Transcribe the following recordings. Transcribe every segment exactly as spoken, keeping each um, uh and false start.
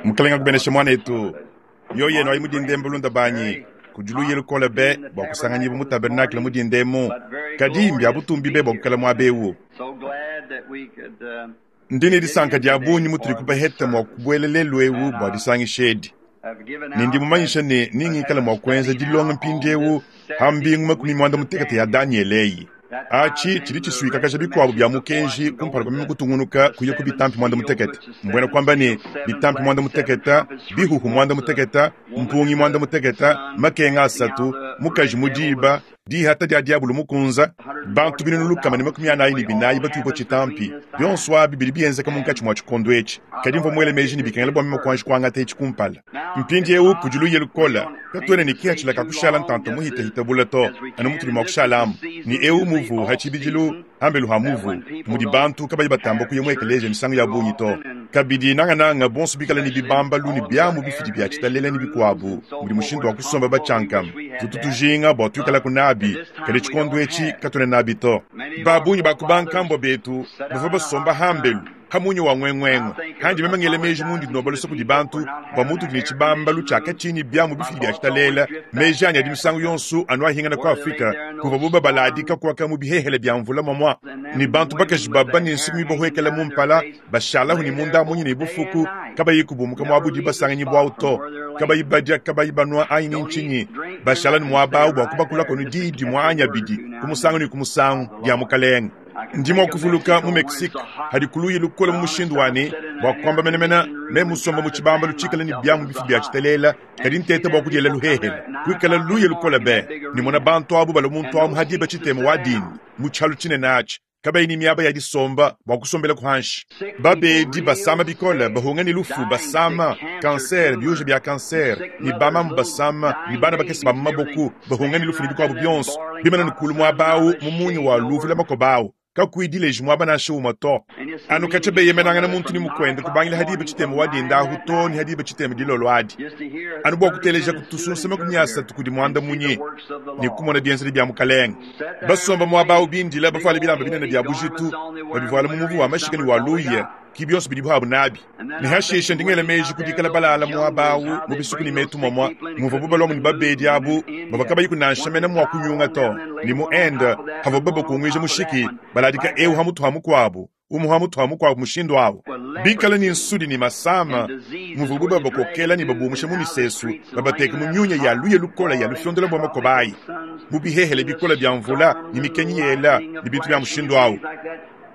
Mukalenga akubeneshe muanetu. Mioyo yenu ayi mu dinda emu balunda banyi, kudi luya lukole be bua kusanganyibua mu tabernakle mu dinda emu, kadi mbia butumbi be bua kuikala muaba eu. Ndi ne disanka dia bungi mutudi kubaheta mua kubuela lelu eu bua disangisha edi. Ne ndi mumanyisha ne ningikala mua kuenza dilonga mpindieu ha mbingu makumi muanda mutekete ya Danyele eyi. Atshi tshidi tshisuikakaja bikuabu bia mukenji kumpala kua meme kutungunuka kuya ku bitampi muanda mutekete. Mbuena kuamba ne, bitampi muanda mutekete, bihuhu muanda mutekete, mpungi muanda mutekete, makenga asatu, mukaji mu diba, dihata dia diabulu mukunza, bantu binunu lukama ne makumi anayi ne binayi batuibua tshitampi. Bionso abi bidi bienzeka munkatshi mua tshikondo etshi. Kadi mvua muele meji ne bikengela bua meme kuanji kuangata etshi kumpala. Mpindieu kudi luya lukole, katuena ne kihatshila ka kushala ntanta muhitahita bule to, anu mutudi mua kushalamu. Ne eu muvu ha tshibidilu hambelu ha muvu, mudi bantu kabayi batamba kuya mu ekeleziya misangu ya bungi to. Kabidi nangananga bonso bikale ne bibambalu ne biamu bifidi bia tshitalela ne bikuabu, mudi mushindu wa kusomba batshiankama. Tutu tujinga bua tuikalaku nabi, kadi tshikondo etshi katuena nabi to. Ba bungi ba ku bankambua betu bavua basomba hambelu ha munya wa nguenguengue. Handi meme ngela meji mundi ndomba luse kudi bantu bua mutudi ne tshibambalu tshia katshinyi biamu bifidi bia tshitalela. Meji anyi adi misangu yonso anu ahingana ku Afrika, kuvuabu babaladika kuaka mu bihehele bia mvula muamua, ne bantu bakaji baba ne nsuki mibahuekela mu mpala, bashalahu ne munda munyi ne bufuku, kabayi kubumuka muabu di basanganyibwawu to, kabayi badia, kabayi banua anyi ni ntshinyi, bashala ne muaba awu bua kubakulako ne diyi dimue anyi abidi ku musangu ne ku musangu dia Mukalenge. Ndi mua kuvuluka mu Mexique hadi kuluya lukole mu mushindu wa ne, bua kuamba menemene, meme musomba mu tshibambalu tshikale ne biamu bifi bia tshitalela, kadi nteta bua kudiela luhehele, kuikala luya lukole be, ne mona bantu abu balua muntu amu ha diba tshitema wa dinda mu tshialu tshinene atshi, kabayi ne miaba ya disomba bua kusombela ku hanshi. Babedi basama bikole, bahunga ne lufu, basama kanser, biuja bia kanser, ne bamamu basama, ne bana bakese ba mu maboku bahunga ne lufu ne bikuabu bionso, bimana ne kulu muaba au mu munya wa luvu la makoba au, kakuyi dileji muaba nansha umue to. Anu katshia beyemenangana muntu ne mukuende kubangila ha diba tshitema wa dinda ahu to ne ha diba tshitema dilolo adi, anu bua kuteleja kutusunsa makumi asatu kudi muanda munyi ne kumona bienzedi bia Mukalenge. Basomba muaba au bindila, bavuale bilamba binene bia bujitu, babivuala mu muvu wa mashika ne wa luya, ki bionso bidibu abu nabi. Ne hashishe ndi ngela meji ku dikala balala muaba au mu bisuku ne metu muamua, muvuabu baluamu ne babedi abu bavua kabayiku nansha mene mua kunyunga to, ne mu Inde havuabu babakunguija mushiki, baladika eu ha mutu ha mukuabu, umue ha mutu ha mukuabu mushindu au, bikale ne nsudi ne masama, muvuabu babakokela ne babumusha mu misesu, babateka mu miunya ya luya lukole ya lufiondela bua makoba ayi, mu bihehele bikole bia mvula ne mikenyi yela ne bintu bia mushindu au.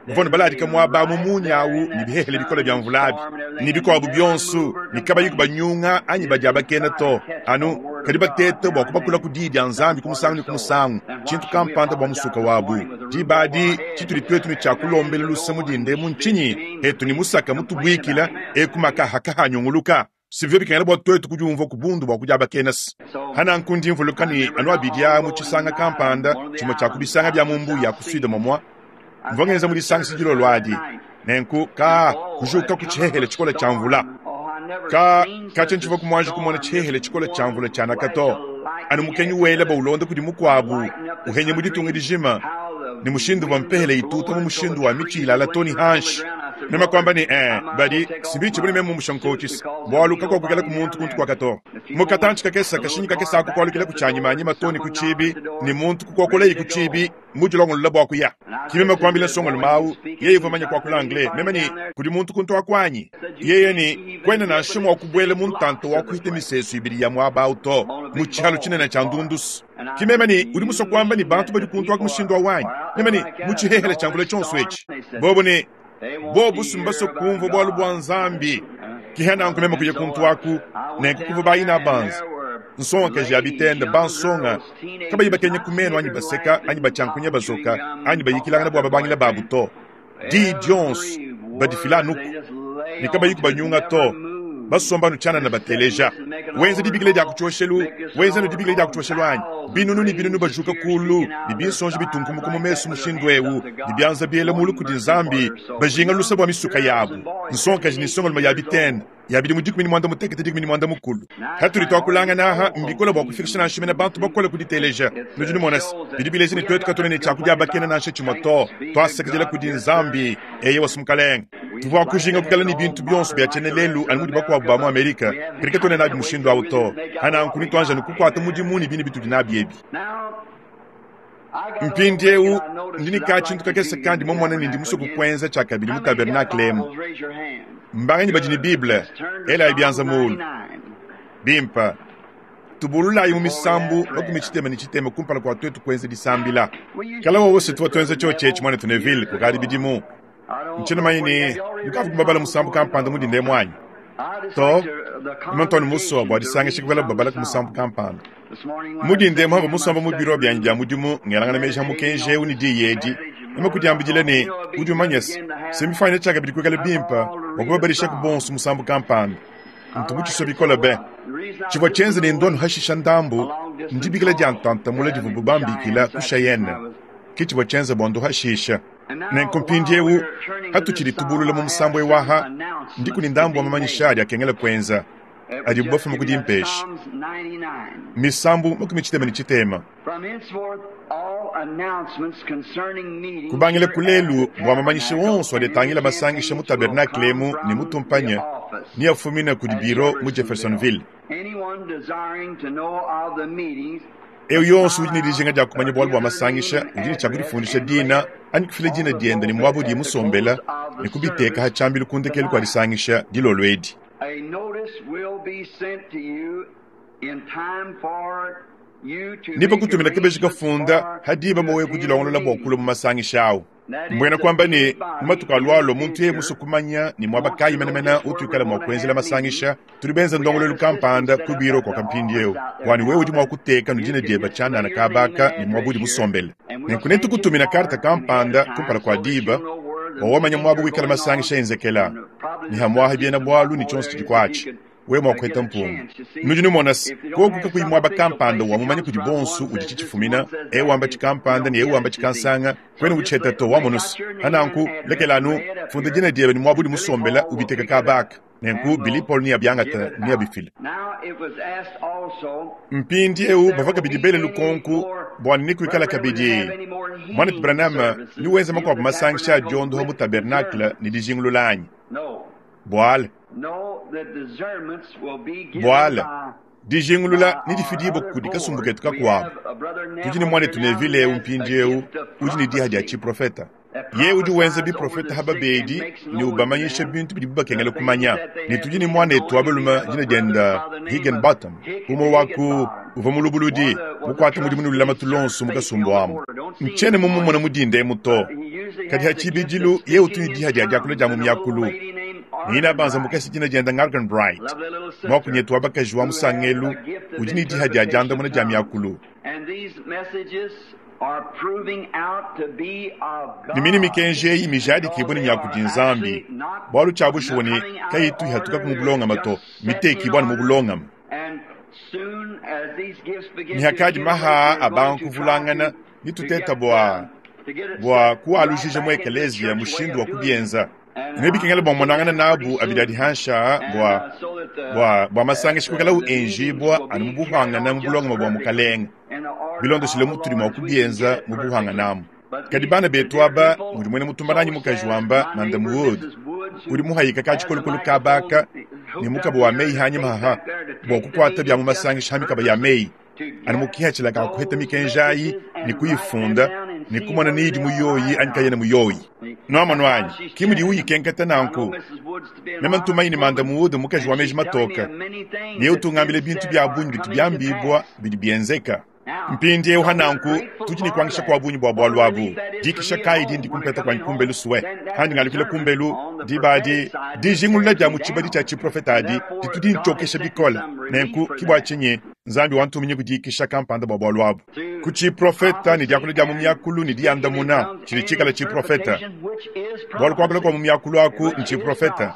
Bavua baladika muaba mu munya au ne bihehele bikole bia mvula abi ne bikuabu bionso, ne kabayi kubanyunga anyi badiabakena to, anu kadi batete bua kubakula ku diyi dia Nzambi ku musangu ne ku musangu, tshintu kampanda bua musuka wabu. Diba adi tshitudi tuetu ne tshia kulombela luse mu dinda emu ntshinyi? Etu ne musaka mutubuikila eku makaha kahanyunguluka. Sivyo bikengela bua tuetu kudiumvua ku bundu bua kudiabakena se. Hananku ndi mvuluka ne anu abidi aa mu tshisanga kampanda, tshimue tshia ku bisanga bia mu mbuyi ya ku Sud muamua, mvua ngenza mu disangisha dilolo adi. Nenku ka kujuka ku tshihehele tshikole tshia mvula. Ka katshia ntshivua kumuanji kumona tshihehele tshikole tshia mvula tshianaka to. Anu mukenyi wela baulonda kudi mukuabu, uhenya mu ditunga dijima, ne mushindu wa mpehele ituta mu mushindu wa mitshi ilala to ne hanshi. Meme kuamba ne, eh, badi sibichi bune meme mumusha nkotshisa, bualu kakuakukela ku muntu kuntu kuaka to. Mu katantshi kakese kashinyi kakese aku kualukila ku tshianyimanyima to ne ku tshibi, ne muntu kukuakolayi ku tshibi mudilongolola bua kuya. Ki meme kuambila nsongalume au, yeye uvua manya kuakula anglais, meme ne, kudi muntu kuntu aku anyi? Yeye ne, kuena nansha mua kubuela mu ntanta wa kuhita misesu ibidi ya muaba au to, mu tshialu tshinene tshia ndundusu. Ki meme ne, udi musue kuamba ne bantu badi kuntu aku mushindu au anyi? Meme ne, mu tshihehele tshia mvula tshionso etshi. Bobo ne, bobu simbasue kumvua bualu bua Nzambi. Ki hananku meme kuya kuntu aku, nenku kuvua bayina banza, nsongakaji ya bitende, bansonga kabayi bakenya ku menu anyi baseka anyi batshiankunya bazoka anyi bayikilangana bua babangila babu to. Diyi dionso badifila anuku ne kabayi kubanyunga to, basomba anu tshianana bateleja. Wenza dibikila dia ku tshioshelu, wenza anu dibikila dia ku tshioshelu anyi? Binunu ne binunu bajuka kulu ne binsonji bitunkumuka mu mesu mushindu eu, ne bianza biela mulu kudi Nzambi, bajinga luse bua misuka yabu. Nsongakaji ne nsongalume ya bitende Ya bidimu dikumi ne muanda mutekete dikumi ne muanda mukulu. Hatudi tuakulangana aha, mbikole bua kufikisha nansha mene bantu bakole ku diteleja. Nudi numona se, bidi bileja ne tuetu katuena ne tshia kudiabakena nansha tshimue to. Tuasakidila kudi Nzambi, eyewa Mukalenge. Tuvua kujinga kuikala ne bintu bionso bia tshiena lelu anu mudi bakuabu ba mu Amerika, kadi katuena nabi mushindu awu to. Hananku nituanji anu kukuata mudimu ne bine bitudi nabi ebi. Mpindieu ndi ne katshintu kakese kandi mumone ne ndi musue kukuenza tshiakabidi mu tabernakle emu. Mbanganyi badi ne Bible? Elayi bianza muulu. Bimpe. Tubululayi mu misambu makumi tshitema ne tshitema kumpala kua tuetu kuenza disambila. Kala wose tuvua tuenza tshiotshi etshi muanetu Neville kukadi bidimu. Ntshiena mumanye ne nukavua kubabala musambu kampanda mu dinda emu anyi? To, meme musue bua disangisha kuikala babala ku musambu kampanda. Mu dinda emu havua musomba mu biro bianyi bia mudimu ngelangana meji a mukenji eu ne diyi edi. Meme kudiambidila ne udi umanya se, se mbifuanyine tshiakabidi kuikala bimpe bua kubabadishaku bonso musambu kampanda. Ntu mutshisue bikole be. Tshivua tshienza ne ndua nuhashisha ndambu ndibikila dia ntantamula divuabu bambikila ku Cheyenne. Ke tshivua tshienza bua nduhashisha. Nenku mpindieu hatutshidi tubulula mu musambu ewu aha, ndiku ne ndambu wa mamanyisha adi akengela kuenza adibu bafuma ku dimpesha. Misambu makumi tshitema ne tshitema. Kubangila ku lelu bua mamanyisha wonso adi atangila masangisha mu tabernakle emu ne mu tumpanya ne afumina kudi biro mu Jeffersonville. Eu yonso udi ne dijinga dia kumanya bualu bua masangisha udi ne tshia kudifundisha dina anyi kufila dina diende ne muaba udiye musombela ne kubiteka ha tshiambilu ku ndekelu kua disangisha dilolo edi. Nipa kutumina kabeji kafunda ha diba bua wewe kudilongolola bua kulua mu masangisha awu. Mbuena kuamba ne mu matuku alualua muntu yeye musue kumanya ne muaba kayi menemene utuikala mua kuenzela masangisha, tudi benza ndongoluelu kampanda ku biro kuaka mpindieu bua ne wewe udi mua kuteka nu dina diebe tshianana kabaka ne muaba udi musombele. Nenku netukutumina karte kampanda kumpala kua diba bua wamanya muaba wikala masangisha enzekela ne hamuaha biena bualu ne tshionso tshidi kuatshi. Wewe mua kuheta mpunga. Nudi numona se, koku kakuyi muaba kampanda wa mumanya kudi bonso udi tshitshifumina, ewu wamba tshikampanda ne ewu wamba tshikansanga, kwena utshiheta to wamona se. Hananku, lekela anu, funda dina diebe ne muaba udi musombela ubiteka kabaka. Nenku, Billy Paul neabiangata neabifile. Mpindieu bavua kabidi bele lukonku bua ne kuikala kabidi Mwanetu Branham ni wenza makuabu masangisha a diondoha mu tabernakle ne dijingulula anyi? Buala. Buala. Dijingulula ne difidibua kudi kasumbu ketu kakuabu. Tudi ne mwanetu Neville eu mpindieu udi ne diha dia tshiprofeta. Ye udi wenza biprofeta ha babedi ne ubamanyisha bintu bidibu bakengela kumanya. Ne tudi ne mwanetu wa balume dina dienda Higginbotham, umue wa ku uvua mulubuludi mukuate mudimu ne lulamatu luonso mu kasumbu amu. Ntshiena mumumone mu dinda emu to. Kadi ha tshibidilu ye utu ne diha dia diakula dia mu miakulu. Nina banza mukese dina dienda Arganbright, mwakunyetu wa bakaji wa musangelu udi ne diha dia diandamuna dia miakulu. Ne mine mikenji eyi mijadikibue ne miaku di Nzambi, bualu tshia bushuwa ne kayitu ihatuka mu bulongame to, mitekibua anu mu bulongame. Ne hakadi maha a bantu kuvulangana nituteta bua bua kualujija mu ekelezia mushindu wa kubienza. Ne bikengela bua monangana nabu abidi adi hansha bua bua bua masangisha kuikala enjibua anu mu buhangana mu bulongame bua mukalenge. Bilondeshile mutudi mua kubienza mu buhanganamu. Kadi bana betu aba mudi muena mutumba nanyi mukaji wamba Madam Wood udi muhayika ka tshikolokolo kabaka ne mukaba wa meyi hanyima haha bua kukuata bia mu masangisha ha mikaba ya meyi anu mukihatshila ka kuheta mikenji ayi ne kuyifunda ne kumona ne idi muyoyi anyi kayena muyoyi. Nuamonu anyi ki mudi uyikenketa nanku. Meme ntumanyi ne Madam Wood mukaji wa meji matoka ne utungambile bintu bia bungi bitu biambibua bidi bienzeka. Mpindieu hananku tudi ne kuangisha kua bungi bua bualu abu. Dikisha kayi dindi kumpeta kuanyi kumbelu suwe. Handi ngalukila kumbelu diba adi dijingulula dia mu tshibadi tshia tshiprofeta adi ditu dintshiokesha bikole. Nenku ki bua tshinyi Nzambi wantuminye kudikisha kampanda bua bualu abu. Ku tshiprofeta ne diakula dia mu miakulu ne diandamuna tshidi tshikala tshiprofeta. Bualu kuakula kua mu miakulu aku ntshiprofeta.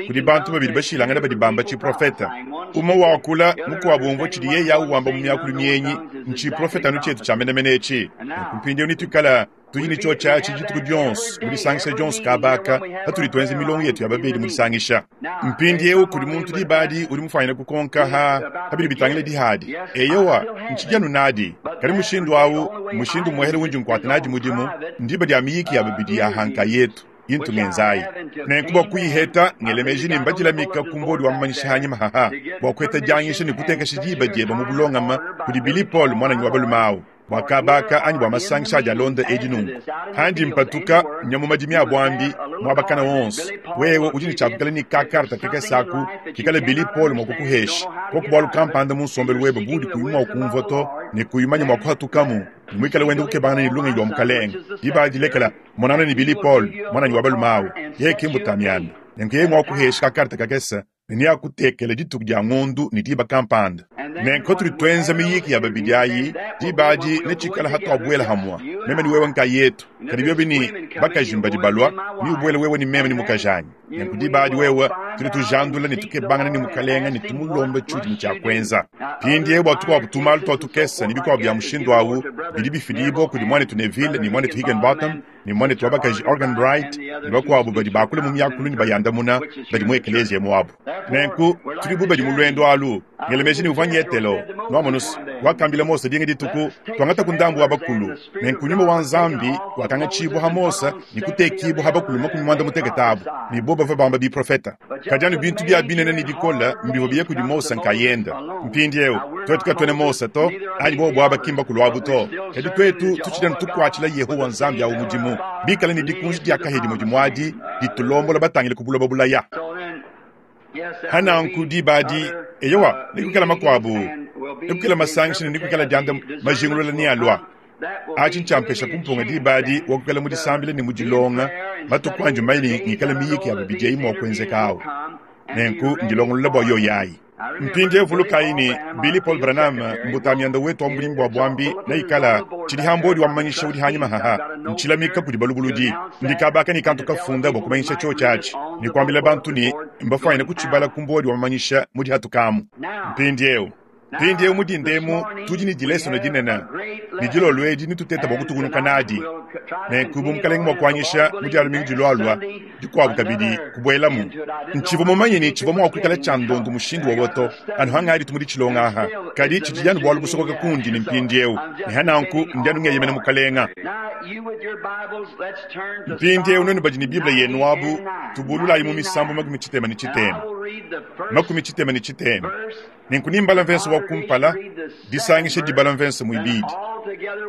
Kudi bantu babidi bashilangana badi bamba tshiprofeta. Umue wakula mukuabu umvua tshidi yeye awu wamba mu miakulu mienyi ntshiprofeta anu tshietu tshia menemene etshi. Nenku mpindieu nituikala Tudi ne tshiotshi dituku dionso mu disangisha dionso kabaka patudi tuenza milongo yetu ya babedi mu disangisha. Mpindieu kudi muntu dibadi udi mufanyine kukonka ha habidi bitangila dihadi. Eyowa ntshijanu nadi kadi mushindu awu mushindu muhele undi nkuata nadi mudimu ndiba dia miyiki ya babidi ya hanka yetu yintu ngenzayi. Nenku bua kuyiheta ngelemeji ne mbadilamika ku mbodi wa mamanyisha hanyima haha bua kuheta diangisha ne kutekesha diba dieba mu bulongama kudi Billy Paul mwananyi wa balume awu bua kabaka anyi bua masangisha adi alonda edi nunku. Handi mpatuka nyamu madimi a bwambi mwabakana wonso wewe udi ne tshiakukala ne kakarta kakasaku kikala Billy Paul mua kukuhesha koku bwalu kampanda mu nsombelu webe budi kuyi mua kumvua to ne kuyimanya mua kuhatukamu mwikala wende kukebangana ne lungenyi lwa mukalenga diba dilekela monana ne Billy Paul mwananyi wa balume awu yeye kimbutamiana nenku yeye mua kuhesha kakarta kakesa ne akutekela dituku dia ngondu ne diba kampanda. Nenku tuli tuenza miyiki ya babidi ayi diba adi netshikala hatuabuela hamwa meme ni wewe nkayetu kadi biobi ni bakaji mbadi balwa ni ubuele wewe ni meme ni mukajanyi. Nenku diba adi wewe tuli tujandula ne tukebangana ne mukalenga ne tumulomba tshudi ne tshia pindi bua tukuabu tumalu tua tukesa ne bikuabu bya mushindu awu bidi bifidibwa kudi mwanetu Neville ne mwanetu Higginbotham ne mwanetu wa bakaji Organ Bright ne bakuabu badi bakula mu miakulu ne bayandamuna badi mu ekelezia muabu. Nenku tuli bu badi mu lwendo alu ngelemeji ne uvua nyetelo nwamonusu wakambila Mose dinga dituku twangata ku ndambu wa bakulu. Nenku nyuma wa Nzambi wakangatshibwa ha Mose ne kutekibwa ha bakulu makumi mwanda mutekete abu ne bo bava bamba biprofeta. Kadi bintu bya binene ne bikola mbivo biye kudi Mose nkayenda. Mpindieu twetu katwene Mose to anyi bo bwaba kimba kulwabu to kadi twetu tutshidana tukwatshila Yehowa Nzambi awu mudimu bikala ne dikunji dia kahedi mudimu adi ditulombola batangile ku buloba bulaya. Hananku dibadi eyowa nikukala makwabu nikukala masangisha ne nikukala dianda majingulula ni alwa achi nchampesha kumpunga dibadi wakukala mu disambila ne mu dilonga matuku anji maini ngikala miyiki ya babidi ayi mua kuenzeka awu. Nenku ndilongolola bua yoyayi. Mpindi evulukayi ni Billy Paul Branham mbutamianda wetu wa mulimbu wa bwambi na ikala tshidi hambodi wa mmanyisha udi hanyima haha ntshilamika kudi balubuludi ndikabaka ni kantu kafunda bua kumanyisha tshiotshi atshi ni kuambila bantu ni mbafwanyine kutshibala ku mbodi wa mamanyisha mudi hatukamu. Mpindi eu mpindi eu mudindemu tudi ni dilesono dinene ni dilolo edi nituteta bua kutukunuka nadi. Nenku bu mukalenga mua kuanyisha mudi alumingu dilwalwa dikuabu kabidi kubuelamu. Ntshivua mumanye ni tshivua mua kuikala tshia ndondu mushindu wowoto anu hangadi tumudi tshilonga aha kadi tshidi yanu bualu busokoka kundi ni mpindi eu ne hananku ndianu ngeyemena mukalenga. Mpindi eu nenu badi ni Biblia yenu abu tubululayi mu misambu makumi tshitema ne tshitema makumi tshitema ne tshitema. Nenku nimbala mvenso wa kumpala disangisha dibala mvenso muibidi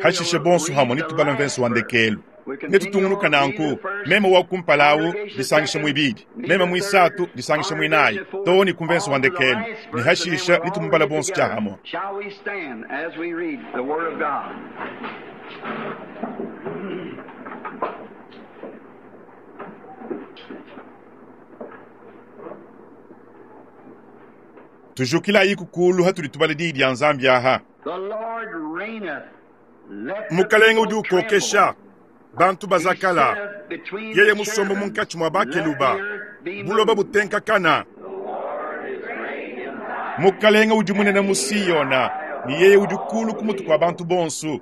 hashishe bonso hamwe nitubala mvenso wa ndekelu netutungunuka nanku meme wa kumpala awu disangisha muibidi meme muisatu disangisha muinayi too ni kumvenso wa ndekelu ne hashisha nitumumbala bonso tshia hamwe. Tujukilayi kukulu hatuli tubala diyi dia Nzambi aha. Mukalenga udi ukokesha bantu bazakala yeye musombo munkatshi mua bakeluba buloba butenkakana. Mukalenga udi munene mu Siyona ni yeye udi kulu ku mutu kua bantu bonso.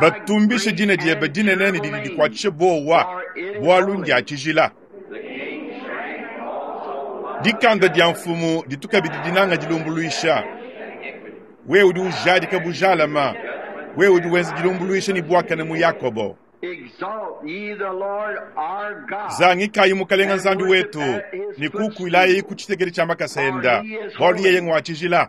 Batumbishe dina diebe dinene ne didi dikuatshishe bowa bwalu ndia tshijila. Dikanda dia mfumu ditukabidi dinanga dilumbuluisha. Wewe udi ujadika bujalama wewe udi wenza dilumbuluisha ni bwakane mu Yakobo. Zangikayi mukalenga Nzambi wetu ni kukuilayi ku tshitekeli tshia makasenda bwalu yeye ngwa tshijila.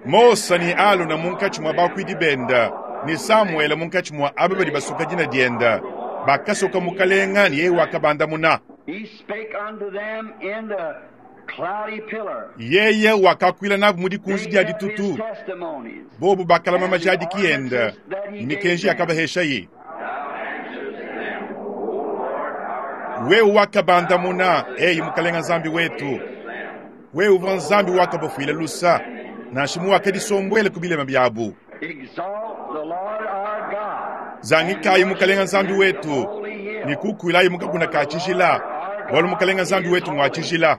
Mose ni Alona munkatshi mua bakuidi benda ni Samuele munkatshi mua aba badi basuka dina dienda bakasoka mukalenga ni yeye wakabandamuna. Yeye wakakwila nabu mu dikunji dia ditutu bobu bakalama majadiki yenda ni mikenji yakabaheshayi. Wewe wakabandamuna eyi mukalenga Nzambi wetu wewe uvua Nzambi wakabafuila lusa nansha muwakadisombwele ku bilema byabu. Zangikayi mukalenga Nzambi wetu ni kukuilayi mukakuna ka tshijila bwalu mukalenga Nzambi wetu ngwa tshijila.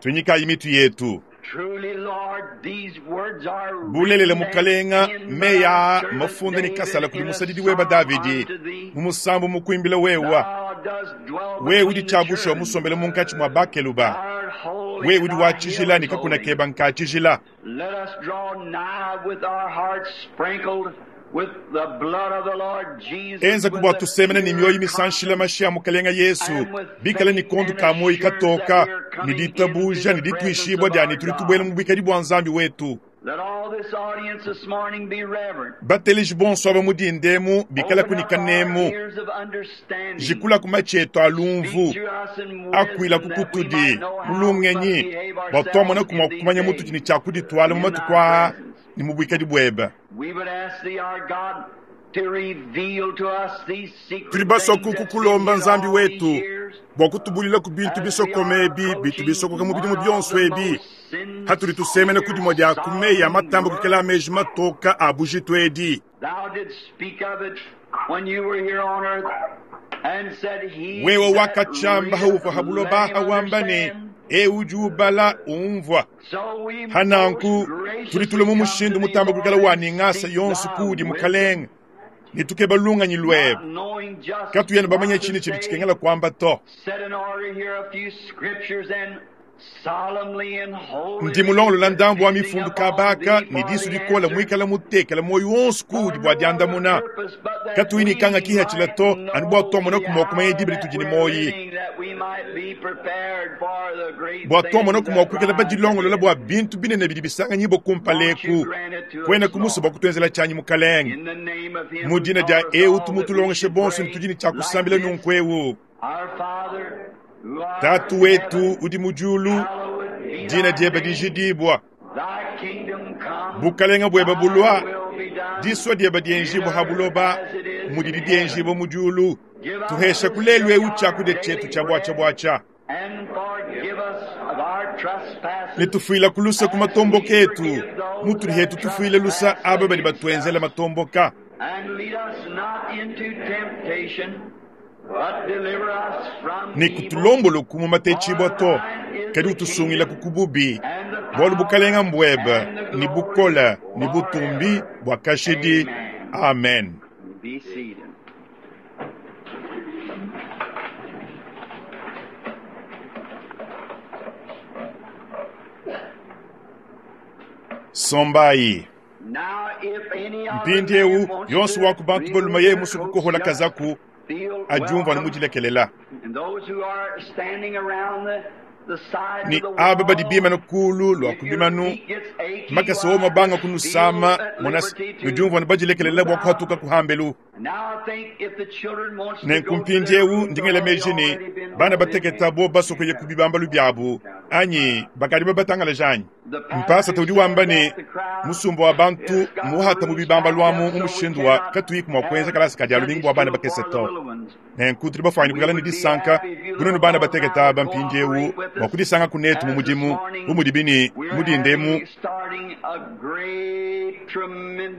Tunyikayi mitu yetu. Bulelela mukalenga meyi aa mafunda ne kasala kudi musadidi weba Davidi mu musambu mukuimbila wewa. Wewe udi tshiabushuwa musombele munkatshi mua bakeluba. Wewe udi wa tshijila ne kakuna keba nka tshijila. Enza ku bua tusemena ne mioyo misanshila mashi a mukalenga Yesu, bikale ne kondu ka moyi katoka ne ditabuja ne dituishibua dia ne tudi tubuela mu buikadi bua Nzambi wetu. Bateleji bonso aba mu dindemu bikale kunika nemu jikula ku matshi etu alumvu akuila ku kutudi mu lungenyi bua tuamona ku mua kumanya mutudi ne tshia kudituala mu matuku aa ne mu buikadi buebe. Tudi basua kukulomba Nzambi wetu bua kutubulila ku bintu bisokome ebi bitu bisokoka mu bidimu bionso ebi hatudi tusemena ku dimue dia ku meyi a matamba kukela meji matoka a bujitu edi. Wewe wakatshamba hauvua habuloba hawamba ne eu udi ubala umvua. Hananku tudi tule mu mushindu mutamba kukela wa ningasa yonso kudi mukalenga ne tukeba lunganyi lwebe katuyena bamanya tshine tshidi tshikengela kuamba to. Ndi mulongolola ndambu wa mifundu kabaka ne disu dikola muikala mutekela moyo wonso kudi bua diandamuna katuyi ne kanga kihatshila to anu bua tuamona kumua kumanya diba ditudi ne moyi bua tuamona kumua kuikala badilongolola bua bintu binene bidi bisanganyibwa kumpaleku kwena kumusa bua kutuenzela tshianyi mukalenge mu dina dia eu tumutulongeshe bonso ne tudi ne tshia kusambila nunku eu. Tatu wetu udi mu diulu, dina diebe dijidibwa, bukalenga buebe bulua, disua diebe dienjibwa ha buloba mudidi dienjibwa mu diulu. Tuhesha kulelu eu tshiakudia tshietu tshia bwacha-bwacha ne tufuila kulusa ku matomboka etu mutudi hetu tufuile lusa aba badi batuenzela matomboka. Ne kutulomboloku mu matetshibwa to kadi utusungila ku kububi bualu bukalenga mbwebe ne bukola ne butumbi bua kashidi. Amen. Sombayi mpindiewu yonso wa ku bantu balume yeye musu kukohola kazaku adiumvua ne mudilekelela ni aba badi bimana kulu lua kubimanu makasa wo mabanga kunusama monasi nudiumvua ne badilekelela bua kuhatuka kuhambelu. Nenku mpindiewu ndingela meji ne bana bateketa bo basokoye ku bibambalu biabu anyi bakadi babatangalaja anyi. Mpasata udi wamba ne musumba wa bantu muhata mu bibambalu amu mu mushindu wa katuyi mua kuenza kalasa ka dia lumingu bua bana bakese to. Nenku tudi bafuanyine kuikala ne disanka kununu bana bateketa aba mpindiewu bua kudisanga kunetu mu mudimu bu mudibi ne mudindemu.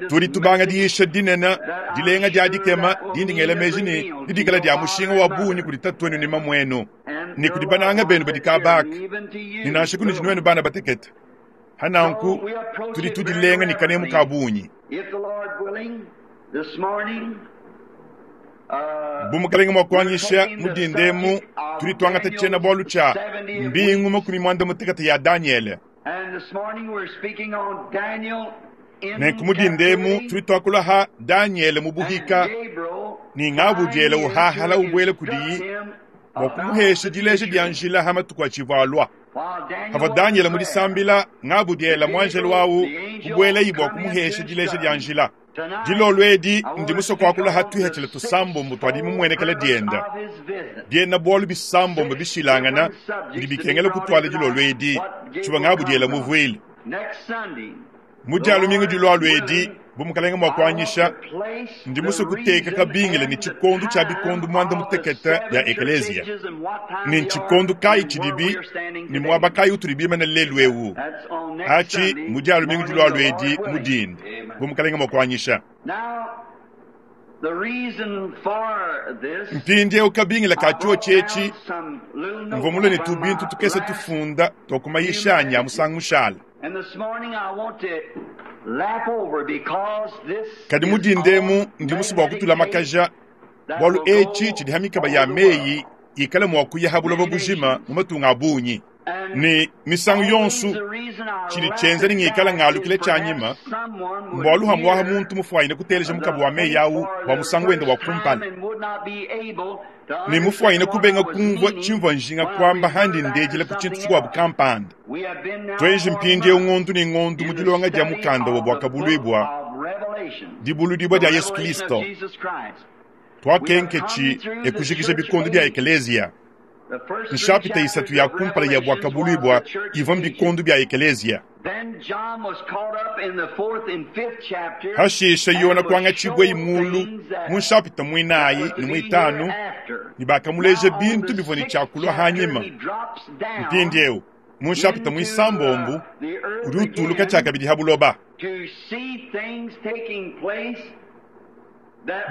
Tudi tubanga diyisha dinene dilenga dia dikema dindingela meji ne didikala dia mushinga wa bungi kudi tatuenu ne mamuenu ne kudi bananga benu badi kabaka ne nansha kunudi nuenu bana batekete. Hananku tudi tudilenga ne kanemu ka bungi. Bu mukalenga mua kuanyisha mudindemu tudi tuangata tshiena bualu tshia mbingu makumi muanda mutekete ya Daniele. Nenku mudindemu tudi tuakula ha Daniele mu buhika ne ngabudiele uhahala ubuele kudiyi bua kumuhesha dileja dia njila ha matuku atshivua alua. Havua Daniele mudisambila ngabudiela muanjelo wawu kubueleyi bua kumuhesha dileja dia njila. Dilolo edi ndi musoko wakula ha tuihatshila tusambombo twadi mumuenekela dienda biena bualu bisambombo bishilangana bidi bikengela kutwala dilolo edi tshivua ngabudiela muvuile. Mu dia lumingu dilolo edi bu mukalenga mua kuanyisha ndi musue kuteka kabingila ne tshikondo tshia bikondo muanda mutekete ya ekeleziya ne ntshikondo kayi tshidibi ne muaba kayi utudi bimana lelu ewu atshi mu dia lumingu dilolo edi mu dinde bu mukalenga mua kuanyisha. Mpindieu kabingila ka tshiotshi etshi mvua mulue ne tubintu tukese tufunda tua kumayisha anyi a musangu mushala. Kadi mu dinda emu ndi musue bua kutulamakaja bualu etshi tshidi ha mikaba ya meyi ikala mua kuya ha buloba bujima mu matunga a bungi. Ne misangu yonso tshidi tshienza ne ngikala ngalukila tshianyima mbualu hamuaha muntu mufuanyine kuteleja mukaba wa meyi awu bua musangu wende wa kumpala ne mufuanyine kubenga kumvua tshimvua njinga kuamba handi ndejela ku tshintu tshikuabu kampanda. Tuenji mpindieu ngondu ne ngondu mu dilonga dia mukanda wa Buakabuluibua, dibuludibua dia Yesu Kristo. Tuakenketshi ekujikija bikondo bia ekeleziya. Nshapita isatu ya kumpala ya Buakabuluibua ivua bikondo bia ekeleziya. Hashisha Yona kuangatshibua imulu mu nshapita muinayi ne muitanu ne bakamuleja bintu bivua ne tshiakulua hanyima. Mpindieu mu nshapita muisambombo udi utuluka tshiakabidi ha buloba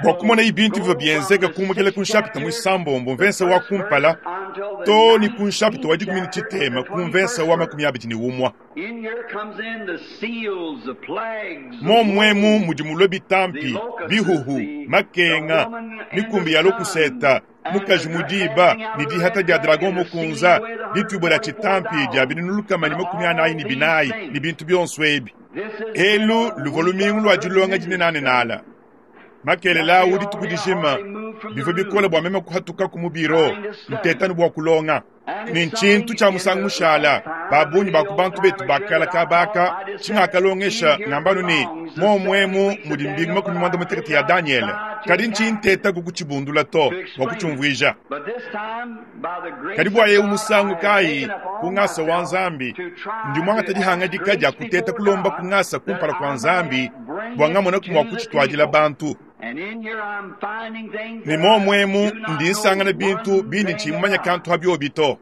bua kumona ibintu bivua bienzeka kumukela ku nshapita muisambombo mvensa wa kumpala to ne ku nshapita wa dikumi ne tshitema ku mvensa wa makumi abidi ne umua. Momwemu mudi mulue bitampi, bihuhu, makenga, mikumbi ya lokuseta, mukaji mudiba ne dihata dia dragon mukunza, dituibua dia tshitampi dia binunu lukama ne makumi anayi ne binayi ne bintu bionso ebi. Elu luvua lumingu lua dilonga dinenanenala. Makelela awu dituku dijima bivua bikole bua meme kuhatukaku mu biro ntetanu bua kulonga. Ne ntshintu tshia musangu mushala babungi ba ku bantu betu bakala kabaka tshingakalongesha ngambanu ne momwemu mudi mbingu makumi muanda mutekete ya Daniele. Kadi ntshintetaku kutshibundula to bua kutshiumvuija. Kadi bua eu musangu kayi ku ngasa wa Nzambi ndi muangata dihangadika dia kuteta kulomba ku ngasa kumpala kua Nzambi bua ngamonaku mua kutshituadila bantu. Ne momwemu ndi nsangana bintu bindi ntshimumanya kantu ha biobi to.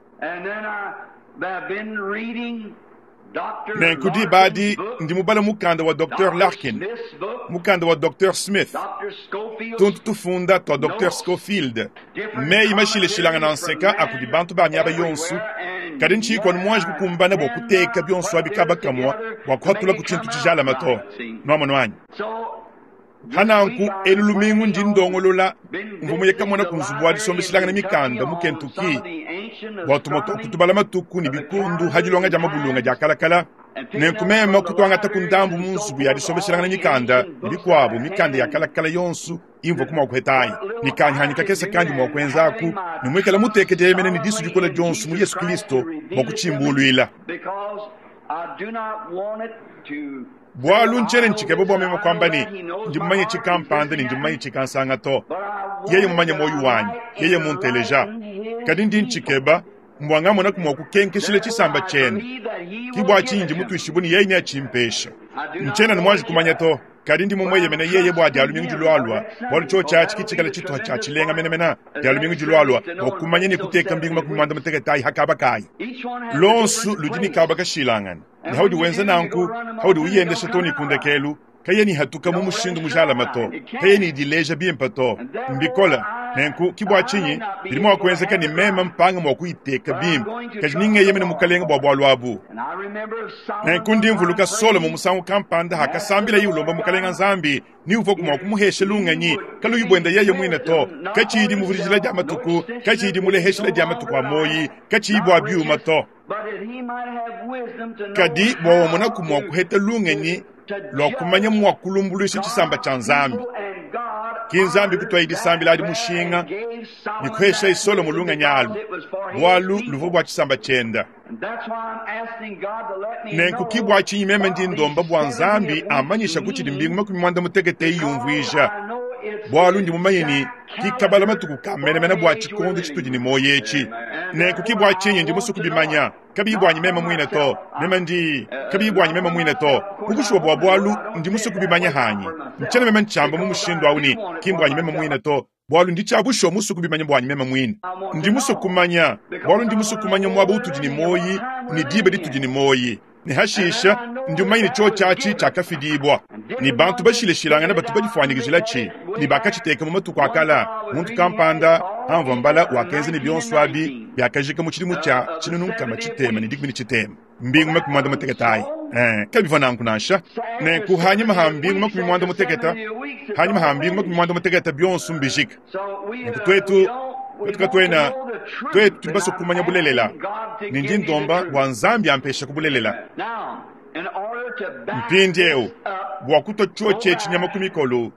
Nenku dibadi ndi mubala mukanda wa Docteur Larkin, mukanda wa Docteur Smith, tuntu tufunda tua Docteur Scofield, meyi mashileshilangana nseka akudi bantu ba miaba yonso, kadi ntshikua muanji kukumbana bua kuteka bionso abi kaba kamua bua kuhatula ku tshintu tshijalama to. Nuamono anyi? Hananku elu lumingu ndi ndongolola mvua muye kamona ku nzubu wa disombeshilangana mikanda mu Kentucky bua tumue tua kutubala matuku ne bikundu ha dilonga dia mabulunga dia kalakala. Nenku meme kutuangata ku ndambu mu nzubu ya disombeshilangana mikanda ne bikuabu mikanda ya kalakala yonso imvua ku mua kuhetayi ne kanyihanyi kakese kandi mua kuenzaku ne muikala muteke dieyemena ne disu dikola dionso mu Yesu Kristo bua kutshimbuluila. Bualu ntshiena ntshikeba bua meme kuamba ne ndi mumanye tshikampanda ne ndi mumanye tshikansanga to. Yeye mumanye muoyo wanyi, yeye munteleja. Kadi ndi ntshikeba mbua ngamonaku mua kukenkeshila tshisamba tshiende. Ki bua tshinyi ndi mutuishibue ne yeye neatshimpesha. Ntshiena ne muanji kumanya to, kadi ndi mumueyemene yeye bua dia lumingu dilualua, bualu tshiotshi atshi kitshikala tshituha tshia tshilenga menemene dia lumingu dilualua bua kumanya ne kuteka mbingu makumi muanda mutekete ayi ha kaba kayi. Lonsu ludi ne kaba kashilangana. Ne haudi wenza nanku, haudi uyendesha to ne kundekelu, kaye ni hatuka mu mushindu mujalama to, kaye ni dileja bimpe to, mbikola. Nenku ki bua tshinyi bidi mua kuenzeka ne meme mpanga mua kuyiteka bimpe, kadi ningeyemene mukalenga bua bualu abu. Nenku ndi mvuluka Solomo musangu kampanda hakasambila ye ulomba mukalenga Nzambi ni uvua mua kumuhesha lungenyi kaluyi buenda yeye muine to, katshiyi muvudijila dia matuku, katshiyi muleheshela dia matuku a moyi, katshiyi bua biuma to. Kadi bua wamonaku mua kuheta lungenyi lua kumanya mua kulumbuluisha tshisamba tshia Nzambi. Ki Nzambi kutuayi disambila adi mushinga ne kuhesha Solomo lungenyi alu, bualu luvua bua tshisamba tshienda. Nenku ki bua tshinyi meme ndi ndomba bua Nzambi amanyisha kutshidi mbingu makumi muanda mutekete iyumvuija, bualu ndi mumanye ne kikabala matuku ka menemene bua tshikondo tshitudi ne muoyo etshi. Nenku ki bua tshinyi ndi musue kubimanya, kabiyi buanyi meme muine to, meme ndi kabiyi buanyi meme muine to, kukushuwa bua bualu ndi musue kubimanya hanyi. Ntshiena meme ntshiamba mu mushindu awu ne ki mbuanyi meme muine to, bualu ndi tshiabushuwa musue kubimanya buanyi meme muine. Ndi musue kumanya, bualu ndi musue kumanya muaba utudi ne muoyi ne diba ditudi ne muoyi. Ne hashisha ndi mumanye ne tshiotshi atshi tshiakafidibua ne bantu bashilashilangana batu badifuanyikijila-tshi ne bakatshiteka mu matuku a kala. Muntu kampanda amvua mbala wakenza ne bionso abi biakajika mu tshidimu tshia tshinunu nkama tshitema ne dikumi ne tshitema mbingu makumi muanda mutekete ayi. Eh, kabivua nanku nansha. Nenku hanyuma ha mbingu makumi muanda mutekete, hanyuma ha mbingu makumi muanda mutekete bionso mbijika. Nenku twetu twetu katwena twetu tudi basue kumanya bulelela ne ndi ndomba bua Nzambi ampesha ku bulelela. Mpindieu bua kutua tshiotshi etshi nyama ku mikolo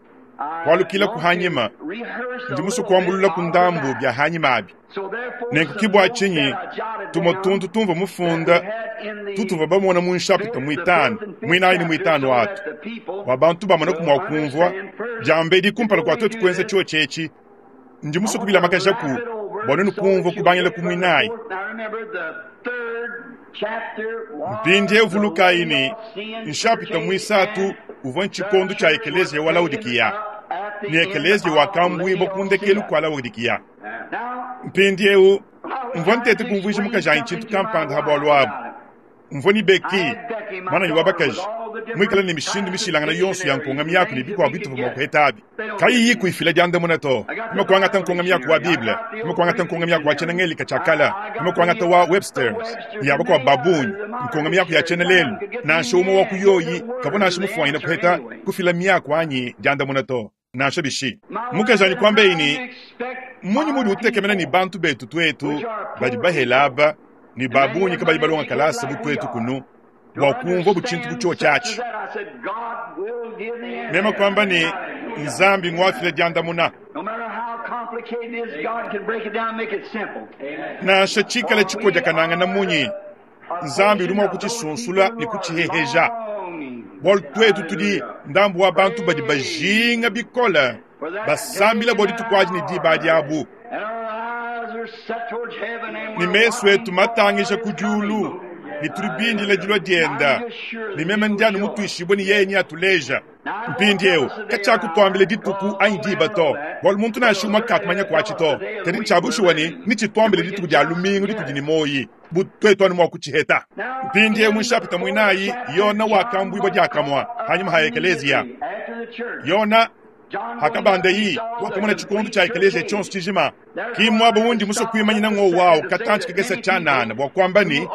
kualukila ku hanyima, ndi musue kuambulula ku ndambu bia hanyima abi. Nenku ke bua tshinyi tumue tuntu tumvua mufunda tutuvua bamona mu nshapita muitanu muinayi ne muitanu atu bua bantu bamone mua kumvua diambedi kumpala kua twetu kuenza tshiotshi etshi. Ndi musue kubilamakajaku bua nuenu kumvua kubangila ku muinayi. Mpindieu vulukayi ne nshapita muisatu uvua ntshikondo tshia ekeleziya wa Laodikiya ne ekeleziya wakambuibua ku ndekelu kua Laodikiya. Mpindieu mvua ntete kumvuija mukajanyi tshintu kampanda ha bualu abu. Mvua ni Becky, mwananyi wa bakaji, muikale ne mishindu mishilangana yonso ya nkonga miaku ne bikuabu bituvua mua kuheta abi. Kayiyi kuifila diandamuna to. Kuma kuangata nkonga miaku wa Bible, kuma kuangata nkonga miaku wa tshiena-Ngelika tshia kala, kuma kuangata wa Webster's, ya bakuabu ba bungi, nkonga miaku ya tshiena-lelu, nansha umue wa ku yoyi kavua nansha mufuanyine kuheta kufila miaku anyi diandamuna to. Nansha bishi. Mukajanyi kuambeyi ne, munyi mudi utekemena ne bantu betu twetu badi bahela aba ne ba bungi kabayi balonga kalasa bu twetu kunu bua kumvua bu tshintu bu tshiotshi atshi. Meme kuamba ne Nzambi ngwafila diandamuna. Nansha tshikala tshikodiakanangana munyi, Nzambi udi mua kutshisunsula ne kutshiheheja. Bualu twetu tudi ndambu wa bantu badi bajinga bikole basambila bua dituku adi ne diba diabu. Ne mesu etu matangisha ku diulu ne tudi bindila dilua dienda ne meme ndianu mutuishibue ne yeye neatuleja. Mpindieu katshiakutuambila dituku anyi diba to, bualu muntu nansha umue kakumanya kuatshi to. Kadi ntshia bushuwa ne nitshituambile dituku dia lumingu ditudi ne muoyi bu twetu anu mua kutshiheta. Mpindieu mu nshapita muinayi Yona wakambuibua diakamua hanyuma ha ekeleziya. Yona hakabanda yi wakamona tshikondo tshia ekeleziya tshionso tshijima. Ki muaba wundi musue kuimanyina ngo wawu katantshi kakese tshianana bua kuamba ne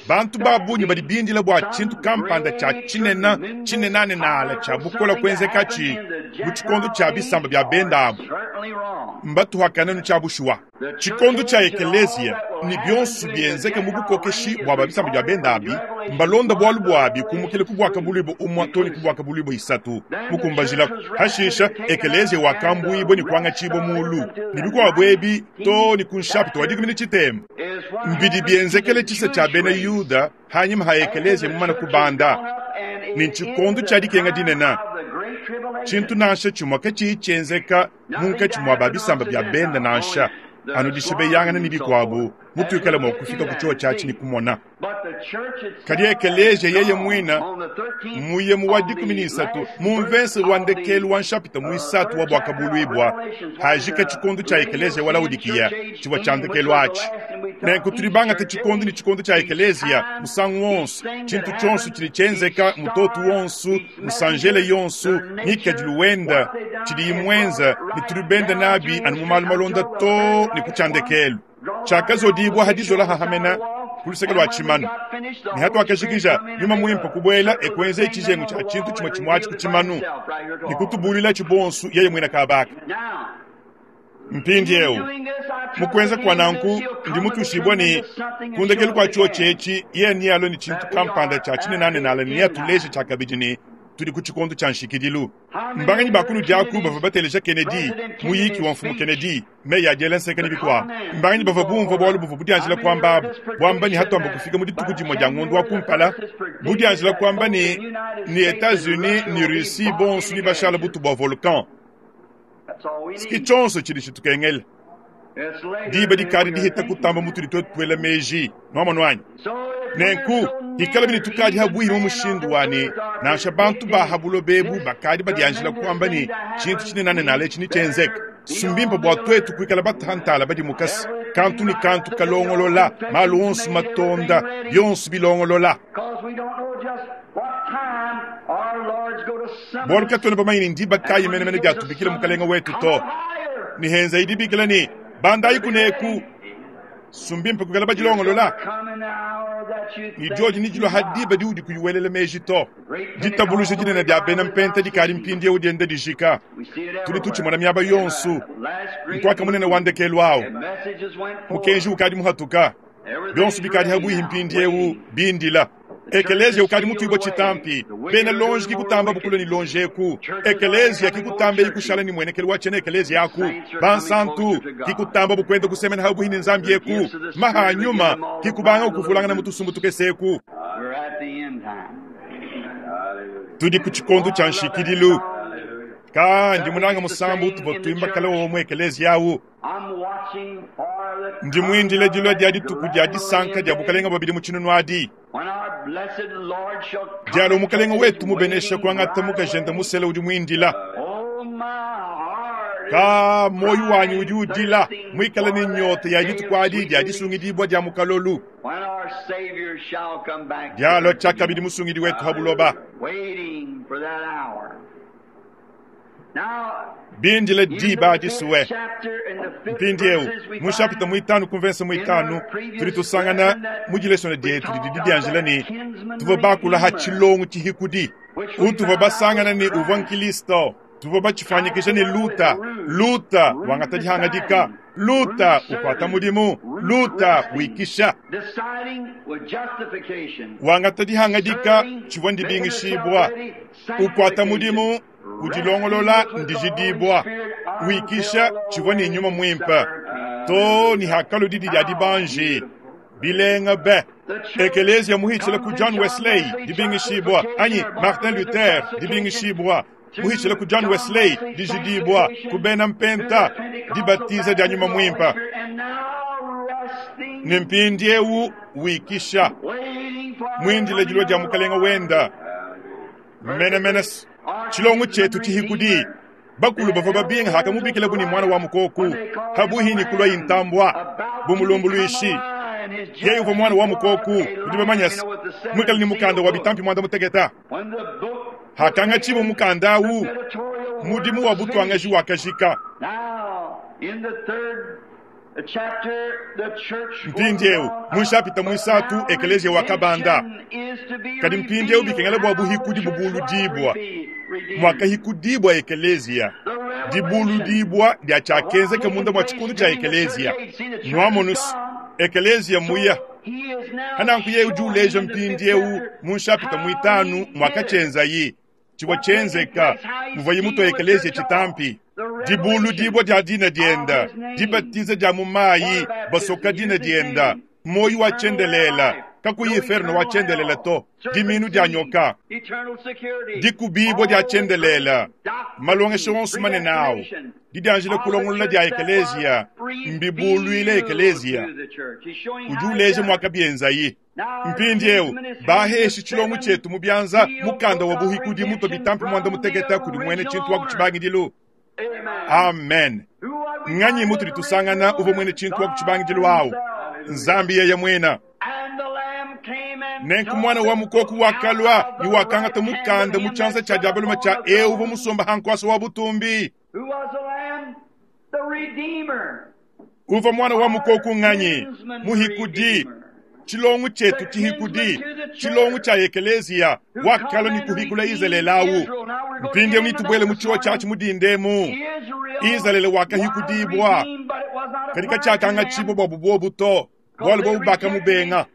bantu ba bungi badi bindila bua tshintu kampanda tshia tshinena tshinenanenala tshia bukola kuenzekatshi mu tshikondo tshia bisamba bia benda abu. Mbatuhakane nu tshia bushuwa. Tshikondo tshia ekeleziya ne bionso bienzeke mu bukokeshi bua ba bisamba bia benda abi mbalonda bualu buabi kumukila ku buaka buluibo umua to ne ku buaka buluibo isatu mukumbajila. Hashisha ekeleziya wakambuibua ne kuangatshibua mulu ne bikuabu ebi to ne ku nshapita wa dikumi ne tshitema. Mbidi bienzekele tshisa tshia bena Yuda hanyima ha ekeleziya mumane kubanda ne tshikondo tshia dikenga dinene. Tshintu nansha tshimue katshiyi tshienzeka munkatshi mua ba bisamba bia benda nansha anu dishibeyangana ne bikuabu mutuikale mua kufika ku tshiotshi atshi ne kumona. Kadi ekeleziya yeye muina muye mu wa dikumi ne isatu mu mvese wa ndekelu wa nshapita muisatu wa buakabuluibua hajika tshikondo tshia ekeleziya wa Laodikiya tshivua tshia ndekelu atshi. Nenku tudi bangate tshikondo ne tshikondo tshia ekeleziya musangu wonso tshintu tshionso tshidi tshienzeka mutoto wonso musanjele yonso ngikadilu wenda tshidi imwenza ne tudi benda nabi anu mu malu malonda to ne ku tshia ndekelu. Tshiakazodibua hadizola hahamena ku luseke lua tshimanu. Ne hatuakajikija nyuma muimpe kubuela ekuenza tshijengu tshia tshintu tshimue tshimue atshi ku tshimanu ne kutubulila tshibonsu yeye muina kabaka. Mpindieu mukuenza kwa nanku ndi mutushibua ne kundekelu kua tshiotshi etshi yeye nealue ne tshintu kampanda tshia tshinenanenala ne neatuleje tshiakabidi ne tudi ku tshikondo tshia nshikidilu. Mbanganyi ba kunu diaku bavua bateleja Kennedy, muyiki wa mfumu Kennedy, meyi a diela nseka ne bikuabu. Mbanganyi bavua bumvua bualu buvua budianjila kuamba abu, buamba ne hatuamba kufika mu dituku dimue dia ngondo wa kumpala, budianjila kuamba ne ne Etats-Unis ne Russie bonso ne bashala butu bua volcan. Siki tshionso tshidi tshitukengela. Diba dikadi dihita kutamba mutudi twetu tuela meji, nwamonu anyi? Nenku ikala bini tukadi habuihi mu mushindu wa ne nansha bantu ba habuloba ebu bakadi badianjila kuamba ne tshintu tshinenanenala etshi nitshienzeka. Sumbimpe bua twetu kuikala batantala badi mukasi Kantu ne kantu kalongolola, malu onso matonda, bionso bilongolola. Bualu katuena bamanye ne ndiba kayi menemene diatubikila mukalenga wetu to. Ne henza idibikila ne bandayi kuneku sumbimpe kukala badilongolola. Ni dioji ni dilua hadiba diudi kuyiwelela meji to. Ditabuluja dinene dia bena mpenta dikali mpindiewu dienda dijika. Tudi tutshimona miaba yonso. Nkwaka munene wa ndekelu awu. Mukenji ukadi muhatuka. Bionso bikadi habuihi mpindiewu bindila. Ekelezia ukadi mutuibwa tshitampi. Bena lonji kikutamba bukulu ni lonjeku. Ekelezia kikutamba ikushala ni mwenekelu wa tshene ekelezia aku. Bansantu kikutamba bukwenda kusemena habuhi ni nzambi yeku. Maha nyuma kikubanga ukuvulangana mutusumbu tukeseku. Tudi ku tshikondo tsha nshikidilu. Ka ndi munanga musambu tuvua tuimba kala omwe ekelezia awu. Ndi mwindile dilua dia dituku dia disanka dia bukalenga bwabidi mu tshinunu adi. Dialo mukalenga wetu mubenesha kuangata mukajenda musela udi mwindila. Ka moyo wanyi udi udila mwikala ne nyota ya dituku adi dia disungidibwa dia mukalolu. Dialo tshiakabidi musungidi wetu habuloba. Bindile diba disuwe. Mpindiewu mushapita muitanu kumvensa muitanu tudi tusangana mu dilesona dietu didi didianjila ne tuvua bakula ha tshilongo tshihikudi utuvua basangana ne uvua nkilisto. Tuvua batshifanyikisha ne Luta. Luta wangata dihangadika, Luta ukwata mudimu, Luta wikisha. Wangata dihangadika tshivua ndibingishibwa, ukwata mudimu udilongolola ndijidibwa, wikisha tshivua ne nyuma mwimpe to ni hakalo didi dia dibanji bilenga be. Ekelezia muhitshila ku John Wesley dibingishibwa, anyi Martin Luther dibingishibwa, muhitshila ku John Wesley dijidibwa, ku bena mpenta dibatiza dia nyuma mwimpe. Ne mpindiewu wikisha mwindile dilua dia mukalenga wenda menemene. Tshilongo tshietu tshihikudi bakulu bavua babinga hakamubikila bu ni mwana wa mukoku habuhi ni kulwa intambwa bumulumbuluishi. Yeye uvua mwana wa mukoku udi bamanyasi mwikala ni mukanda wa bitampi mwanda muteketa. Hakanga tshimu mukanda awu mudimu wa butwangaji wakajika. Mpindiewu mushapita mwisatu ekelezia wakabanda. Kadi mpindiewu bikengela bua buhikudi bubuludibwa. Mwakahikudibwa ekelezia. Dibuludibwa dia tshiakenzeka munda mwa tshikondo tshia ekelezia. Nwamonus ekelezia muya. Hananku yeye udi uleja mpindiewu mu nshapita mwitanu mwakatshенzayi. Tshivua tshenzeka muvua muto ekelezia tshitampi. Dibuludibwa dia dina dienda, dibatiza dia mu mayi basoka dina dienda, moyo wa tshendelela kakuyi inferno wa tshendelela to, diminu dia nyoka, dikubibwa dia tshendelela, malongesho onso manene awu, didianjila kulongolola dia ekelezia, mbibuluile ekelezia. Udi uleja mwakabienzayi. Mpindiewu baheshi tshilongo tshietu mu bianza mukanda wa buhikudi muto bitampi mwanda muteketa kudi mwene tshintu wa ku tshibangidilu. Amen. Nganyi mutu ditusangana uvua mwene tshintu wa ku tshibangidilu awu. Nzambi yeye mwena. Nenku mwana wa mukoku wakalwa ni wakangata mukanda mu tshianza tshia diabaluma tshia eu uvua musomba hankwasa wa butumbi. Uvua mwana wa mukoku nganyi muhikudi. Tshilongo tshietu tshihikudi, tshilongo tshia ekelezia wakalwa ni kuhikula Izalele awu. Mpindiewu nitubwele mu tshiwa tshiatshi mudindemu. Izalele wakahikudibwa katika tshiakanga tshibwa bua bubobu to, bualu bobu bakamubenga.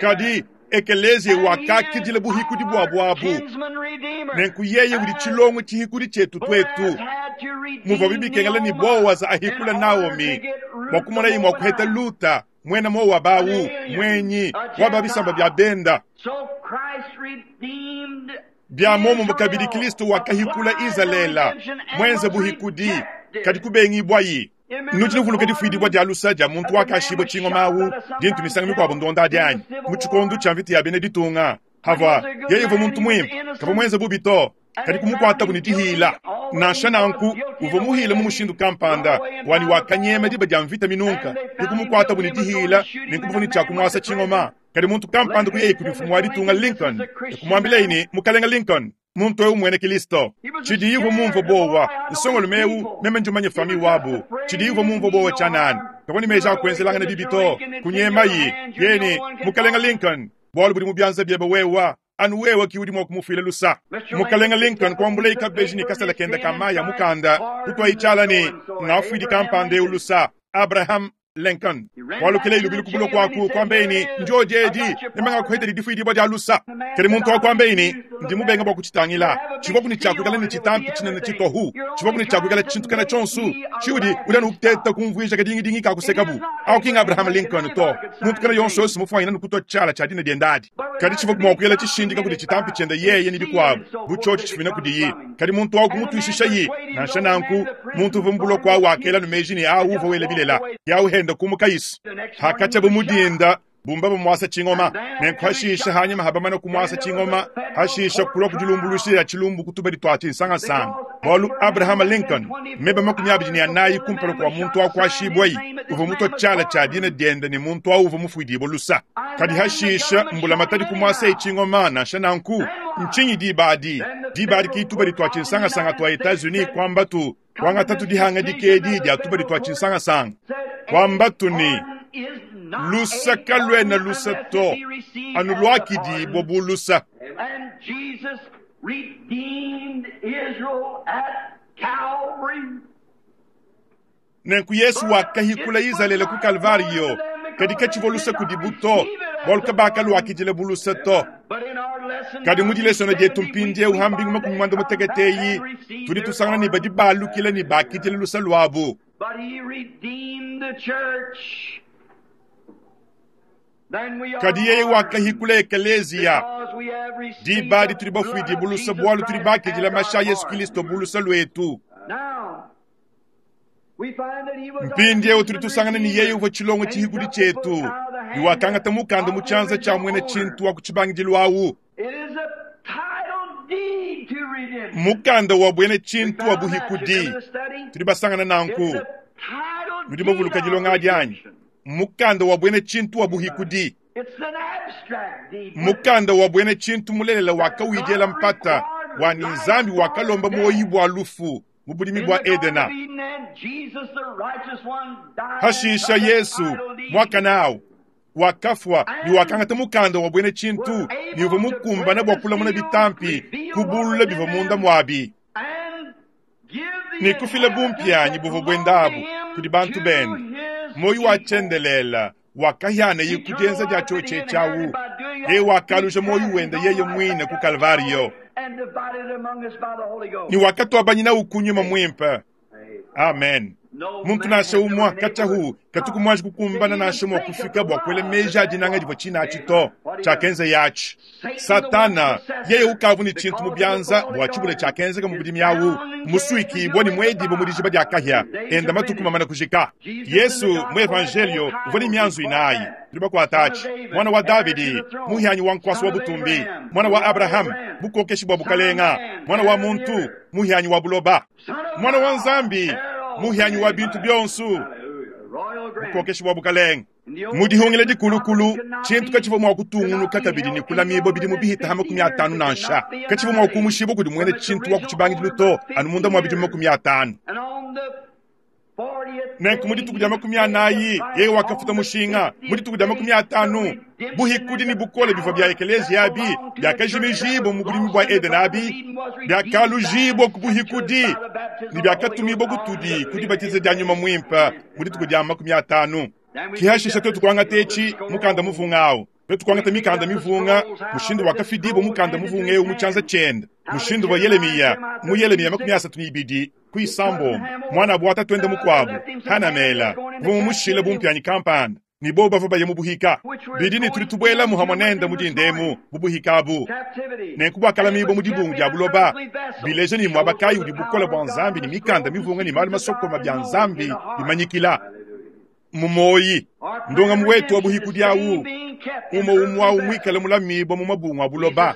Kadi ekelezia wakakidila buhikudi bua buabu. Nenku yeye udi tshilongo tshihikudi tshietu twetu. Muvua bibikengela ni Bowaza ahikula Naomi bua kumona ye mua kuheta Luta mwena mowa bawu mwenyi wa babisamba bya benda. Bya momo kabidi Kristo wakahikula Izalela mwenze buhikudi kadi kubengibwayi. Nudi nuvuluka difuidibwa dia lusa dia muntu wakashibwa tshingoma awu dintu misango mikuabu ndonda dianyi mu tshikondo tshia mvita ya bena ditunga. Hava yeye uvua muntu muimpe kavua mwenze bubi to, Kadi kumukuatabu ne dihila. Nansha nanku, uvua muhile mu mushindu kampanda, wani wakanyema diba dia mvita minunka. Ke kumukuatabu ne dihila, ne nkubuvua ne tshiakumuasa tshingoma. Kadi muntu kampanda kuyeye kudi mfumu wa ditunga Lincoln, ke kumuambilaye ne, Mukalenga Lincoln, muntu ewu mwene Kilisto. Tshidiye uvua mumvue bowa, nsongolume ewu, meme ndi mumanye fami wabu. Tshidiye uvua mumvue bowa tshianana. Kavua ne meji a kuenzelangana bibi to. Kunyemayi, yeye ne, Mukalenga Lincoln, bualu budi mu bianza biebe wewa, anu wewa ki udi mua kumufuila lusa. Mukalenga Lincoln kuambulaye kabeji ne kasala kenda ka mayi a mukanda, kutuayi tshiala ne, Ngafuidi kampanda ewu lusa, Abraham Lincoln. Walukile lubilu ku buloko aku, kuambaye ne, Njo diedi, meme ngakuheta didifuidibua dia lusa. Kadi muntu wakuambaye ne, Ndi mubenga bua kutshitangila. Tshivua ne tshiakuikala ne tshitampi tshinene tshitohu. Tshivua ne tshiakuikala tshintu kana tshionso. Tshiudi udi anu uteta kumvuija kadingidingi kakusekabu. Awu ki Abraham Lincoln to. Muntu kana yonso yonso mufuanyina ne kutua tshiala tshia dina diende adi. Kadi tshivua mua kuela tshishindika kudi tshitampi tshiende yeye ne bikuabu, bu tshiotshi tshifumina kudiye. Kadi muntu awu kumutuishishaye. Nansha nanku, muntu uvua mu buloko awu wakela nu meji ne awu uvua wela bilela. Yawu henda kumuka isu. Hakatshiabu mu dinda, bumba bamuasa tshingoma. Nenku hashisha hanyima habamana kumuasa tshingoma, hashisha kulua kudilumbuluisha ya tshilumbu kutubadi tua tshinsangasanga. Bualu Abraham Lincoln, meba makumi abidi ne anayi kumpala kua muntu akuashibwayi, uvua mutua tshiala tshia dina diende ne muntu awu uvua mufuidibua lusa. Kadi hashisha mbulamatadi kumuasa tshingoma nansha nanku, ntshinyi diba adi? Diba adi ki tubadi tua tshinsangasanga tua Etats-Unis kuamba tu, kuangata tu dihanga dikedi dia tubadi tua tshinsangasanga. Kuamba tu ne, lusa kaluena lusa to, anu luakidibua bu lusa. And Jesus redeemed Israel at Calvary. Nenku Yesu wakahikula Izalele ku Kalvariyo, kadi katshivua lusa kudibu to, bualu kabakaluakidila bu lusa to. But in our lesson, Kadi mu dilesona dietu mpindieu ha mbingu makumi muanda mutekete eyi, tudi tusangana ne badi balukila ne bakidila lusa luabu. But he redeemed the church. Then we are Kadi yeye wakahikula ekeleziya. because we have received Diba adi the tudi blood bafuidibua of lusa Jesus bualu tudi Christ bakidila as mashi a our Yesu pardon. Kristo bu lusa luetu. Now, we find that he was our Mpindieu tudi kinsman tusangana ne yeye redeemer, uvua tshilongo and he tshihikudi took the book tshietu, out of the ne hand wakangata mukanda mu of the tshianza tshia original mwene owner. tshintu wa ku tshibangidilu awu. It is a title deed to redemption. Mukanda wa bwene We tshintu wa found that. You buhikudi. remember the study? Tudi basangana nanku. It's a title Nudi deed bavuluka of dilonga adi anyi? redemption. Mukanda wa bwene tshintu wa buhikudi. It's an abstract deed. Mukanda wa bwene tshintu mulelela wakawidiela mpata wa ni Nzambi wakalomba moyi bua lufu mu bulimi In bua the Garden Edena. of Eden, and Jesus, the righteous one, died and Hashisha took the Yesu title deed. mwakana awu wakafua ne wakangata mukanda wa bwene tshintu ne uvua mukumbana bua kulamuna bitampi kubulula bivua munda muabi And give the ne kufila bumpianyi inheritance buvua that bwendabu belonged to him kudi bantu to bende. his Moyi wa people. tshiendelela wakahiana ye kudienza dia tshiotshi tshiawu ye wakaluja moyi wende yeye mwine ku Kalvariyo And divided among us by the Holy Ghost. ne wakatuabanyina ukunyuma mwimpe. Amen. No Muntu man nasha has ever umwa been able kachahu to katuku mwanji kukumbana nasha mwa kufika bua kuela meji adinanga divua tshina to tshiakenza yachi. Satana yeye ukavu ne tshintu mu bianza bua tshibula tshiakenzeka mu budimi awu musuikibua ne muedibo mu dijiba dia kahia enda matuku mamana kujika. Yesu mu evangelio uvua ne mianzu inayi tudi bakuata atshi mwana wa Davidi muhianyi wa nkuasu wa butumbi mwana wa Abrahamu bukokeshi bua bukalenga mwana wa muntu muhianyi wa buloba Son of mwana wa God, Nzambi heir of muhianyi wa bintu bionso Hallelujah. Royal grant. bukokeshi bua bukalenga. Mu dihungila dikulukulu tshintu katshivua mua kutungunuka kabidi ne kulamibua bidimu bihita ha makumi atanu nansha katshivua mua kumushibua kudi mwene tshintu wa ku tshibangidilu to anu munda mua bidimu makumi atanu. And on the fortieth Nenku mu dituku dia makumi anayi yeye wakafuta mushinga. Mu dituku dia makumi atanu buhikudi ne bukole bivua bia ekeleziya abi biakajimijibua mu bulimi bua Edena abi biakalujibua ku buhikudi ne biakatumibua kutudi ku dibatiza dia nyuma muimpe mu dituku dia makumi atanu. Kihashisha twetu kuangata etshi mukanda muvunga awu twetu kuangata mikanda mivunga mushindu wakafidibua mukanda muvunga ewu mu tshianza tshiende mushindu wa Yelemiya mu Yelemiya makumi asatu ne ibidi ku isambombo mwana abu watatwende mukuabu Hanamela uvua mumushile bumpianyi kampanda ni bo bavua baye mu buhika bidi ne tudi tubuela muhamwe nende mu dindemu mu buhika abu captivity. nenku buakalamibua mu dibungu dia buloba bileja ne muaba kayi udi bukole bua Nzambi ne mikanda mivunga ne malu masokoma bia Nzambi bimanyikila mu moyi ndongamu wetu wa buhikudi awu Umwe umwe awu mwikale mulamibwa mu mabungu a buloba.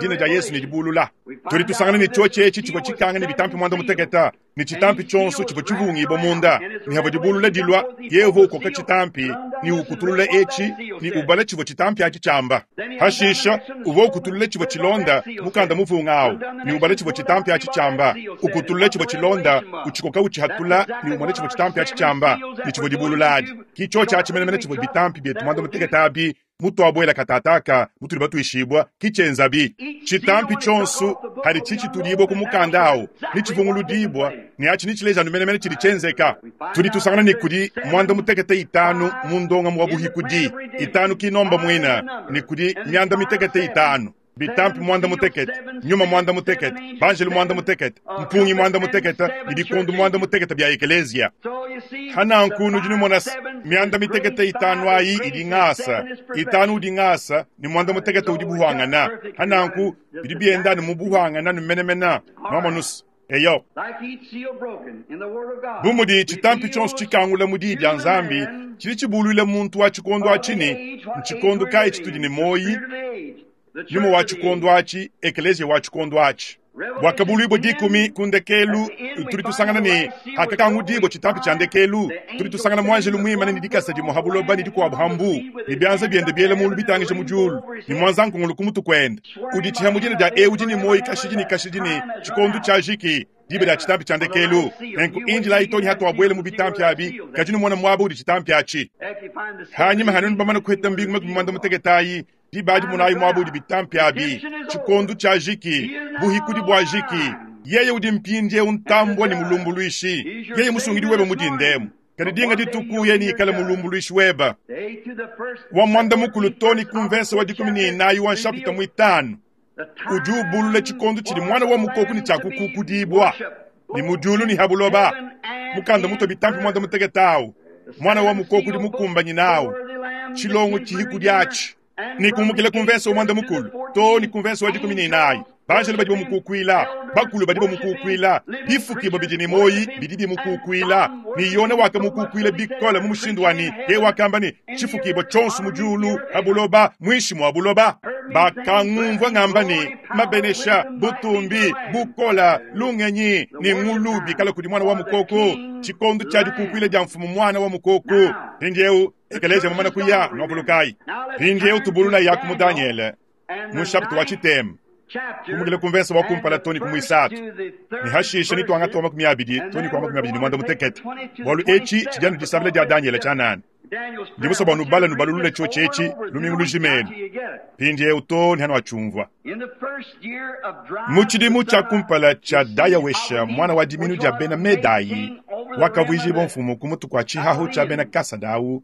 Dina dia Yesu ne dibulula. Tudi tusangana ne tshiotshi etshi tshivua tshikanga ne bitampi mwanda muteketa, ne tshitampi tshionso tshivua tshivungibwa munda, ne havua dibulula dilua, Yehova ukoka tshitampi, ne ukutulula etshi, ne ubala tshivua tshitampi atshi tshiamba. Hashisha, uvua ukutulula tshivua tshilonda, mukanda muvunga awu, ne ubala tshivua tshitampi atshi tshiamba, ukutulula tshivua tshilonda, utshikoka utshihatula, ne umona tshivua tshitampi atshi tshiamba, ne tshivua dibulula adi. Ki tshiotshi atshi menemene tshivua bitampi bietu mwanda muteketa abi, mutwabwela katataka, mutuli batuishibwa, kichenzabi. Chitampi chonsu, hadi chichitulibwa ku mukanda awu, ni chivunguludibwa, ni achi ni chilejanu menemene chili chenzeka. Tudi tusangana ni kudi mwanda mutekete itanu mu ndonga mwa buhikudi, itanu kinomba mwina, ni kudi myanda mitekete itanu. Bitampi mwanda mutekete, nyuma mwanda mutekete, banjelu mwanda mutekete, mpungi mwanda mutekete, ni bikundu mwanda mutekete bya ekelezia. Hana nkunu jinu mona myanda mitekete itanu ayi idi ngasa, itanu udi ngasa, ni mwanda mutekete udi buhangana. Hana nku, bidi bienda ni mubuhangana ni menemena, mwamonus. Eyo. Bumudi chitampi chonso chikangula mudi dia Nzambi, chili chibulule muntu wa chikondo achini, nchikondo kai chitudi ni moyi, nyuma wa chikondo achi, ekelezia wa chikondo achi. Bwakabulwibwa dikumi kundekelu, tuli tusangana ne hakakangudibo chitampi cha ndekelu, tuli tusangana mwanjelu mwimane ni dikasa di muhabuloba ni dikuabu hambu, ni byanza byende byele mulu bitangisha mujulu, ni mwanza nkungulu kumutu kwenda. Udi chihamujina dia ewu jini moyi kashiji ni kashiji ni chikondo cha jiki, dibe dia chitampi cha ndekelu. Nenku injila itoni hatu wabwele mu bitampi abi, kajini mwana mwabo udi chitampi achi. Hanyima hanunu bamana kuheta mbingu makumi mwanda muteketayi, dibadi munayi mwabo udi bitampi abi, chikondo cha jiki, buhikudi bwa jiki. Yeye udi mpindie untambwa ni mulumbuluishi, yeye musungidi weba mudindemu. Kadi dinga dituku ye ni ikala mulumbuluishi weba. Wa mwanda mukulu toni kumvesa wa dikumi ni inayi wa nshapita mwitanu. Udi ubulula chikondo chili mwana wa mukoku ni chakukukudibwa. Ni mujulu ni habuloba. Mukanda muto bitampi mwanda muteketawu. Mwana wa mukoku di mukumbanyi nawu. Chilongo chihikudi achi. Ni kumukile kumvesa umwanda mukulu, to ni kumvesa wa dikumi ni inayi. Banjelu badi bamukukwila, bakulu badi bamukukwila, bifukibo bidi ni moyi bidi bimukukwila. Ni yona wakamukukwila bikola mu mushindu wani, ye wakamba ni chifukibo chonso mujulu habuloba mwishi mwa buloba. Bakangumvwa ngamba ni mabenesha, butumbi, bukola, lungenyi ni ngulu bikala kudi mwana wa mukoko. Chikondo cha dikukwila dia mfumu mwana wa mukoko. Mpindieu ekelezia mumana kuya nwabulukai. Mpindieu tubulula yaku mu Daniele mu chapter wa chitema. Kumukile kumvesa wa kumpala toni kumwisatu. Ni hashisha ni twanga toma kumyabidi, toni kwa kumyabidi ni mwanda mutekete. Bwalu echi chijanu disabile dia Daniele cha nane. Ndibuso bwa nubala nubalulule cho chechi lumingu lujimenu. Mpindieu toni hano achumvwa. Muchidimu cha kumpala cha Dayawesha mwana wa diminu dia bena Medayi wakavwijibo mfumu kumutu kwa chihahu cha bena Kasadawu.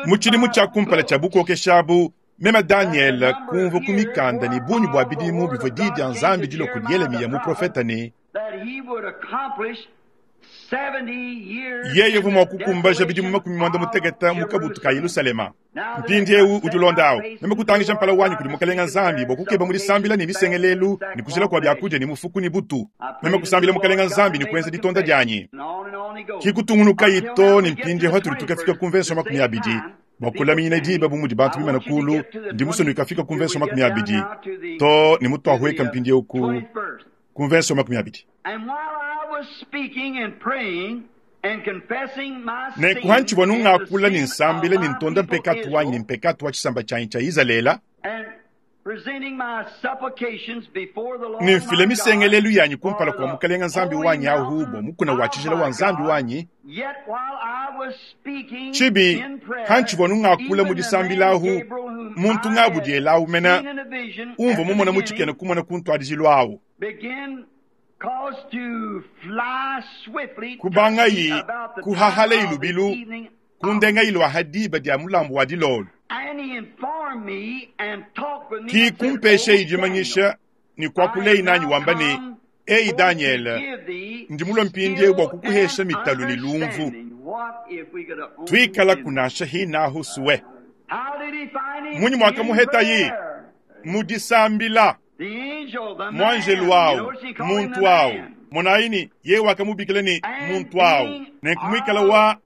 Muchidimu cha kumpala cha bukokeshabu mema Daniel kumva kumikanda ni bunyu bwa bidimu bivua di dia Nzambi dilo kudi Yeremiya muprofeta ne yeye vumwa kukumbaja bidimu makumi mwanda muteketa mukabutu ka Yerusalema. Mpindiewu udi ulondawu meme kutangisha mpala wanyi kudi mukalenga Nzambi bwa kukeba mudisambila ni misengelelu ni kujila kwa byakudia ni mufuku ni butu. Meme kusambila mukalenga Nzambi ni kuenza ditonda dianyi. Kikutungunuka ito ni mpindiewu hatuli tukafika kumvesa makumi abidi. Bwa kulaminyina diba bu mudi bantu bimana kulu, ndi musonu ikafika kumvesa makumi abidi. To ni mutu ahweka mpindiewu ku kumvesa makumi abidi. Ne kuhanchibwa nungakula ni nsambile ni ntonda mpekatu wanyi ni mpekatu wa chisamba chanyi cha Izalela. Ni mfile misengelelu yanyi kumpala kwa mukalenga Nzambi wanyi ahubo mukuna wa chijila wa Nzambi wanyi. Chibi hanchibwa nungakula mudisambila ahu muntu ngabudiela ahu mena umva mumona muchikene kumona kuntwadijilwa ahu. Kubanga yi kuhahala ilubilu kundenga ilwa hadiba dia mulambu wa dilolo. Ki kumpeshe ijimanyisha ni kwa kulei nanyi wamba ni Ei Daniel, ndi mulo mpindie bwa kukuhesha mitalu ni lumvu. Twikala kunasha hinahu suwe. Munyi mwaka muheta yi mudisambila. Mwanjelu wao, muntu wao. Monayi ne yeye wakamubikila ne muntu awu, nenku muikala wa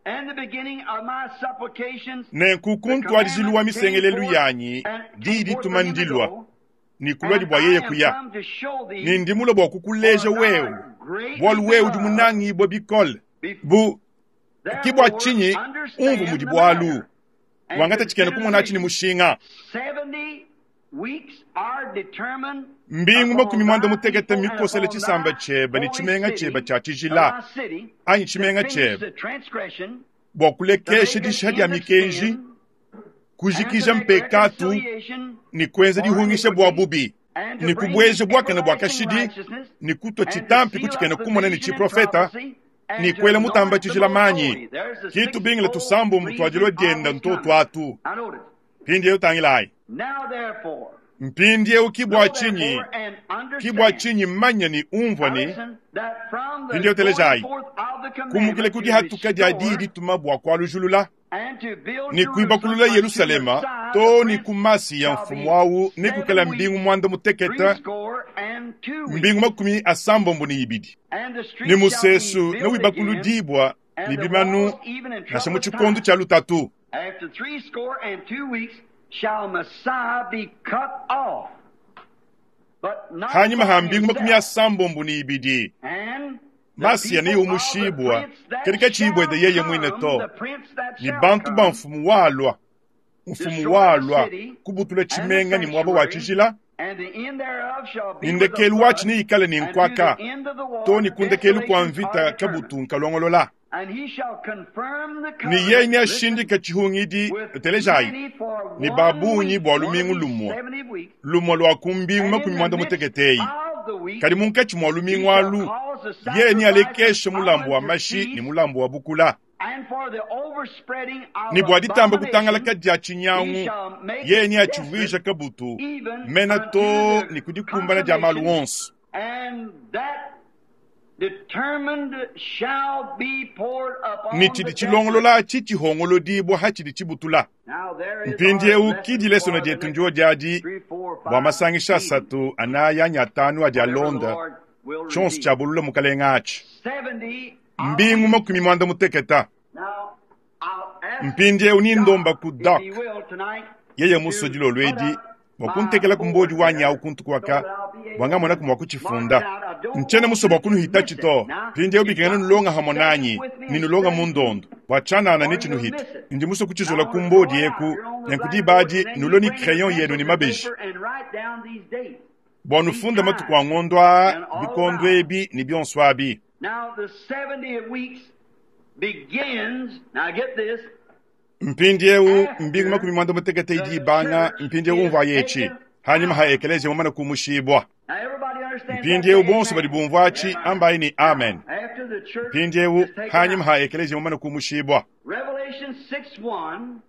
nenku ku ntuadijilu wa misengelelu yanyi diyi dituma ndilua ne kulua bua yeye kuya. Ne ndi mulue bua kukuleja wewe, bualu wewe udi munangibue bikole. Bu ke bua tshinyi umvu mudi bualu wangata tshikena kumona tshi ne mushinga. Mbingu makumi muanda mutekete mikosele tshisamba tshiebe ne tshimenga tshiebe tshia tshijila anyi tshimenga tshiebe bua kulekesha dishiha dia mikenji, kujikija mpekatu ne kuenza dihungisha bua bubi ne kubueja buakane bua kashidi ne kutua tshitampi ku tshikena kumona ne tshiprofeta ne kuela mutamba tshijila manyi. Kitu bingila tusambombo tuadilo dienda ntoto atu. Mpindieu tangilayi. Mpindieu ke bua tshinyi, ke bua tshinyi manya ne umvua ne mpindieu telejayi kumukile ku dihatuka dia diyi dituma bua kualujulula ne kuibakulula Yerusalema to ne ku masi ya mfumu awu ne kukala mbingu muanda mutekete mbingu makumi asambombo ne ibidi ne musesu ne wibakuludibwa ne bimanu nansha mu tshikondo tshia lutatu. After three score and two weeks shall Messiah be cut off. But not Hanyuma ha for mbingu makumi himself. asambombo ne ibidi And the Masiya people of the neumushibwa prince that kadi katshibwede shall yeye mwine come, to the prince that ni shall bantu come, ba mfumu walwa mfumu walwa kubutula and the tshimenga ne muaba wa sanctuary, tshijila and the end thereof shall be ne with a ndekelu flood, watshi neikale ne and to nkwaka the end of the war to ne ku ndekelu kua desolations mvita are determined. kabutu nkalongolola. And he shall confirm the Ne yeye covenant, listen, neashindika tshihungidi with telejayi many for ne one babunyi week, bua one of lumingu these lumue seventy weeks, lumue lua ku mbingu and in makumi the muanda midst muteketeyi of the week kadi munkatshi mua he lumingu shall alu cause the yeye sacrifice of nealekeshe mulambu wa offering to mashi ne cease, mulambu wa bukula and for the overspreading of ne bua ditamba abomination kutangalaka dia he tshinyangu shall make yeye it neatshivuija desolate, kabutu even mena unto to the ne kudikumbana dia malu consummation, onso. and that determined shall be poured Ne upon the tshidi desolate. tshilongolola atshi tshihongolodibua hatshidi tshibutula. Now there is our Mpindieu lesson ki dilesona for the dietu next ndio diadi three, four, bua five masangisha meetings, asatu anayi anyi atanu adi whatever the alonda Lord will tshionso reveal. tshiabulula mukalenga atshi. Seventy of Mbingu weeks. makumi muanda muteketa. Now I'll ask Mpindieu ni ndomba God, ku if Doc he will tonight, yeye muso to dilolo put edi up bua my kuntekela ku mbodi board wanyi there awu kuntu so kuaka that I'll be able bua ngamonaku to mua mark it kutshifunda. out. I don't Ntshiena want musue you bua to kunuhita miss it. tshito. Now, Mpindieu you've bikengela got to nulonga study hamwe it with me ni and nulonga study mu ndondo bua tshianana or ne you'll tshinuhita. miss it. Ndi musue Now kutshizola I ku want to draw mbodi it out eku here on the nenku blackboard, diba adi and then you nulue ne bring your crayon yenu pencils ne and mabeji paper and write down these dates, bua these nufunda matuku a times, ngondo aa and all bikondo about it. ebi ne bionso abi. Now the seventy weeks begins, now get this, Mpindieu mbingu makumi after muanda mutekete idi the ibanga church mpindieu is umvua yetshi taken hanyuma out. ha ekeleziya mumane kumushibua. Now everybody understands that? Mpindieu Say bonso badi amen. bumvua atshi ambayi ne Now, amen. after the church Mpindieu is taken hanyuma out, ha ekeleziya mumane kumushibua. Revelation six one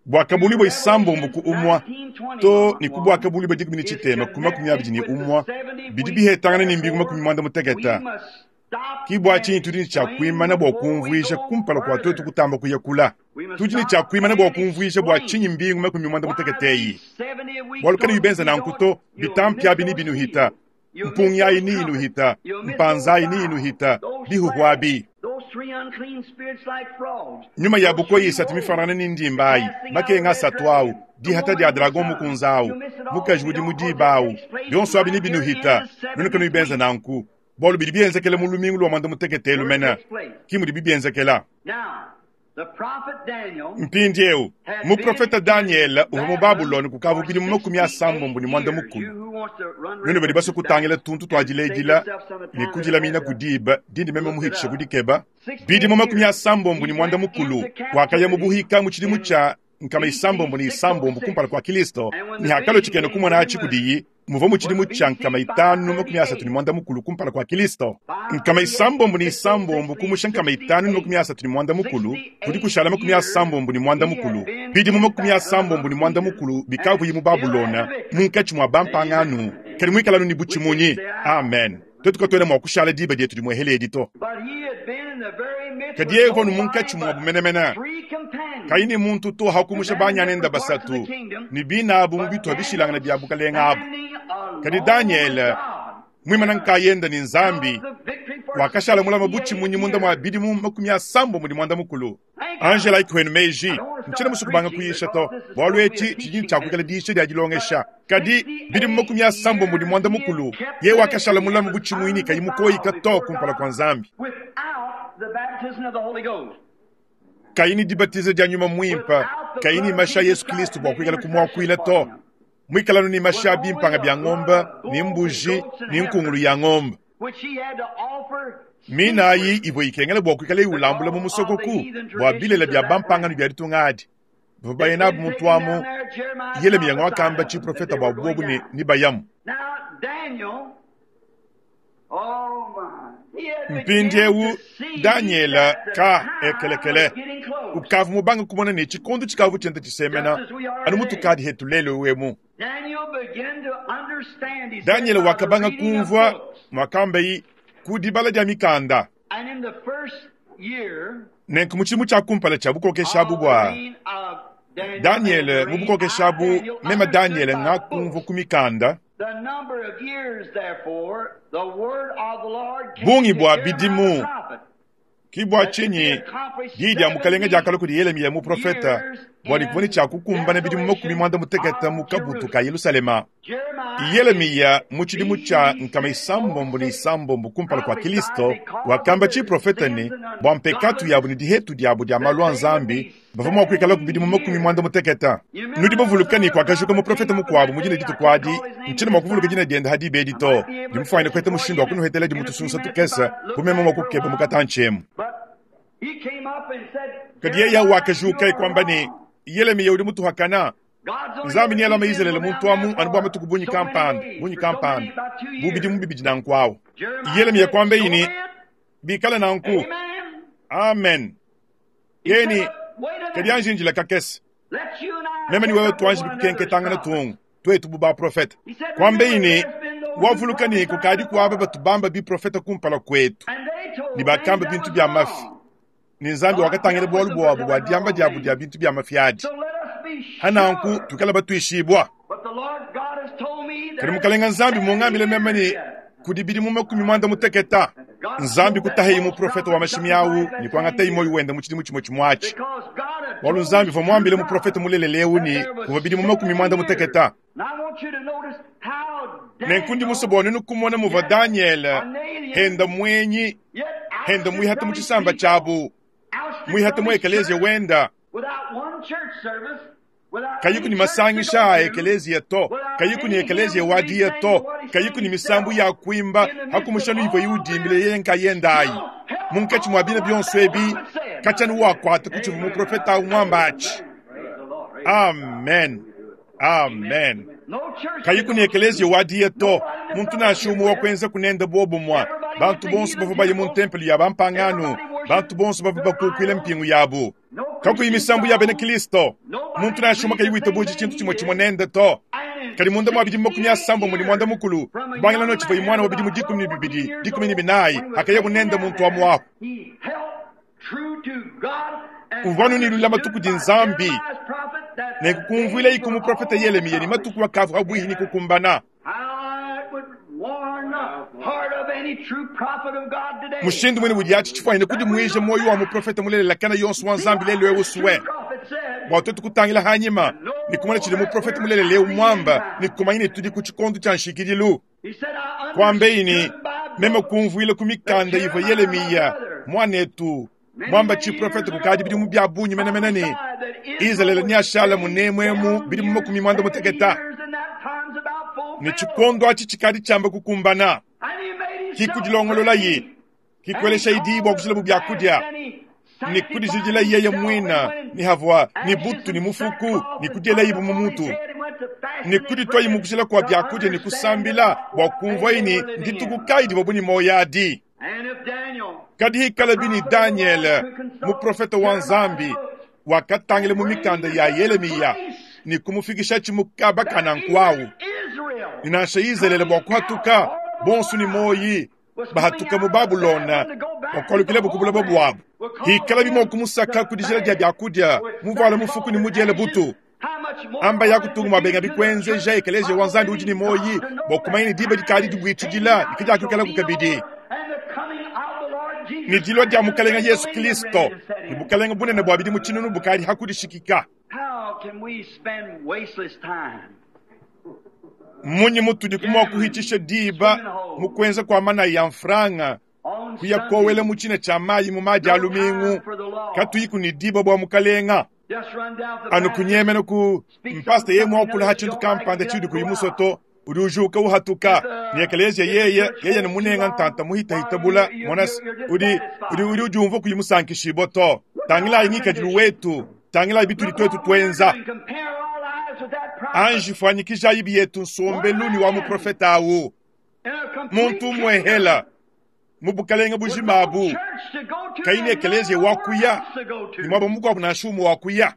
Bua to kabulibua isambombo Revelation ku umua nineteen twenty to ne ku bua one kabulibua dikumi ne is tshitema ku makumi abidi connected ne with the umua seventy bidi weeks. bihetangana ne mbingu makumi Therefore, muanda we mutekete. must stop Ki bua and tshinyi tudi ne tshia explain kuimana bua before we kumvuija go kumpala kua tuetu further. kutamba kuyakula. We must Tudi ne tshia stop kuimana bua and kumvuija bua explain tshinyi mbingu makumi muanda why mutekete eyi. these seventy weeks Bualu kani don't, bibenza if you nanku don't, to you'll miss bitampi abi ni those binuhita seals. You'll miss mpungi ayi those ni trumpets. inuhita You'll miss those mpanza ayi ni vials, inuhita those bihuhu flags, abi. those three unclean spirits like frogs, Nyuma ya those bukoyi three isatu woes, mifanana ni the ndimba ayi casting out of makenga red asatu awu dragon, the dihata woman dia with the dragon sun. mukunza awu You'll miss it all mukaji if you udi don't, because it mudiba awu takes place bionso abi ni right here in binuhita the nunu kanu seventieth bibenza week nanku bualu bidi bienzekela mu lumingu lua mwanda mutekete where it lumena takes place. ki mudi bibienzekela. Now, the prophet Daniel Mpindieu had been muprofeta in Daniel uvua mu Babylon Babuloni kukavu for bidimu makumi sixty-eight asambombo ne mwanda years. mukulu. You who wants to run Nunu badi references basue back kutangila tuntu tua and save diledila yourself some ne time that kudilamina had ku to diba dindi meme look it muhikishe up. kudikeba. sixty-eight Bidimu makumi years asambombo he ne mwanda went mukulu into wakaya mu captivity buhika mu tshidimu in tshia nkama B C isambombo ne isambombo kumpala six oh six. kua Kilisto And when ne the hakalo vision tshikena came to kumona him atshi was, kudiyi muvua mu was tshidimu tshia B C nkama itanu makumi asatu ne five thirty-eight. mwanda mukulu kumpala kua Kilisto. Nkama five thirty-eight isambombo ne and six oh six isambombo leaves kumusha nkama itanu ne makumi sixty-eight. asatu ne mwanda mukulu kudi sixty-eight kushala makumi years asambombo ne mwanda he had mukulu. been Bidimu in makumi Babylon asambombo among ne mwanda heathen mukulu and bikavuyi mu still had Babulona the victory. munkatshi mua bampangano kadi muikalanu ne Which is butshimunyi. the hour. Amen. Twetu katuena mua kushala diba dietu dimuehele edi to. But he had been in the very midst Kadi with yeye uvua nu nobody munkatshi but muabu menemene three kayi companions. ne muntu to And hakumusha then in banyanenda different parts of the basatu kingdom, ne binabu mu but bituha Daniel bishilangana bia bukalenga abu. standing Kadi alone with Daniele God muimana nkayenda ne held Nzambi the victory for Wakashala mulama butshimunyi munda mwa bidimu makumi asambombo ne muanda mukulu. Angela ikwenu meji ntshiena musue kubanga kuyisha to, bualu etshi tshidi tshiakuikala diyisha dia dilongesha. Kadi bidimu makumi asambombo ne muanda mukulu ye wakashala mulama butshimunyi kayi mukoyika to kumpala kua Nzambi. Without the baptism of the Holy Ghost. Kayi ni dibatiza dia nyuma muimpe, kayi ni mashi a Yesu Kristo bua kuikala kumuakuila to. Muikalanu ni mashi a bimpanga bia ngombe, ni mbuji, ni nkungulu ya ngombe. Which he had to offer Mina ayi ivua ikengela bua kuikala iwulambula mu musokoku bua bilele bia bampangano bia ditunga adi. Bavua baye nabu muntu amu, Yeremiya wakamba tshiprofeta bua bobu ne nibayamu. Now Daniel, oh my, he had begun Mpindiewu to see Daniela that the ka time ekelekele was getting close. ukavu mubanga kumona ne tshikondo tshikavu tshienda tshisemena anu mutukadi hetu lelu emu. Daniel began to understand. He said, Daniel by the wakabanga reading of kumvua books. mwakambayi ku dibala dia mikanda. And in the first year Nenku mu tshidimu tshia kumpala tshia bukokeshi of abu the bua reign of Daniel and Daniel the mu reign bukokeshi I, abu Daniel, mema understood Daniel by ngakumvua books. ku mikanda The number of years, therefore, the word of the Lord came bungi to bua Jeremiah the bidimu prophet, ki bua that should be tshinyi accomplished diyi dia mukalenga seventy diakalua kudi Yeremiya muprofeta years bua dikuvua ne in tshiakukumbana bidimu makumi desolation muanda mutekete of mu kabutu ka Jerusalem. Yerusalema. Jeremiah in Yeremiya mu tshidimu tshia nkama B C isambombo ne six oh six isambombo kumpala kua prophesied Kristo because of wakamba their tshiprofeta ne sins and bua mpekatu yabu ne ungodliness dihetu diabu dia that malu a they would Nzambi be bavua mua kuikala ku bidimu seventy makumi years. muanda mutekete. You Nudi remember there was bavuluka ne another kuakajuka prophet muprofeta came up in mukuabu that mu dina day. I dituku can't adi call his name ntshiena at mua this kuvuluka time. dina diende hadiba edi I to might be able to ndimufwanyine catch it kuheta for you mushindu wa in a, kunuhetela in a few dimutusunsa minutes if tukese I look kumema back mua for a kukeba while. mukatantshi emu. But he came up and said, Kadi yeya Jeremiah, you wakajuka are ikwamba ne wrong. Yeremiya udi mutuhakana God's only Nzambi going to ni alama keep Israeli Israel down muntu there amu anu bua for matuku bunyi so many kampanda days, bunyi for so many, kampanda about two bu bidimu years. bibidi nankwawu. Jeremiah Yeremiya said, kwamba so ini be it. bikala nanku. Amen. Amen. He said, Yeni but wait a kadi minute. anjinjila kakese. Let you and I Meme ni take wewe up with tuanji one another's bikukenketangana prophets. tungu twetu bu baprofeta. He said, Kwamba remember, ini there's been those who wavuluka ni prophesied kukadi kuaba before. batubamba biprofeta kumpala kwetu. And they told Ni things bakamba that bintu was bya mafi. wrong. Ni Nzambi God wakatangira dealt with bualu them for bwabu bua telling the diamba wrong diabu dia things. bintu bya mafi adi. So let us be Hananku sure. tukala batuishibwa. But the Lord God has told me Kadi there's mukalenga Nzambi seventy mungambile meme years ni yet. kudi bidimu makumi muanda muteketa. God Nzambi told that kutaheyi false muprofeta wa prophet mashimi something awu like that ni same kuangateyi moyo year. wenda mu tshidimu tshimue tshimue atshi. Because God had Bualu told Nzambi his vua true muambile muprofeta prophet mulelelewu that ni there was kuvua bidimu makumi seventy muanda years. muteketa. And I want you to notice how Nenku ndi Daniel, musue bua nenu kumona muvua yet Daniel an alien, henda mwenyi yet henda ousted mwihata from mu his tshisamba people, tshiabu ousted mwihata from mu his ekeleziya church, wenda without one church service, without kayiku any ni church to masangisha go a to, ekeleziya to without kayiku ni any ekeleziya hymns to be wadiya sang to but what he sang kayiku ni misambu himself, ya kuimba in the midst of hakumusha nuivo all iudimbile this, yeye nkayendayi still held munkatshi on mwa to bina what byonso that ebi prophet said. kachanu wakwata kuchivu muprofeta awu mwamba achi. Praise the Lord. Amen. Amen. No church to Kayiku ni go to, ekeleziya wadiya to nobody to muntu fellowship nashumu wa with. kwenza kunenda bobo mwa Everybody went bantu to bonso heathen bavua baye mu temples. ntempelo ya bampangano Everybody bantu worshiped bonso bavua their bakukwila idols. mpingu yabu No kakuyi Christian misambu ya bena songs. Kristo Nobody muntu nashuma agreed the kayiwita same buji thing tshintu he tshimue tshimue did. nende to And in kadi munda mwa bidimu makumi sixty-eight asambombo ne muanda years, mukulu from a kubangila young notshivua man imwana of wa bidimu about dikumi ne twelve, fourteen bibidi years dikumi ne old, binayi when he was akaye taken bunende down muntu wa there, muaku he held true to God and uvua nunilula matuku understood di by Nzambi Jeremiah's prophet that the nekukumvuila days iku were muprofeta almost Yeremiya ni accomplished. matuku akavu abwihi ni kukumbana. How it would warm the heart of any true prophet of God today Mushindu mwene udi atshi tshifwanyine that we kudimuija look moyo wa back, muprofeta mulelela kana yonso wa see Nzambi what lelu ewu this true suwe prophet said, bua twetu kutangila hanyima and ni kumona know tshidi that muprofeta we're mulelele at the end mwamba ni time. kumanya ne tudi ku tshikondo tshia nshikidilu. He said, I Kwambe ini understood by meme books kumvuila ku that mikanda ivua Jeremiah, my Yeremiya brother, mwanetu many, mwamba many years tshiprofeta kukadi bidimu ago, bya bunyi menemene ni prophesied that Israel Israeli would ni ashala stay munemwemu down bidimu here makumi mwanda seventy muteketa years, and that time's about ni fulfilled. tshikondo atshi tshikadi tshiamba kukumbana And he made himself kikudilongolola ye ready, and he kikwelesha idi called bua a kushila bya fast, kudya and he ni sanctified kudijidila yeye himself, and mwina went ni in havua ni ashes butu ni and mufuku sackcloth ni and kudiela put ibu upon his mumutu head and went to ni fasting and kuditwa prayer imukushila kwa to byakudia ni understand kusambila about bua what kumvua day they ini were living in. nditukukayi divua buni moyo adi. And if Daniel, Kadi the hikala bini prophet of the Lord, Daniel could consult muprofeta wa Jeremiah's Nzambi books wakatangila and mu bring mikanda to ya such a Yeremiya place ni kumufikisha tshimukaba that kana even nkwawu Israel ninasha Israeli bua coming out, kuhatuka all of them bonso ni alive, moyi was coming bahatuka mu out of Babulona Babylon to go back to the bakwalukila bukubula homeland, bwabu would cause hikala bimwa them kumusaka to kudijila dia fast byakudia with muvala mufuku sackcloth ni and mudiele ashes. butu How much more amba ought it yakutunga to mwabenga do to the bikwenzeja church ekeleziya of wa the Nzambi udi ni living moyi God to know bua kumanya that ni diba time dikadi is dibuitshidila changing out dikadiakuikala shall be kukabidi. over and the coming out Ne dilua dia Mukalenga Yesu Kristo ne bukalenga bunene bua bidimu tshinunu bukadi hakudishikika. Mmunyi mutudi kumua kuhitisha diba mu kuenza kua manayi ya mfranga kuya kowela mu tshina tshia mayi mu madi a lumingu katuyiku ne diba bua mukalenga anu kunyemena ku mpasta ye muakula ha tshintu kampanda tshidi kuyi musoto udi ujuka uhatuka ne ekelezia yeye yeye ne munenga ntanta muhitahita bula monas udi udi udi udiumva kuyi musankishibua to tangilayi ngikadilu wetu tangilayi bitudi twetu twenza anji fuanyikijayi biyetu nsombelu ni wa muprofeta awu muntu umwehela mu bukalenga bujimabu kayi ne ekelezia wakuya ni mwaba mukuabu nansha umwe wakuya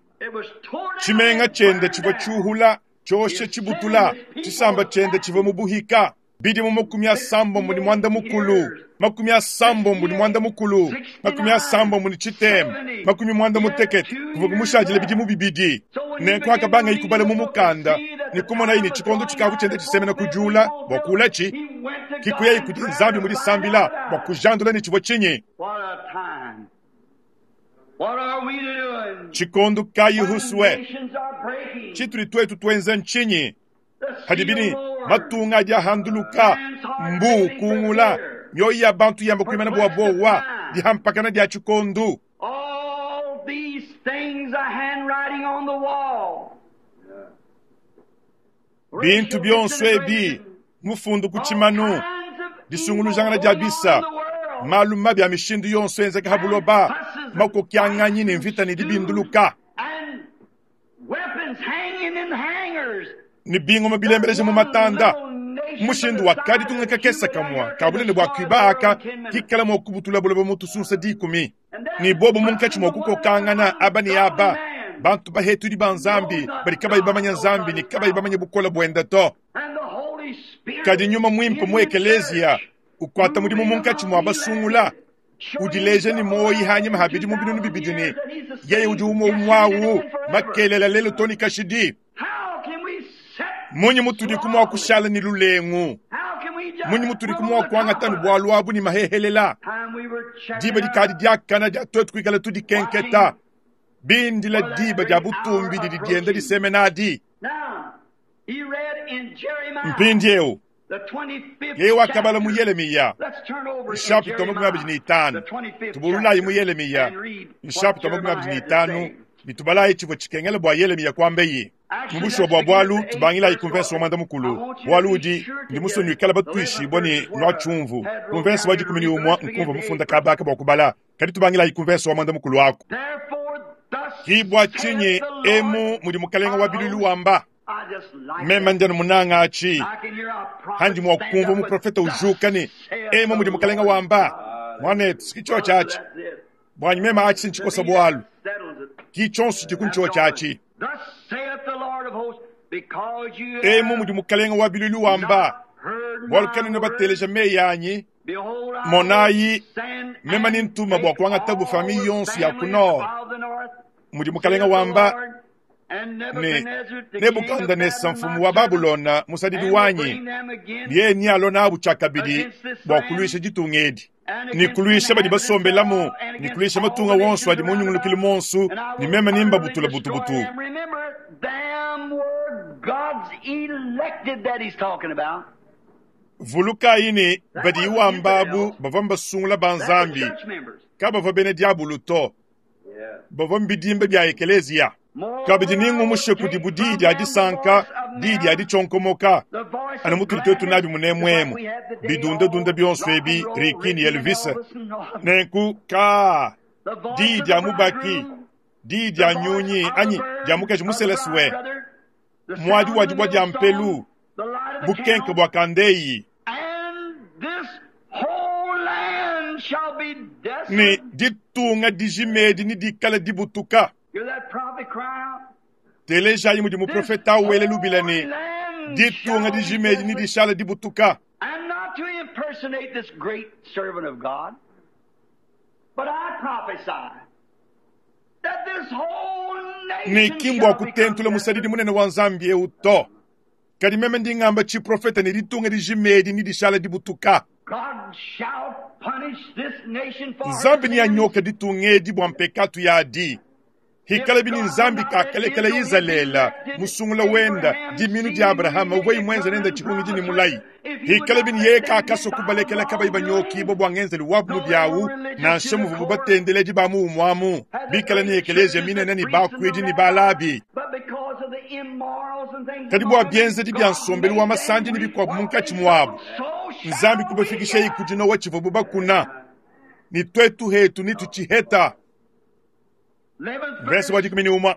tshimenga tshiende tshivua tshiuhula tshioshe tshibutula tshisamba tshiende tshivua mu buhika bidimu makumi asambombo ni mwanda mukulu makumi asambombo ni mwanda mukulu makumi asambombo ni tshitema makumi mwanda mutekete kuvua kumushadile bidimu bibidi nenku akabanga ikubala mu mukanda ni kumonayi ni tshikondo tshikavu tshiende tshisemena kujula bua kulatshi kikuyayi kudi nzambi mudisambila bua kujandula ni tshivua tshinyi tshikondo kayi huswe tshitudi twetu twenza ntshinyi hadibini matunga adi ahanduluka mbu kungula mioyo ya bantu yamba kuimana bua bowa dihampakana dia tshikondu bintu bionso ebi mufundu ku tshimanu disungulujangana dia bisa malu mabi a mishindu yonso enzeka ha buloba makokianganyi ne mvita ne dibinduluka ni bingoma bilembeleje mu matanda mushindu wakadi tungeka kesa kamwa kabulene bua kuiba aka kikala mua kubutula buloba mutusunsa dikumi ni bobo munkatshi mua kukokangana aba ni aba bantu bahetudi ba nzambi badi kabayi bamanya nzambi ni kabayi bamanya bukola buenda to kadi nyuma mwimpe mu ekelezia ukwata mudimu munkatshi mua basungula udileje ni moyi hanyima habidi mu binunu bibidi ni yeye udi umwe umwawu makelela lelo toni kashidi munyi mutudi kumua kushala ni lulengu munyi mutudi kumua kuangata ni bualu abu ni mahehelela diba dikadi diakana dia twetu kuikala tudikenketa bindila diba dia butumbi didi dienda disemenadi mpindiewu yeye wakabala mu Yeremiya nshapita makumi abiri n'itanu tubululayi mu Yeremiya nshapita makumi abiri n'itanu bitubalayi tshivua tshikengela bua Yeremiya kuambeyi mubushuwa bua bualu tubangilayi ku mvese wa mwanda mukulu bualu udi ndi musonyi ikala batuishibua ni nua tshumvu ku mvese wa dikumi ni umwa nkumva mufunda kabaka bua kubala kadi tubangilayi ku mvese wa mwanda mukulu ako kibwa tshinyi emu mudi mukalenga wa bilulu wamba meme ndiani munanga achi handi mwa kumva muprofeta ujuka ni emu mudi mukalenga wamba mwanetu sikicho chachi bwanyi meme achi sinchikosa bwalu kichonso chikuncho chachi emu mudi mukalenga wa bilulu wamba bwalu kanene bateleja meyi anyi monayi meme ni ntuma bua kuangata bufami yonso ya ku nord mudi mukalenga wamba ne Nebukadneza mfumu wa Babulona musadidi wanyi ye ni alona abu tshakabidi bua kuluisha ditunga edi ni kuluisha badi basombelamu ni kuluisha matunga wonso adi munyungulukile monsu ni meme nimba butula butubutu vulukayi ni badi iwamba abu bavua mbasungula ba nzambi kabavua bena diabulu to bavua mbidimba bia ekelezia kabidi ningumushe kudi budi dia disanka di dia ditshonkomoka anu mutuli twetu nabi munemwemu bidundadunda bionso ebi Ricky ni Elvis nenku ka di dia mubaki di dia nyunyi anyi dia mukaji museleswe mwadi wadi bua dia mpelu bukenke bua kandeyi ni ditunga dijimedi ni dikala dibutuka telejayi mudi muprofeta awele lubila ni ditunga dijimedi ni dishala dibutuka ni kimbwa kutentula musadidi munene wa nzambi eu to kadi meme ndingamba tshiprofeta ni ditunga dijimedi ni dishala dibutuka Nzambi neanyoke ditunga edi bua mpekatu yadi. Hikala bini Nzambi kakalekela Izalele musungula wenda diminu dia Abrahama uvua imwenza nenda tshihungidi ni mulayi. Hikala bini yeye kakasua kubalekela kabayi banyokibwa bua ngenzelu wabu mubiawu nansha muvubu batendeledi ba muumwamu bikala ni ekelezia minene ni bakuidi ni balabi. Kadi bua bienzedi bia nsombelu wa masandi ni bikuabu munkatshi muabu Nzambi kubafikisha ikudinowa tshivubu bakuna ni twetu hetu ni tuchiheta. Verse wa dikumi ni umwa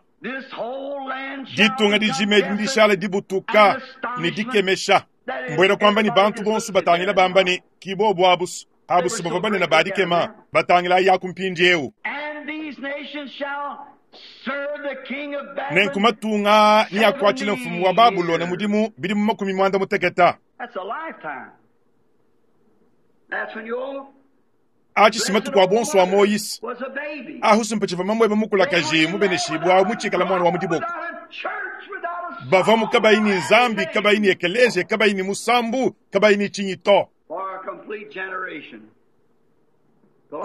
ditunga dijima edi ndishala dibutuka ni dikemesha mbwera kwamba ni bantu bonso batangila bamba ni kibobo abusu abusu bava banene badikema batangila yaku mpindiewu nenku matunga ni akwatshila mfumu wa Babulona mudimu bidi mu makumi mwanda muteketa achi matuku a bonso wa Moyise ahusu mpachiva mamwebe mukulakaji mubeneshibwa awu mutshikala mwana wa mudiboko bavamu kabayi ni nzambi kabayi ni ekelezia kabayi ni musambu kabayi ni tshinyi to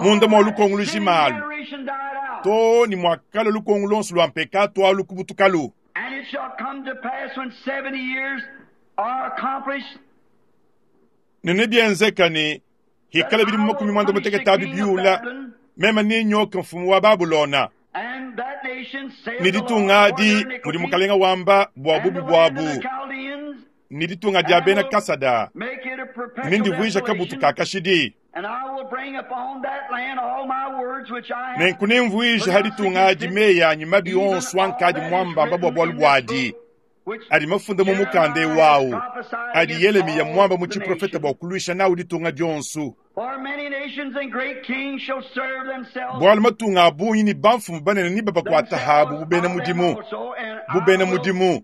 munda mwa lukongo lujimalu to ni mwakala lukongo lonso lwa mpekatu alu kubutukalu. Nene bienzeka ni hikala bidi makumi mwanda muteketa abi biula mema ninyoka mfumu wa Babulona ni ditunga adi mudi mukalenga wamba bua bubi buabu ni ditunga dia bena Kasada nindivuija kabutu ka kashidi nenku nimvuija ha ditunga adi meyi anyi mabi onso ankadi mwambamba bua bualu buadi adi mafunda mu mukanda ewawu adi Yelemiya mwamba mu tshiprofeta bua kuluisha nawu ditunga dionso bualu matunga a bungi ni bamfumu banene ni babakuata habu bubena mudimu bubena mudimu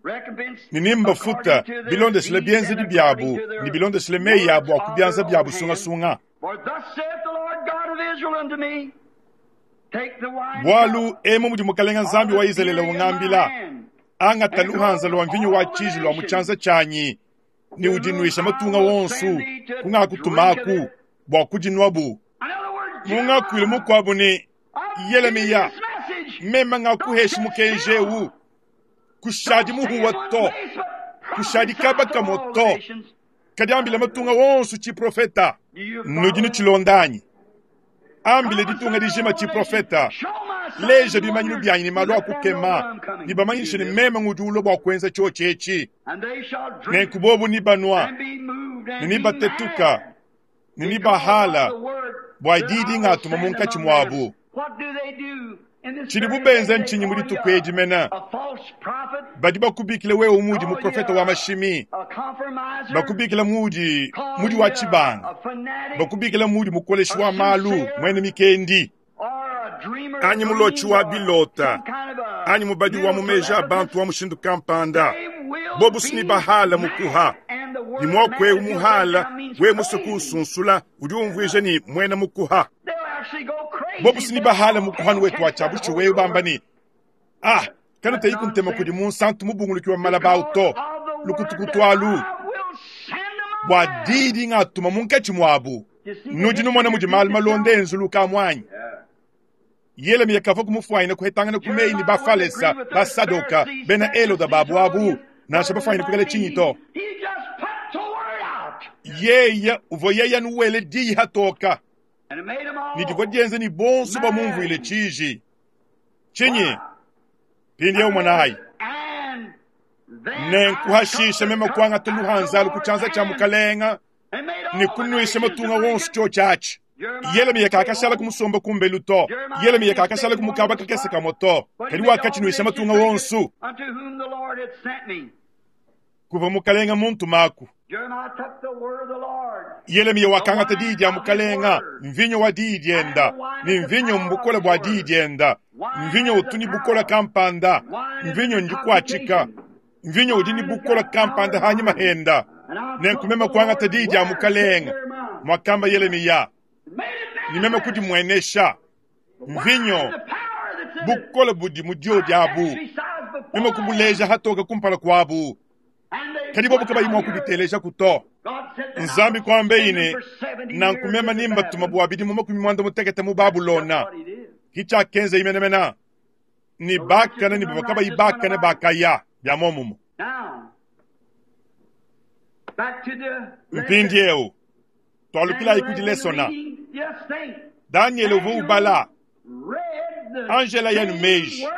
ni nimbafuta bilondeshile bienzedi biabu ni bilondeshile meyi abu akubianza biabu sungasunga. Bualu emu mudi mukalenga Nzambi wa Izalele ungambila angata luhanza lwa mvinyo wa tshiji lwa mutshianza tshianyi ni udinuisha matunga wonso kungakutumaku bua kudinwabu. Mungakuile mukuabu ni Yelemiya mema ngakuheshi mukenjewu kushadi muhuwa to kushadi kabaka moto kadiambila matunga wonso tshiprofeta nudi nutshilondanyi ambile ditunga dijima tshiprofeta leja bimanyinu byanyi ni malu akukema ni bamanyishe ni mema ngudi ulo bua kuenza tshiotshi nenku bobu ni banwa ni ni batetuka ni ni bahala bua didi ngatuma munkatshi muabu tshidi bubenza ntshinyi mu dituku edi mena badi bakubikila wewe mudi muprofeta wa mashimi bakubikila mudi mudi wa tshibanga bakubikila mudi mukoleshi wa malu mwene mikendi anyi mulotshi wa bilota anyi mubadi wa mumeja abantu wa mushindu kampanda bobu sini bahala mukuha ni mwakwewu muhala we musuku usunsula udi umvuija ni mwena mukuha bobu sini bahala mukuhanu wetu wa tshiabu wewe bamba ni ah kanu teyi kuntema kudi munsantu mubunguluki wa malabau to lukutukutualu bua didi ngatuma munkatshi muabu nudi numona mudi malu malonde enzuluka muanyi Yelemiya kava kumufuayina kuhetangana kumeyi ni bafalesa basadoka bena Eloda babu abu nansha bafuayina kukala tshinyi to yeya uvua yeya nuwele diyi hatoka ni divua dienza ni bonso bamumvuile tshiji tshinyi pindiewu mwanayi nenkuhashisha mema kuangata luhanzalu ku tshianza tshia mukalenga ni kunuisha matunga wonso tshiotshi atshi Yelemiya kakashala kumusomba kumbelu to Yelemiya kakashala kumukaba kakese kamwe to kadi wakatshinuisha matunga wonso kuva mukalenga muntu maku Yelemiya wakangata diyi dia mukalenga mvinyo wa diyi dienda ni mvinyo mbukola bua diyi dienda mvinyo utu ni bukola kampanda mvinyo ndikuatshika mvinyo udi ni bukola kampanda hanyi mahenda nenkumema kuangata diyi dia mukalenga mwakamba Yelemiya ni meme kudimwenesha mvinyo bukola budi mudio diabu meme kubuleja hatoka kumpala kuabu kadi bobu kabayi mua kubiteleja kuto. Nzambi kwambeyi ne nankumema nimbatuma bua bidimu makumi mwanda mutekete mu Babulona. Kichakenza imenemena ni bakana ni bavua kabayi bakana bakaya bya momumo. Mpindiewu twalukila kudi lesona Daniel uvua ubala Angela yanu meji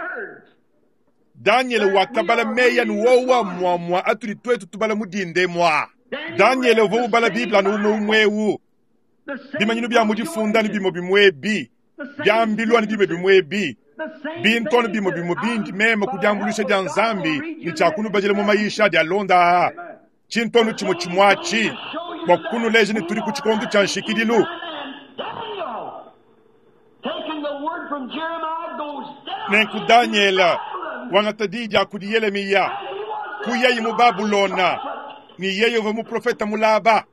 Daniel wakabala meyi anu wowa mwamwa atuli twetu tubala mudinde mwa Daniel uvua ubala Biblia anu umwe umwewu bimanyinu bya mudifunda ni bimo bimwebi byambilwa ni bimo bimwebi bintu bimo bimo bindi mema kudyambulisha dya nzambi ni kyakunubajila mu mayisha dya londa chintonu chimo chimwachi bwa kunuleja ni tuli ku chikondo cha nshikidilu. Nenku Daniela wangata di dya kudi Yeremiya kuyayi mu Babulona ni yeye uva muprofeta mulaba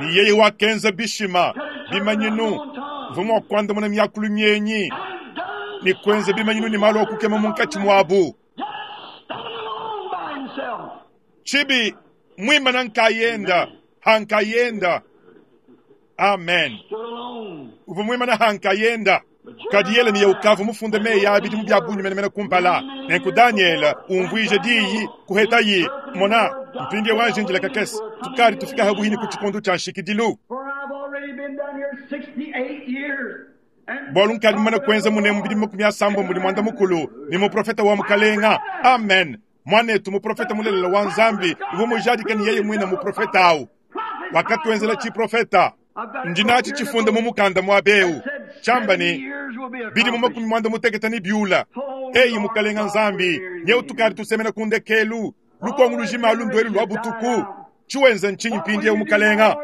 ni yeye wakenza bishima bimanyinu vumwa kwandamuna myakulu myenyi ni kwenza bimanyinu ni malo okukema munkati mwabu chibi mwimana nkayenda hankayenda. Amen. Uva mwimana hankayenda kadi Yeremiya ukavu mufunde meyi abidi mu bya bunyi menemene kumpala nenku Daniel umvwije diyi kuhetayi mona mpindie wanjinjila kakesi tukali tufika habuhini ku chikondo cha nshikidilu bwalu nkali mumana kwenza mune mubidi makumi asambo muli mwanda mukulu ni muprofeta wa mukalenga. Amen. Mwanetu muprofeta mulelela wa nzambi uva mujadika ni yeye mwina muprofeta awu wakatwenzela chiprofeta ndinachi chifunda mu mukanda mwa beu chamba ni bidi mu makumi mwanda muteketa ni byula eyi mukalenga nzambi nyeu tukali tusemena kundekelu lukongo lujima lundwelu lwa butuku chiwenza nchinyi mpindi eu mukalenga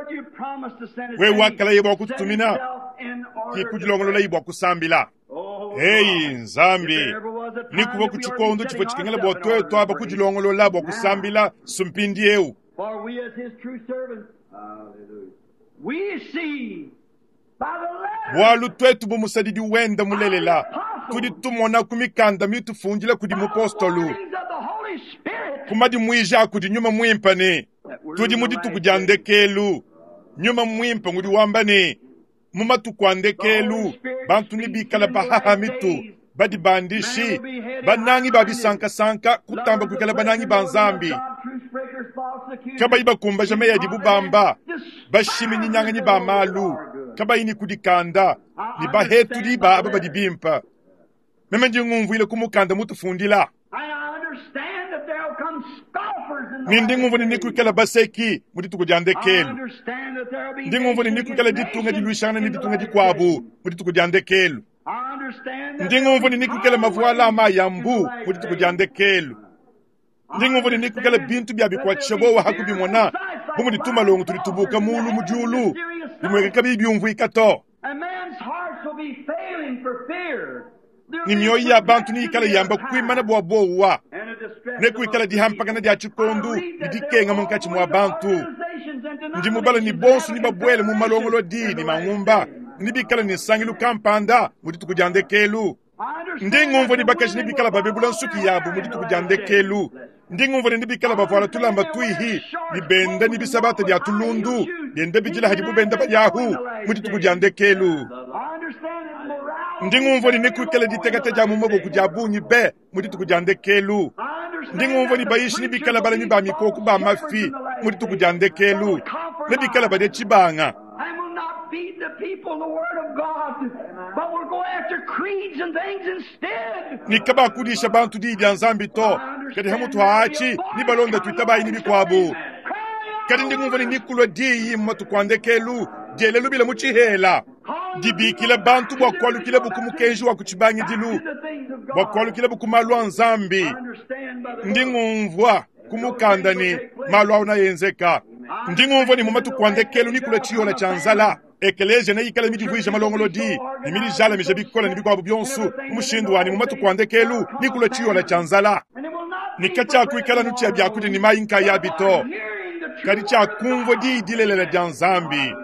we wakala ye bwa kututumina kikudilongolola ibwa kusambila. Eyi nzambi nikuva ku chikondo chifo chikengela bwa twetu aba kudilongolola bwa kusambila sumpindi eu. Bwalu twetu bumusadidi wenda mulelela tudi tumona kumikanda mitufundila kudi mupostolu kumadi mwija kudi nyuma mwimpa ne tudi mudituku dya ndekelu nyuma mwimpa ngudi wamba ne mumatuku a ndekelu bantu ni bikala bahaha mitu badi bandishi banangi babisankasanka kutamba kuikala banangi ba nzambi kabayi bakumbaja meyi adi bubamba bashiminyinyang'anyi ba malu kabayi ni kudikanda ni bahetuli ba aba badi bimpa meme ndi ngumvuile kumukanda mutufundila ni ndi ngumvu ni nikuikala baseki mu dituku dya ndekelu ndi ngumvu ni nikuikala ditunga diluishangana ni ditunga dikuabu mu dituku dya ndekelu ndi ngumvu ni nikuikala mavuala ama ya mbu mu dituku dya ndekelu ndi ngumvu ni nikuikala bintu bya bikwatisha bowa hakubimona bu mudi malongo tudi tubuka mulu mu diulu bimweka kabiyi byumvuika to ni mioyo ya bantu niikala yamba kuimana bwa bowa nekuikala dihampakana dia chikondu ni dikenga munkatshi mwa bantu ndi mubala ni bonso ni babwele mu malongolo di ni mangumba ni bikala ni nsangilu kampanda mu dituku dia ndekelu ndi ngumvu ni bakaji ni bikala babebula nsuki yabu mu dituku dia ndekelu ndi ngumvu ni bikala bavuala tulamba tuihi ni benda ni bisabata dia tulundu benda bijila hadi bubenda bayahu mu dituku dia ndekelu ndi ngumvu ni nikuikala ditekete dia mu maboku dia bungi be mu dituku dia ndekelu ndi ngumvu ni bayishi ni bikala balami ba mikoku ba mafi mu dituku dia ndekelu ne bikala badia tshibanga ni kabakudisha bantu diyi dia nzambi to kadi hamutu haachi ni balonda tuitabayi ni bikuabu kadi ndi ngumvu ni nikulwa diyi mu matuku a ndekelu diele lubila mu tshihela dibikila bantu bua kualukila buku mukenji wa kutshibangidilu bua kualukila buku malu a nzambi ndi ngumvua kumukanda ni malu awu nayenzeka ndi ngumvua ni mu matuku a ndekelu nikula tshiyola tshia nzala ekelesia neikala midivuija malongolodi ni midijalamija bikola ni bikuabu bionso mu mushindu wani mu matuku a ndekelu nikula tshiyola tshia nzala nika tshiakuikala nu tshia biakudia ni mayi nkayabi to kadi tshiakumvua diyi dilelela dia nzambi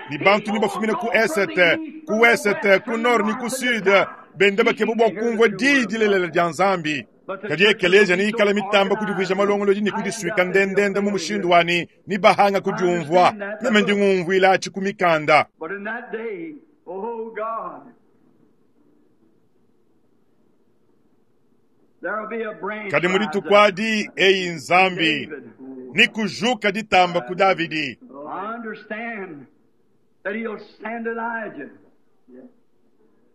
ni bantu ni bafumina ku esete ku wesete ku nord ni ku sud benda bakeba bua kumvua diyi dilelela dia nzambi. Kadi ekeleziya neyikale mitamba kudivuija malongolodi ne kudisuika ndendende mu mushindu wa ne nibahanga kudiumvua. Meme ndi ngumvuila atshi ku mikanda. But in that day, oh God, there will be a branch Kadi mu rise dituku up. adi eyi Nzambi David. ni kujuka ditamba ku Davidi. I understand that he'll send Elijah.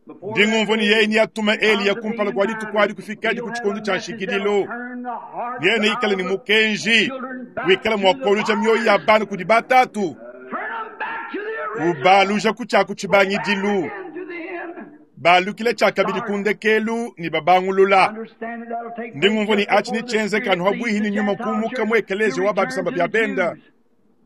Before Ndi ngumvua that ni day yeye niyatuma Eliya comes to kumpala be kua in dituku time, adi kufikadi he'll ku have tshikondo a tshia message nshikidilu. that'll turn the hearts Yeye neikale of ni the mukenji children back wikale to mua the koluja mioyo ya fathers. bana kudi batatu. Turn 'em back to the original. Ubaluja ku tshiaku Go back tshibangidilu. again to the end. Balukile tshiakabidi ku ndekelu ni babangulula. Understand that that'll take Ndi place ngumvua ni just achi before ni the tshienzeka Spirit anu leads habuihi the ni nyuma Gentile kumuka church mu to ekeleziya wa return babisamba to bya the benda Jews.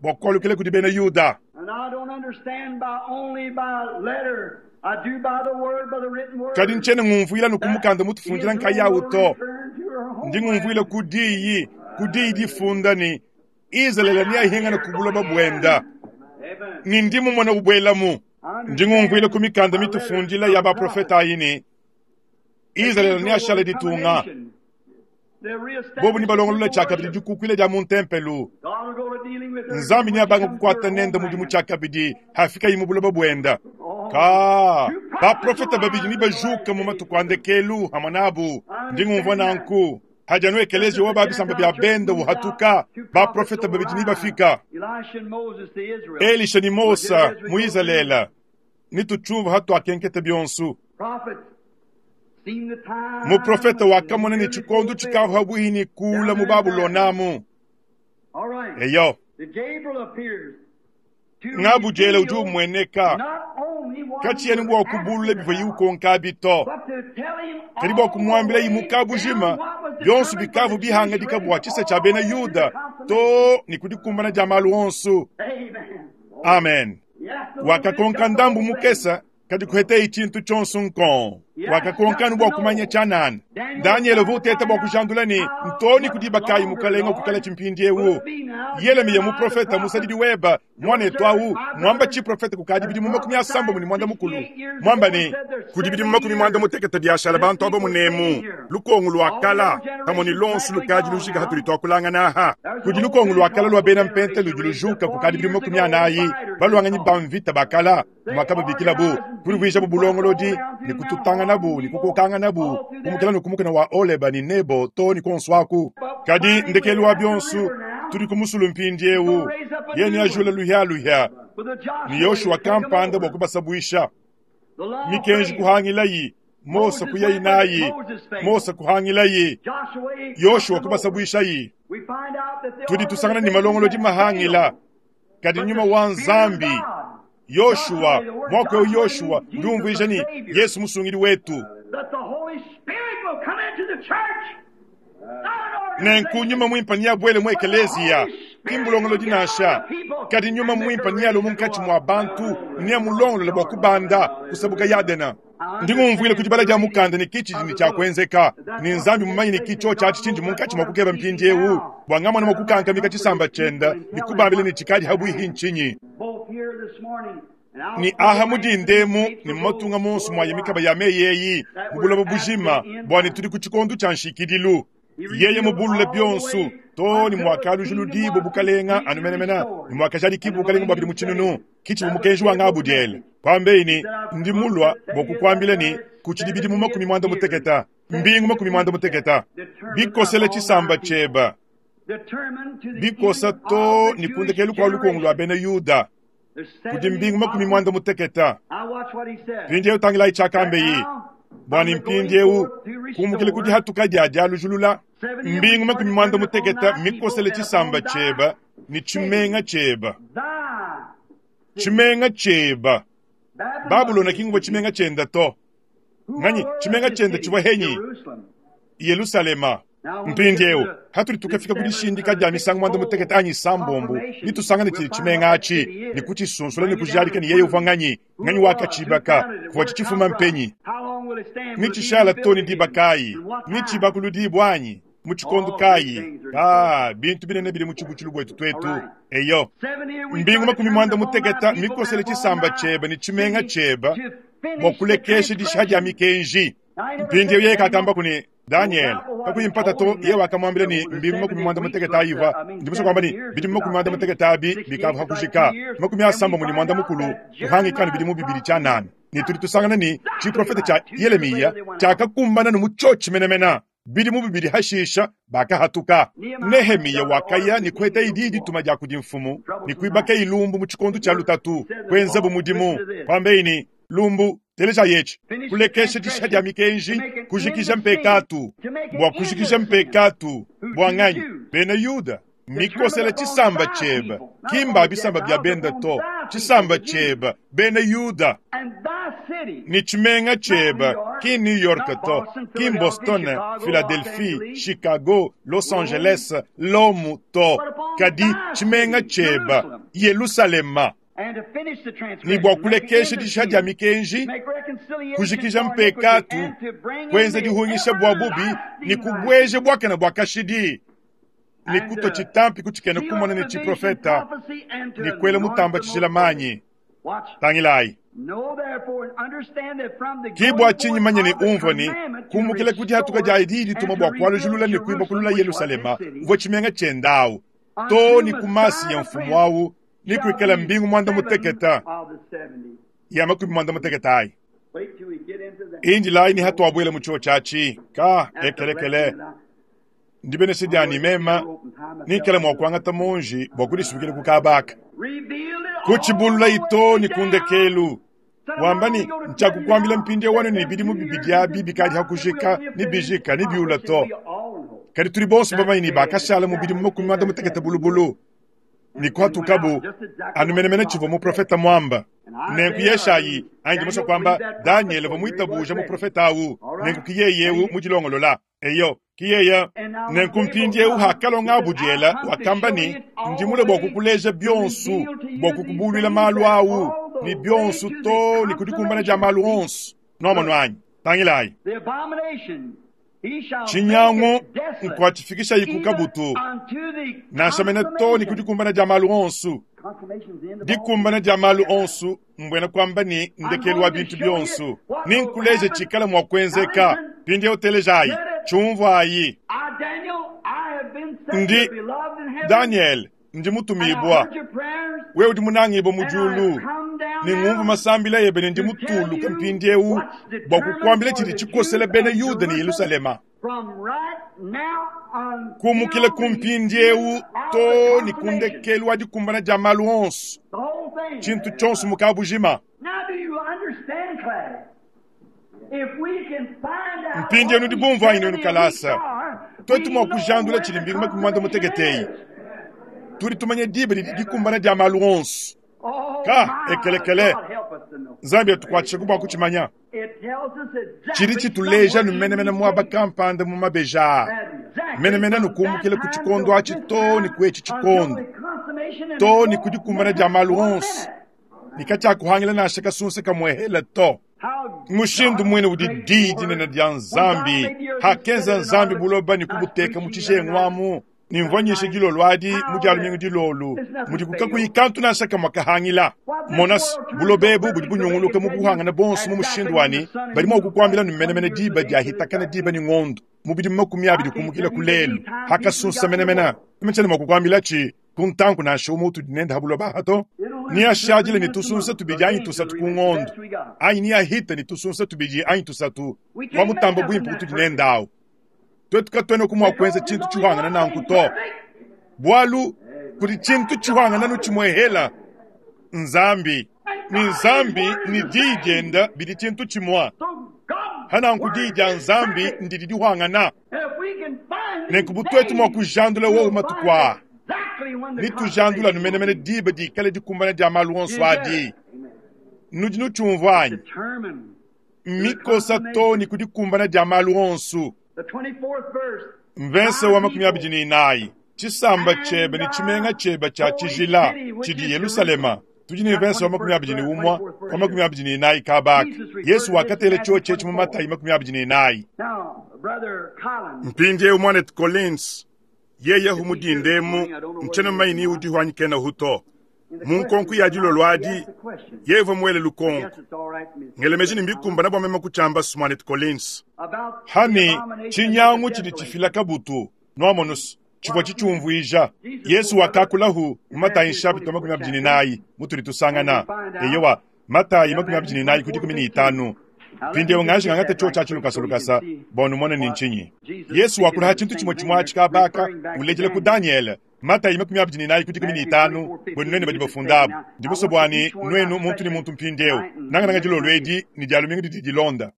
bua kualukile kudi bena Yuda. And I don't understand by only by letter. I do by the word, by the written word. Kadi ntshiena ngumvuila nu ku That mukanda mutufundila Israel nkayawu will to. return to her Ndi ngumvuila homeland. ku diyi, ku diyi difunda ni Israeli niyahingana ku buloba buenda. Amen. Ni ndi mumona ubwelamu. I Ndi ngumvuila ku understand mikanda by letters mitufundila ya from baprofeta prophets ayi ni that Israeli Israel will niyashala become a ditunga. nation. They'll Bobu reestablish ni the balongolola temple tshiakabidi worship. dikukuila dia mu ntempelu. God will go to dealing with her again Nzambi when she niyabanga comes to her kukwata nenda mudimu homeland. tshiakabidi hafika yi mu buloba buenda. Oh, Ka two prophets baprofeta will babidi rise ni in the bajuka last mu days. matuku a ndekelu hamwe nabu. I Ndi ngumvua understand that. nanku. Hajanu Just ekeleziya as the wa babisamba Gentile bya church benda moved out, uhatuka two prophets baprofeta will babidi ni rise. bafika. Elisha and Moses to Israel. Elisha ni We'll get it Mosa as we mu go through. Israela nituchumva hatuakenkete byonsu. Prophets seen the time Muprofeta was wakamona ni nearly chikondo fulfilled chikavu habuhi ni kula down mu there in Babylon. Babulonamu. All right. Eyo The Gabriel appears to ngabujela udi reveal umweneka not only what he kachiyeni was bwa kubulula asking biva about, yiukonka bito. but to tell him Kadi bwa all the kumwambila way yimuka down bujima what was byonsu determined for bikavu the Jewish bihangadika race bwa chisa cha bena all to the Yuda to consummation. ni kudikumbana ja malu onsu. Amen. Amen. He asked a little bit, Wakakonka got the ndambu whole thing. mukesa kadi kuhete ichintu chonsu nkon. He asked Wakakonka just nu to bwa kumanya know. chanani. Daniel was Daniel trying to vuteta find bwa out kujandula ni how ntoni much kudibakayi longer, mukalenga kukala Lord, chimpindi will ewu. it be now? Yelemiya Jeremiah the muprofeta prophet, musadidi weba your mwana servant, etwawu my mwamba brother, chiprofeta kukadi has bidi mu makumi asambo prophesied muni mwanda mukulu. sixty-eight years Mwamba ago and ni said there's kudi bidi mu seventy makumi mwanda years muteketa biashara this bantu abo people staying munemu here. lukongo All the lwakala old pamwe ni generation's lonsu practically lukadi gone lushika hatuli now. twakulanga naha There's an kudi old lukongo lwakala lwa Pentecostal bena mpente generation ludi raised up lujuka forty kukadi bidi mu years makumi ago, anayi fighters it's balwanganyi called. bamvita bakala They mwakababikila bu organized and kulivwisha beat bu and fought all bulongolodi down ni through Mount kututanga nabu Horeb, ni Nebo, kukokanga nabu all through kumukela there. nukumukana wa oleba ni nebo to ni konswaku But kadi finally, ndekelu we're wa at the byonsu river now. tuli kumusulu mpindi He's going to ewu raise up a yeni new ajula one luhya luhya with a ni Joshua Yoshua to take 'em kampanda bwa over. kubasabwisha The law mikenji failed. kuhangilayi Mose Moses went with it. kuyainayi Moses failed. Mose kuhangilayi Joshua got Yoshua them over. kubasabwishayi We find out that the tudi tusangana ni organization malongolodi had mahangila failed. kadi But nyuma the wa Spirit of Nzambi God, Yoshua Joshua, the word mwaka wa Joshua Yoshua means Jesus ndiumvuija the ni Savior, Yesu musungili wetu that the Holy Spirit will come into the church. Not an nenku nyuma organization, mwimpa niyabwele mu but the ekeleziya Holy Spirit will kimbulongolodi get on the nasha people kadi nyuma and make mwimpa her ready niyalo to go munkatshi up. mwa bantu niyamulongolola bwa kubanda kusabuka yadena I ndingumvwile understand kudibala the dia reading mukanda ni kichi of ni the book. chakwenzeka That's ni what nzambi takes mumanyi ni place, kicho and God chachi chinji knows that's munkatshi what mwa I'm kukeba seeking mpindi ewu now, bwa ngamwana that I might mwakukankamika comfort chisamba his people chenda and ni tell them kubambile what ni chikali at habwihi hand. nchinyi Both here this morning and I'll ni see aha the answer mudindemu these tapes ni will go mumatunga monso mwa yemikaba worldwide. ya meyeyi That we're mubulabo at bujima the end bwani time. tuli ku chikondo cha nshikidilu He yeye revealed mubulule all the byonsu way to ni until the mwakaluju kingdom ludibo was bukalenga completely anumenemena ni restored mwakajali and kibu the bukalenga bwabili millennium muchinunu setting. kichi That was bumukenji wa Gabriel's ngabudyele message. kwambeini He said, I've ndi come to mulwa tell you that bwokukwambile ni there are kuchidibidi mu makumi seventy mwanda years, muteketa mbingu makumi seventy mwanda weeks muteketa determined bikosele upon my chisamba people. cheba Determined to the bikosa end to of the ni Jewish kundekelu kwa lukongo lwa generation. bena Yuda There's kuti seventy mbingu makumi prophets. mwanda muteketa I watch what he said. mpindi ewu tangila That ichakambe iyi now, from bwani the going mpindi ewu forth to kumukile kuti restore, hatuka dyaja lujulula seventy weeks mbingu are makumi mwanda determined upon muteketa thy people mikosele and chisamba upon thy cheba ni city. chimenga cheba Thy city. chimenga cheba Babylon babulona was kingubwa city. chimenga chenda to Who nganyi were chimenga the chenda city? chibwa henyi Jerusalem. Yerusalema Now when we mpindi get to ewu the, hatuli the tukafika seven kudishindika or the dya misango mwanda muteketa sixfold anyi sambombo confirmation, nitusangane we'll chili find what chimenga that achi city is. nikuchisunsula Bring it down nikujalika and ni yeye uva prove nganyi who nganyi it was, who wakachibaka founded it, kuva where it come chichifuma from, mpenyi how long will it stand, will it be nichishala rebuilt toni again, dibakayi and what time. nichibakuludibwanyi muchikondo All great kayi things are in store. ah bintu binene bili muchibuchilu bwetu All twetu right. eyo Seventy weeks mbingu are makumi determined mwanda upon thy muteketa people and mikosele upon chisamba thy cheba ni chimenga city cheba to finish the bwakulekesha disha dya transgression. mikenji Mpindieu yeye kakamba kuni Daniel kakuyi mpata to, yeye wakamwambila ni mbingu makumi mwanda mutekete ayiva. Ndi musha kwamba ni bidimu makumi mwanda mutekete abi bikava hakujika makumi asamba muni mwanda mukulu kuhangikana bidimu bibili cha nane. Ni tuli tusangana ni chiprofeta cha Yeremia chakakumbana ni muchochi menemena bidimu bibili hashisha bakahatuka. Nehemiya wakaya ni kweta ididi tuma ja kudi mfumu ni kuibaka ilumbu mu chikondo cha lutatu kwenza bumudimu kwambeini lumbu teleja yechi kulekesha disha dia mikenji kujikija mpekatu bwa kujikija mpekatu bwa nganyi bena Yuda mikosela chisamba cheba kimba bisamba bya benda to chisamba cheba bena Yuda ni chimenga cheba ki New York to ki Boston, Philadelphia, Chicago, Los Angeles, Lomu to kadi chimenga cheba Yerusalema ni bwa kulekesha disha dia mikenji kujikija mpekatu kwenza dihungisha bwa bubi ni kubweje bwakena bwa kashidi ni kuto chitampi kuchikene kumona ni chiprofeta ni kwele mutamba chishila manyi tangilai kibwa chinyi manye ni umvo ni kumukile kuti hatuka ja ididi tuma bwa kwalujulula ni kuiba kulula Yerusalema uvo chimenga chendawu to ni kumasi ya mfumu wawu ni kuikala mbingu mwanda muteketa ya makumi mwanda muteketa ayi inji lai ni hatu abwele muchuo chachi ka ekelekele ndibene sidyani mema nikele mwakwangata munji bwa kudisubikile kukabaka kuchibulula ito ni kundekelu wambani nchakukwambila mpindi wano ni bidimu bibidya bikali hakujika ni bijika ni biula to kadi tuli bonso bamaini bakashala mu bidimu makumi mwanda muteketa bulubulu ni kwatukabu anumenemene chivo muprofeta mwamba nenku yeshayi anji kwamba Daniel vamwitabuja muprofeta awu nenku kiyeyewu mujilongolola eyo kiyeya nenku mpindiewu hakalonga abudyela wakamba ni ndimule bwa kukuleja byonsu bwa kukubulwila malu awu ni byonsu to ni kudikumbana ja malu onsu nomonwanyi tangilayi chinyango nkwachifikisha ikukabutu nashamene to ni kudikumbana ja malu onsu dikumbana ja malu onsu mbwena kwamba ni ndekelu wa bintu byonsu ninkuleje chikala mwa kwenzeka pindi otelejayi chumvwayi ndi Daniel ndi mutumibwa we udi munangibwa mujulu ni ngumvu masambila yebe ni ndi mutulu kampindiewu bwa kukwambila chili chikosela bena Yuda ni Yerusalema kumukile kumpindiewu to ni kundekelu wa dikumbana ja malu onsu chintu chonsu mukabujima mpindiewu nudi bumvu inu kalasa twetu mwa kujandula chili mbingu makumi mwanda muteketeyi tuli tumanye dibe dikumbana dia malu onsu ka ekelekele nzambi atukwatshika kubwa kuchimanya chili chituleja numenemene mwaba kampanda mu mabeja menemene nukumbukile ku chikondo achi to ni kwechi chikondo to ni kudikumbana dia malu onsu nikachakuhangila nasha kasunsa kamwehela to mushindu mwene udi didi nene dia nzambi hakenza nzambi buloba ni kubuteka muchishengwamu nimvonyeshe dilolo adi mudialu mingu dilolu mudi kukakuyikantu nasha mwakahangila monas bulobebu budi bunyunguluka mu buhangana bonso mu mushindu wani bali mwa kukwambila numenemene diba diahitakana diba ni ngondo mubidi makumi abidi kumukila kulelu hakasunsa menemena imetshene mwa kukwambila chi kuntanku nasha umutu dinenda habuloba hato niashajile ni tusunsa tubidi anyi tusatu kungondo anyi niahita ni tusunsa tubidi anyi tusatu wa mutambo bwimpu kutudinendawo twetu katwene kumwa kwenza chintu chihwangana nanku to bwalu kuli chintu chihwangana nuchimwehela nzambi ni nzambi ni diyi dyenda bili chintu chimwa hananku diyi dya nzambi ndili dihwangana nenku butwetu mwa kujandula wowu matukwaa nitujandula numenemene diba dikale dikumbana dia malu onso adi nudi nuchumvwanyi mikosa to ni kudikumbana dia malu onsu mvense wa makumi abidi ni inayi chisamba chebe ni chimenga chebe cha chijila chidi Yerusalema tudi ni mvense wa makumi abidi ni umwa wa makumi abidi ni inayi kabaka Yesu wakatele cho chechi mu Matayi makumi abidi ni inayi mpindiewu mwanetu Collins yeye humudindemu nchene maini udi hwanyikena huto munkonku ya dilolo adi yeva mwele lukonko Ngelemeji ni mbikumbana bwa mema kuchamba Smanet Collins. Hani chinyangu chidi chifila kabutu nwamonus chivwa chichumvuija Yesu wakakulahu matayi nshapita makumi abiri ni nayi mutuli tusangana eyowa matayi makumi abiri ni nayi kudi kumi ni itanu mpindieu ngaji ngangate cho chachi lukasa bonu mone ni nchinyi Yesu wakulaha chintu chimwe chimwe achikabaka ulejele ku Daniel matayi makumi abiri ni nayi kudi kumi ni itanu bwenu nwenu badi bafundabu ndibuso bwani nwenu muntu ni muntu mpindieu nangananga dilolo edi ni dialumingu didi dilonda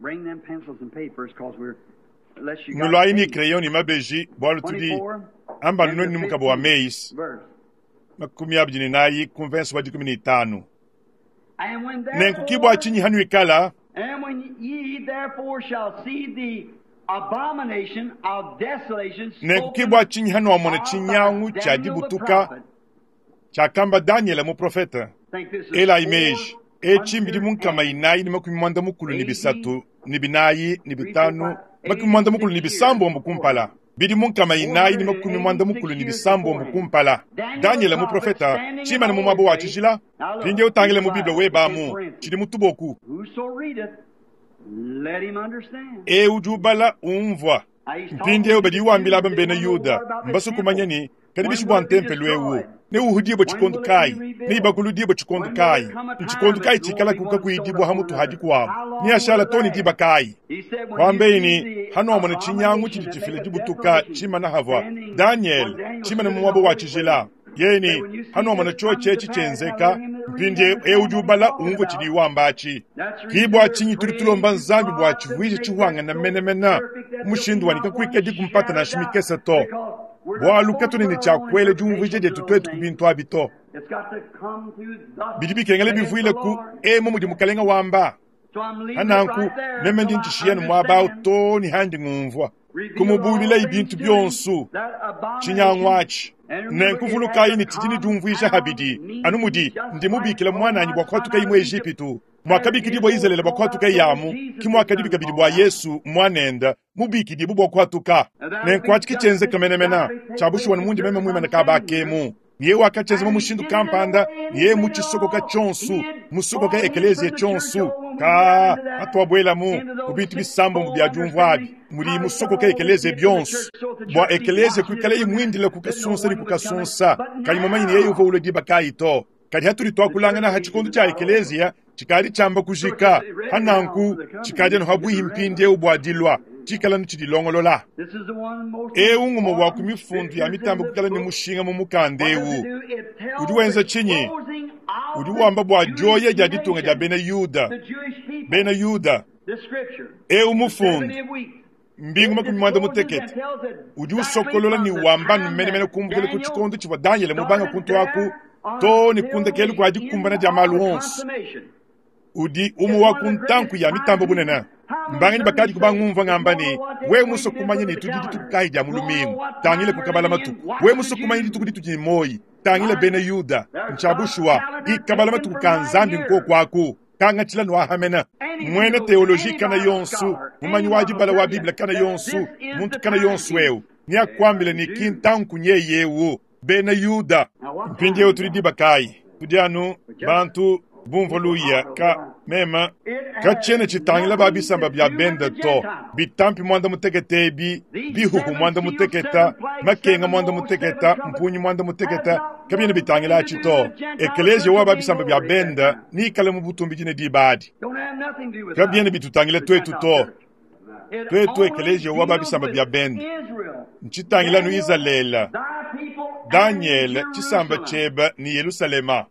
nulwayi ni crayon ni mabeji bwalu tudi amba nwenu ni mukabo wa meis makumi abiri ni nayi kumvenso wa dikumi ni itanu nenkukibwa chinyi hanu ikala And when ye therefore shall see the abomination of desolation nenkukibwa chinyi hanu wamona chinyangu cha dibutuka chakamba Daniel muprofeta ela imeji echimbili munkama inayi ni makumi mwanda mukulu ni bisatu ni binayi ni bitanu makumi mwanda mukulu ni bisambombo kumpala bidi munkama inayi ni makumi mwanda mukulu ni bisambombo kumpala Daniel muprofeta chimana mu mwabo wa chijila pinge utangile mu Biblia webamu chili mutuboku e ujubala umvwa mpindiewu badi wambila aba mbena Yuda mbasu kumanya ni kadi bishi bwa ntempelo ewu ne uhudibwa chikondo kai ne ibakuludibwa chikondo kai nchikondo kai chikala kuka kuidibwa hamutu hadi kwabu ni ashala toni diba kai kwambeini hano amona chinyangu chili chifila dibutuka chimana havwa Daniel chimana mumwabo wa chijila yeni hano amona choche chichenzeka mpindie eujubala umvwe chili wambachi kibwa chinyi tuli tulomba nzambi bwa chivwije chihwanga na menemena mushindu wanika kwike dikumpata na shimikese to bwalu katunene chakwele jumvwije jetu twetu kubintu abito bidi bikengele bivwile ku emo mudi mukalenga wamba hananku meme ndi ntishiyenu mwabao to ni handi ngumvwa kumubulila ibintu byonsu chinyangwachi nenkuvulukayi ni tidi ni jumvwisha habidi anu mudi ndimubikila mwananyi bwa kwatuka mu Ejipitu mwakabikidibwa Israeli bwa kwatuka yamu kimwakadibika bidi bwa Yesu mwanenda mubikidibwa bwa kwatuka nenkwachiki chenze kamenemena chabushuwa mundi meme mwimana kabakemu niye wakacheza mushindu kampanda niye muchisokoka chonsu musokoka ekelezia chonsu ka atwabwelamu kubintu bisambo mu byajumvwabi muli musokoka ekelezia byonsu bwa ekelezia kwikala imwindile kukasunsa ni kukasunsa kali mumanyi niye yuva ulo diba kayi to kali hatuli twakulangana ha chikondo cha ekelezia chikali chamba kujika hananku chikali anu habwihi mpindiewu bwadilwa chikala nichidilongolola ewu ngumo bwa kumifundu ya mitambo kukala ni mushinga mu mukanda ewu udi wenza chinyi udi wamba bwa joya dia ditunga dia bena Yuda bena Yuda ewu mufundu mbingu makumi mwanda mutekete udi usokolola ni wamba numenemene kumbukile ku chikondo chivwa Daniel mubanga kuntu aku to ni kundekelu kwa dikumbana dia malu onso udi umu wa kuntanku ya mitambo bunene mbangani bakadi kubangumva ngamba ni we muso kumanya ni tudi dituku dia mulumingu tangile kukabala matuku we muso kumanya dituku dituku ni moyi tangile bene Yuda nchabushwa dikabala matuku ka nzambi nko kwaku kangachila nwahamena mwene teoloji kana yonsu mumanyi wa dibala wa Biblia kana yonsu muntu kana yonsu eu ni akwambile ni kintanku nyeyewu bene Yuda mpindiewu tuli dibakayi tudi anu bantu bumva luya ka mema kachene chitangila babisamba bya benda to bitampi mwanda muteketa ebi bihuhu mwanda muteketa makenga mwanda muteketa mpunyi mwanda muteketa kabyene bitangila achi to ekelezia wa babisamba bya benda nikale mu butumbi dine dibadi kabyene bitutangila twetu to twetu ekelezia wa babisamba bya benda nchitangila nu Israela Daniel chisamba cheba ni Yerusalema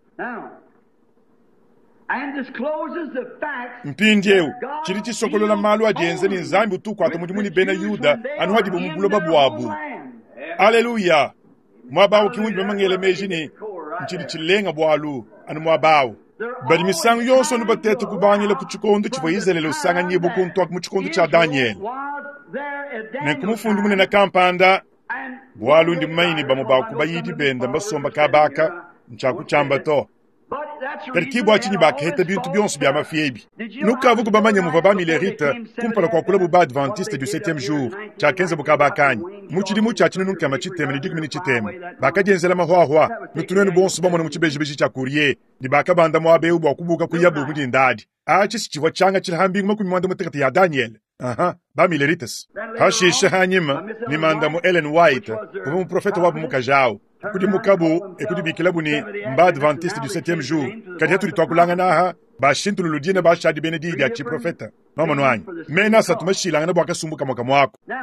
mpindiewu chili chisokolola malu ajenze ni nzambi utukwata mudimu ni bena Yuda anu hadibu mu buloba bwabu aleluya mwabawu kiwundi bamangele meji ni nchili chilenga bwalu anu mwabawu bali misangu yonso anu batete kubangila ku chikondo chivwa Israeli usanganyibwa kuntu mu chikondo cha Daniel nenkumufundi munene kampanda bwalu ndi mumanyi ni bamwe bakubayidi benda mbasomba kabaka nchakuchamba to Kadi ke bua tshinyi bakaheta bintu bionso bia mafi ebi. Nukavu kubamanya muvua ba-Millerite kumpala kua kulabu ba-Adventiste du septième jour, tshiakenza bukabakanyi. Mu tshidimu tshia tshinunu nkama tshitema ne dikumi ne tshitema, bakadienzela mahwahwa, nutu nuenu bonso bamona mu tshibejibeji tshia Courrier, ne bakabanda muaba eu bua kubuka kuyabu mu dindadi. Atshi tshivua tshianga tshila mbingu makumi muanda mutekete ya Daniel. Aha, ba-Millerites. Hashishe hanyima ni mandamu Ellen White, uvua muprofeta wabu mukaji awu. Kudimukabu ekudibikilabu ni mba-Adventiste du septième jour. Kadi hatudi tuakulangana aha, bashintululu dina bashadi bena diyi dia tshiprofeta. Nwamonu anyi? Mena asatu mashilangana bua kasumbu kamwe kamwe ako. Now,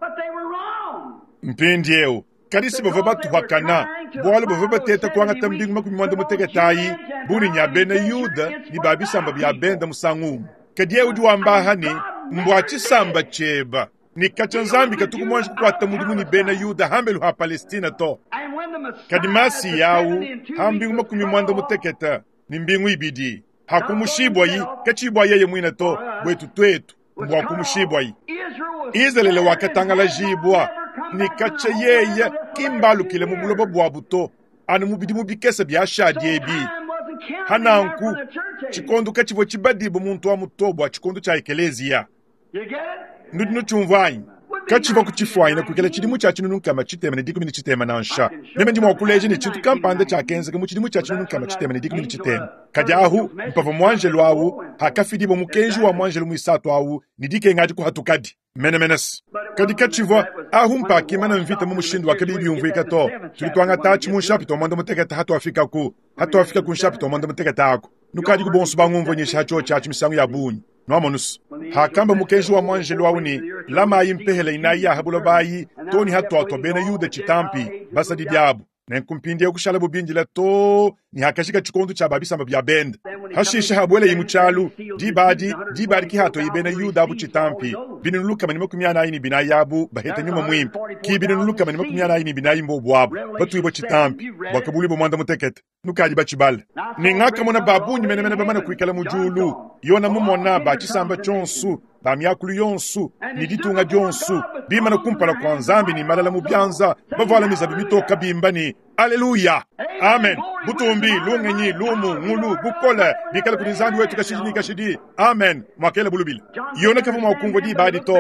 but they were wrong. Mpindiewu, kadi si bavua batuhakana, bualu bavua bateta kuangata mbingu makumi muanda mutekete ayi, buni nya bena Yuda ni ba bisamba bia benda musangu umwe. Kadi yeye udi wamba aha ni, mbwa tshisamba tshieba, ni katshia Nzambi katuku muanji kukuata mudimu ni bena Yuda hambelu ha Palestina to. And when the Messiah Kadi masi the yawu, seventy and two ha mbingu weeks makumi was muanda cut off, mutekete, ni mbingu ibidi. Hakumushibwayi, kachibwa yeye mwina to, bwetu twetu, was mbwa cut off, kumushibwayi. Israel was Israele scattered and wakatangalajibwa, had never come ni back to the katshia homeland yeye unless the kimbalukile last mu few buloba years. bwabu to, anu mu bidimu bikese bia shadi So ebi. time wasn't counted there Hananku, for the church age. tshikondo katshivua tshibadibu muntu wa muto bua tshikondo tshia ekeleziya. You get it? Nudi nutshiumva anyi? Katshivua kutshifuanyina kuikala tshidimu tshia tshinunu nkama tshitema ne dikumi ne tshitema nansha. Meme ndi mua kuleja ne tshintu kampanda tshiakenzeka mu tshidimu tshia tshinunu nkama tshitema ne dikumi ne tshitema. Kadi ahu, mpavua muanjelu awu, hakafidibwa mukenji wa muanjelu muisatu awu, ne dikenga adi kuhatukadi. Menemenesi. Kadi katshivua ahu mpakimana mvita mu mushindu wa kabiyi biumvuika to. Tudi tuangata atshi mu nshapita wa muanda mutekete hatuafikaku. Hatuafika ku nshapita wa muanda mutekete ako. Nukadi ku bonso bangumvunyisha hatshio tshiatshi misangu ya bungi. Nwamonusu. Hakamba mukenji wa muanjelu awu ni, lamayi mpehela inayi ya buloba ayi, toni hatuatua bena Yuda tshitampi, basadi diabu. Nenku mpindiewu kushala bubindila to, ni hakashika tshikondo tshia babisamba bia benda. Hashishe habwele yimu tshialu, dibadi, dibadi ki hatoyi bena Yuda abu tshitampi. Binunu lukama ne makumi anayi ne binayi abu baheta nyuma mwimpe. Ki binunu lukama ne makumi anayi ne binayi mbobu abu, batuibwa tshitampi, bua kabulibwa muanda mutekete. Nukadi batshibala. Ne ngakamona babungi menemene bamana kuikala mu diulu. Yona mumona ba tshisamba tshionso, ba miakulu yonso, ne ditunga dionso, bimana kumpala kua Nzambi ne malala mu bianza, bavuala mizabi mitoka bimba ni Aleluya. Amen. Butumbi, lungenyi, lumu, ngulu, bukole, bikala kudi Nzambi wetu kashidi ni kashidi. Amen. Mwakela bulubila. Yona kavua mua kumvua diba adi to.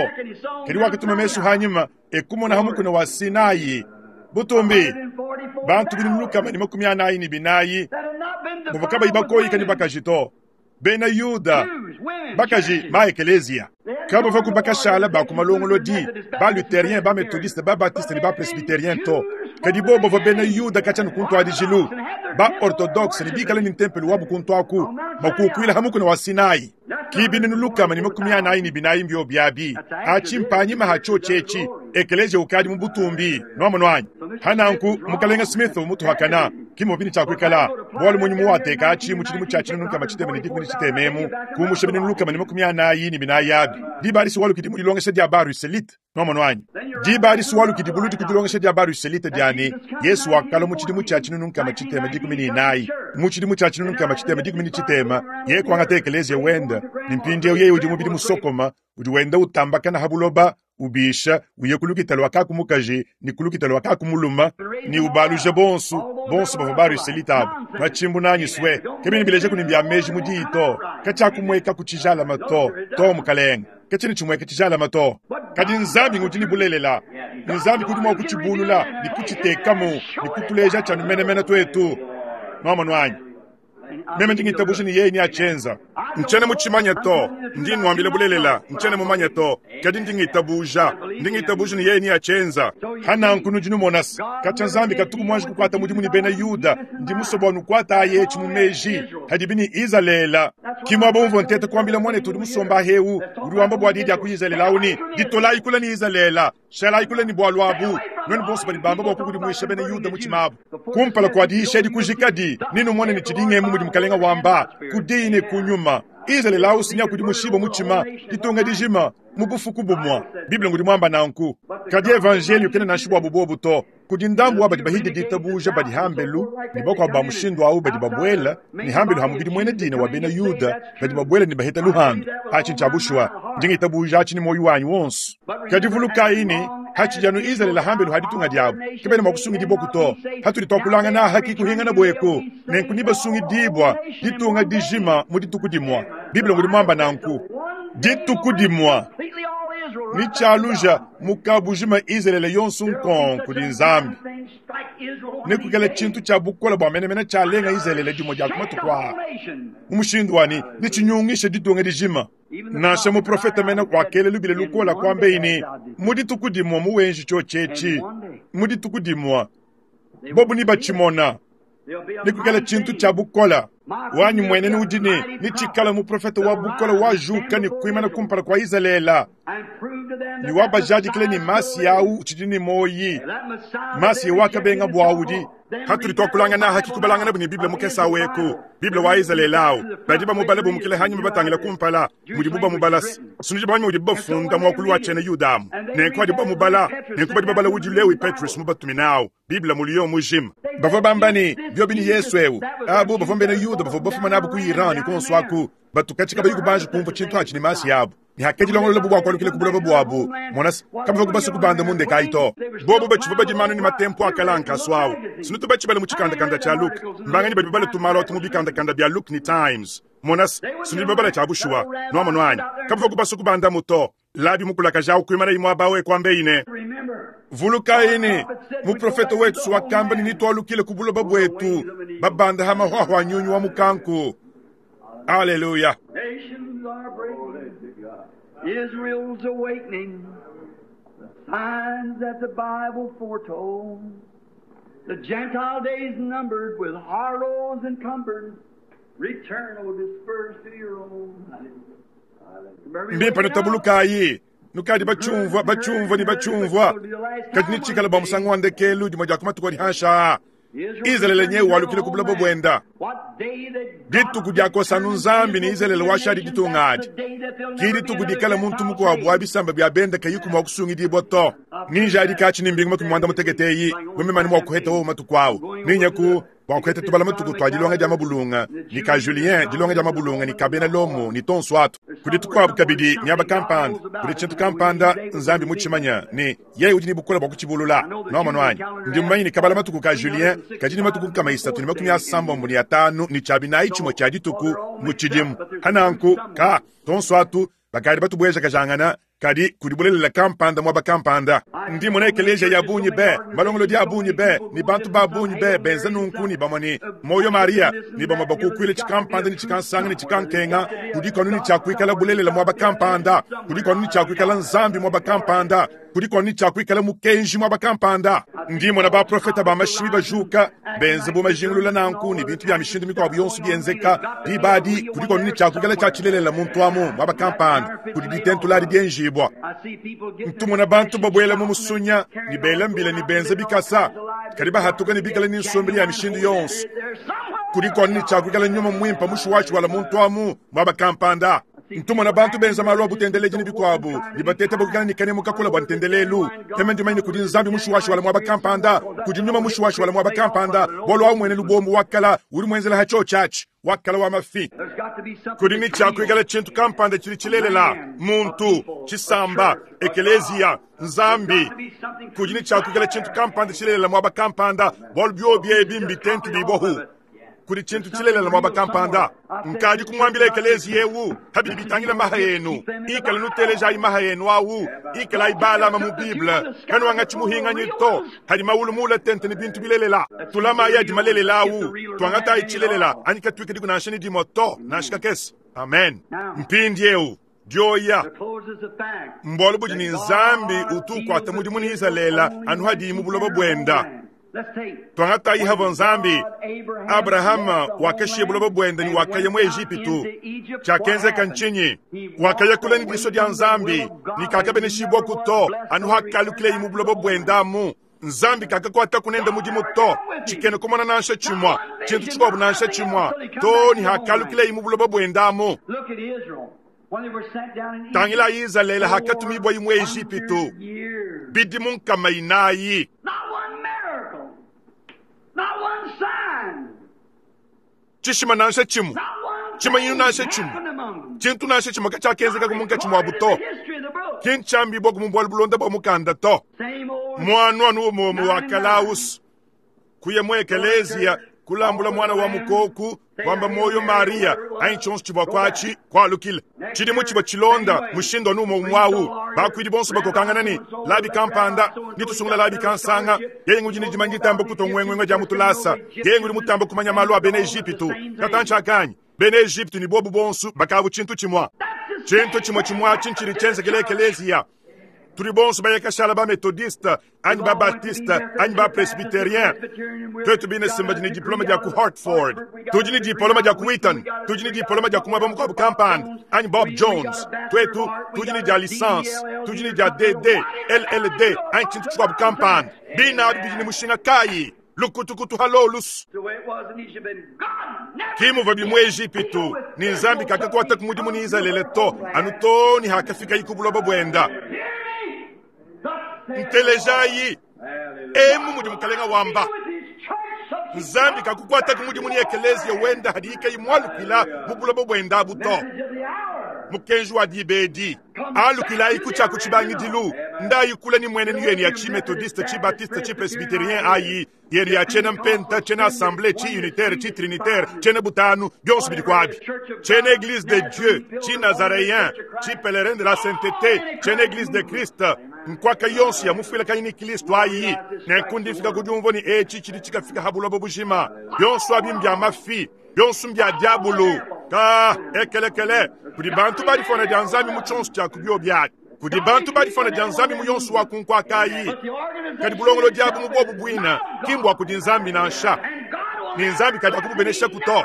Kadi wakatuma mesu hanyima, ekumona hamukuna wa Sinai. Butumbi, bantu binunu lukama ne makumi anayi ne binayi, That had not been bavua kabayi defiled with bakoyika ne women. bakaji to. Bena Yuda, Jews, women, bakaji churches. ma ekeleziya. Kabavua ku bakashala ba ku malongolodi, ba luthérien, ba méthodiste, ba baptiste ne ba presbytérien to. Kadi bo bavua bena Yuda katshia ne kuntu adijilu, ba orthodoxe ne bikala ne ntempelo wabu kuntu aku, makukuila hamukuna wa Sinai. Ki binunu lukama ne makumi anayi ne binayi mbio biabi. Atshi mpanyima hatshio tshietshi, ekeleziya ukadi mu butumbi, nwamonu anyi? Hananku, mukalenga Smith umutuhakana, kimwe bini tshiakuikala, bualu munyi muwateka atshi mu tshidimu tshia tshinunu nkama tshitema ne dikumi ne tshitema emu, kumusha binunu lukama ne makumi anayi ne binayi abi. Diba adi siwalukidi mu dilongesha dia ba Ruselite, nwamonu anyi? Diba adi siwalukidi buludi ku dilongesha dia ba Ruselite diani, Yesu wakala mu tshidimu tshia tshinunu nkama tshitema dikumi ne inayi. Mu tshidimu tshia tshinunu nkama tshitema dikumi ne tshitema, yeye kuangata ekeleziya wenda, ne mpindiewu yeye udi mubidi musokoma, udi wenda utambakana ha buloba, ubisha, uye kulukita lwa kakumukaji, ni kulukita lwa kakumuluma, ni ubaluja bonsu, bonsu bavua ba Ruselite abu. Machimbu nanyi swe, kebini bileja kunimbya meji mu diyi to, katshiakumweka ku tshijalama to, to mukalenga. Katshina tshimweka tshijalama to. Kadi Nzambi ngudi ni bulelela. Ni Nzambi kudi mua kutshibulula, ni kutshitekamu, ni kutuleja tshanu menemene twetu. Nwamonu anyi? Meme ndi ngitabusha ni yeye ni achenza. Nchene mutshimanya to, ndi nwambile bulelela, nchene mumanya to, kadi ndi ngitabuja, ndi ngitabuja ni yeye ni achenza. Hananku nudi numonasi, katshia Nzambi katuku muanji kukuata mudimu ni bena Yuda, ndi musobo nukuata aye tshi mu meji, hadibi ni Izalele. Kimwa bomvo ntete kuambila mwanetu udi musomba heu, udi wamba bua diyi dia ku Izalele awu ni, ditolayi kula ni Izalele, shalayi kula ni bualu abu. Nuenu bonso badi bamba bua kukudimuisha bena Yuda mu tshimabu. Kumpala kua diisha edi kujikadi, ninu muone ni tshidingemu mudi mukalenga wamba, ku diyi ne ku nyuma. Izalele awu sinya kudi mushiba mu tshima, ditunga dijima, Mu bufuku bumwa Bible ngudi mwamba nanku kadi evangelio kena nansha bwabu bobu to kudi ndambu wa badi bahidi ditabuja badi hambelu ne bakuabu ba mushindu awu badi babwela ne hambelu ha mubidi mwene dina wa bena Yuda badi babwela ne baheta luhandu achi ncha bushuwa ndinga itabuja achi ni moyo wanyu wonso kadi vulukayi ne hachijanu Israeli hambelu haditunga diabu kebena mwakusungidibwa to hatuli twakulangana haki kuhingana bweko nenku nibasungidibwa ditunga dijima mu dituku dimwa Bible ngudi mwamba nanku dituku dimwa ni chaluja mukabujima Israeli yonso nkonko di Nzambi nekukela chintu cha bukola bwa menemene chalenga Israeli dimwe dia kumatuku mu mushindu wani ni chinyungisha ditunga dijima nansha muprofeta mena wakele lubile lukola kwambe ini mu dituku dimwa muwenji chochechi mu dituku dimwa bobu ni bachimona nekukela chintu cha bukola wanyu mwenene udine ni chikala muprofeta wa bukola wajuka ni kuimana kumpala kwa Israela ni wabajadikile ni masi yau chidini moyi masi wakabenga bwaudi hatuli twakulangana haki kubalangana buni Bible mukesa weku Bible wa Israela au badi bamubala bumukile hanyuma batangila kumpala mudi buba mubala suniji banyu mudi bafunda mwakulu wa chene Yudamu nenko adi bamubala nenko badi babala udi Lewi Petrus mubatuminao Bible muliyo mujima bava bambani byobi ni Yesu eu abo bava mbene Yuda bava bafuma nabo ku Iran konswaku batukachika bayiku banje kumva chintu achi ni masi yabo ni hakedi longolo bubwa kwalukile kubuloba bwabu monas kabava kubasu kubanda munde kaito bobo bachiva badimanu ni matempo akalanka swawu sinutu bachibale mu chikandakanda cha Luke mbangani badi babale tumalo atumu bikandakanda bya Luke ni Times monas sinutu babale cha bushuwa nwamo nwanyi kabava kubasu kubanda muto labi mukulaka jawu kuimana imwe abawe kwambe ine vuluka ine muprofeta wetu wakamba ni twalukile kubuloba bwetu babanda hama hwahwa nyunyu wa mukanku. Hallelujah. Nations are breaking. Israel's awakening. The signs that the Bible foretold. The Gentile days numbered with horrors encumbered. Return, O dispersed to your own. Mbimpa nutabulukayi nukadi bachumvwa bachumvwa ni bachumvwa kadi nichikala ba musango wa ndekelu dimwe dia kumatuku adi hansha Israeli nyewe walukile kubuloba bwenda dituku diakosanu Nzambi ni Israeli washadi ditunga adi ki dituku dikala muntu mukuabu wa bisamba bya benda kayiku mwa kusungidibwa to ninja adi kachi ni mbingu makumi mwanda mutegeteyi wememani mwa kuheta wo matuku awu ninyaku bwa kuheta tubala matuku twa dilonga dia mabulunga ni ka Julien dilonga dia mabulunga ni kabena lomo ni tonso atu kudi tukuabu kabidi miaba kampanda kudi chintu kampanda Nzambi muchimanya ni yeye udi ni bukola bwa kuchibulula noma nwanyi ndi mumanyi ni kabala matuku ka Julien kajini matuku kama isatu ni makumi asambombo ni atanu ni chabinayi chimwe cha dituku muchidimu hananku ka tonso atu bakadi batubweja kajangana kadi kudibulelela kampanda mwaba kampanda ndi mona ekelesia ya bunyi be malongolo dia bunyi be ni bantu ba bunyi be benza nunku ni bamwe ni moyo Maria ni bamwe bakukwile chikampanda ni chikansanga ni chikankenga kudikonu ni chakwikala bulelela mwaba kampanda kudikonu ni chakwikala Nzambi mwaba kampanda kudikonu ni chakwikala mukenji mwaba kampanda ndi mona baprofeta ba mashimi bajuka benza bumajingulula nanku ni bintu bya mishindu mikwabu yonso byenzeka dibadi kudikonu ni chakwikala chachilelela muntu amu mwaba kampanda kudi ditentuladi byenjibwa ntumona bantu babwela mu musunya ni bela mbila ni benza bikasa kadi bahatuka ni bikala ni nsombeli ya mishindu yonso kudikonu ni chakwikala nyuma mwimpa mushuwashi wala muntu amu mwaba kampanda ntumona bantu benza malu abutendeleji ni bikwabu ni bateta bukikala ni kanemu kakula bwa ntendelelu teme ndimaini kudi Nzambi mushuwashi wala mwaba kampanda kudi nyuma mushuwashi wala mwaba kampanda bolo wa mwene lubombo wakala uli mwenzela hacho chachi wakala wa mafi kudi ni chakwikala chintu kampanda chili chilelela muntu chisamba ekelezia Nzambi kudi ni chakwikala chintu kampanda chilelela mwaba kampanda bolo byobye bimbi tentu bibohu kuli chintu chilelela mwaba kampanda nkadi kumwambila ekelezi yewu habidi bitangila maha yenu ikala nuteleja imaha yenu awu ikala ibalama mu Bible kanu anga chimuhinganyi to hadi mawulu mula tente ni bintu bilelela tulama ya dimalelela awu twangata ichilelela anyika twike diku nanshani dimo to nashika kesi amen mpindi yewu dioya mbolo budi ni Nzambi utukwata mudimu ni Israela anu hadi mu buloba bwenda twangata ihavo Nzambi Abrahama wakashiye buloba bwenda ni wakaya mu Egipitu chakenzeka nchinyi wakaya kula ni diso dia Nzambi ni kakabeneshibwa kuto anu hakalukile mu buloba bwenda mu Nzambi kakakwata kunenda mudimu to chikene kumona nansha chimwa chintu chikwabu nansha chimwa to ni hakalukile mu buloba bwenda mu Tangila Izalele hakatumibwa imwe Ejipitu bidimu nkama inayi. Chishima nansha chimu, chimanyinu nansha chimu, chintu nansha chimu kachakenzeka kumunka chimwa buto. Kinchambi bwa kumumbwa bulonda bwa mukanda to. Mwana anu mumu wa Kalaus kuye mwe ekelezia kulambula mwana wa mukoku kwamba moyo Maria ainchonso chibwa kwachi kwalukile chilimu chibwa chilonda mushindo numo umwawu bakwidi bonso bakokangana ni labi kampanda nitusungula labi kansanga yengu jini jimangitamba kutongwengwenga ja mutulasa yengu limutamba kumanya malu a bene Ejipitu katancha kanyi bene Ejipitu ni bobu bonso bakabu chintu chimwa chintu chimwa chimwa chinchiri chenzekele ekelezia turi bonso bayakashala ba methodiste anyi ba baptiste anyi ba presbyterien twetu bine simba jini diploma dia ku Hartford tujini diploma dia ku Wheaton tujini diploma dia ku mwaba mukwabu kampanda anyi Bob Jones twetu tujini dia licence tujini dia D D L L D anyi chintu chikwabu kampanda bina adu bijini mushinga kayi lukutukutu halolus kimu vabi mu Ejipitu ni nzambi kakakwata kumudimu ni Izalele to anu to ni hakafika ikubuloba bwenda ntelejayi emu mudi mukalenga wamba nzambi kakukwata kumudimu ni ekelezia wenda hadika imwalukila mubuloba bwenda buto mukenji wa dibedi alukila ikucha kuchibangidilu ndayikula ni mwene ni yeni ya chi methodiste chi baptiste chi presbyterien ayi yeni ya chena mpenta chena assemblée chi unitaire chi trinitaire chena butanu byonso bili kwabi chena église de Dieu chi nazaréen chi pèlerin de la sainteté chena église de Christ nkwaka yonso ya mufila kanyini Kristo ayi nekundi fika kujumvo ni echi chili chikafika habulobo bujima byonso abimbya mafi byonso mbya diabolo ka ekelekele kudi bantu balifona dia nzambi mu tshonso tshia kubyo byaki kudi bantu balifona dia nzambi mu yonso wa kunkwakayi kadi bulongolo diabu mu bobu bwina kimbwa kudi nzambi nansha ni nzambi kadi akububenesha kuto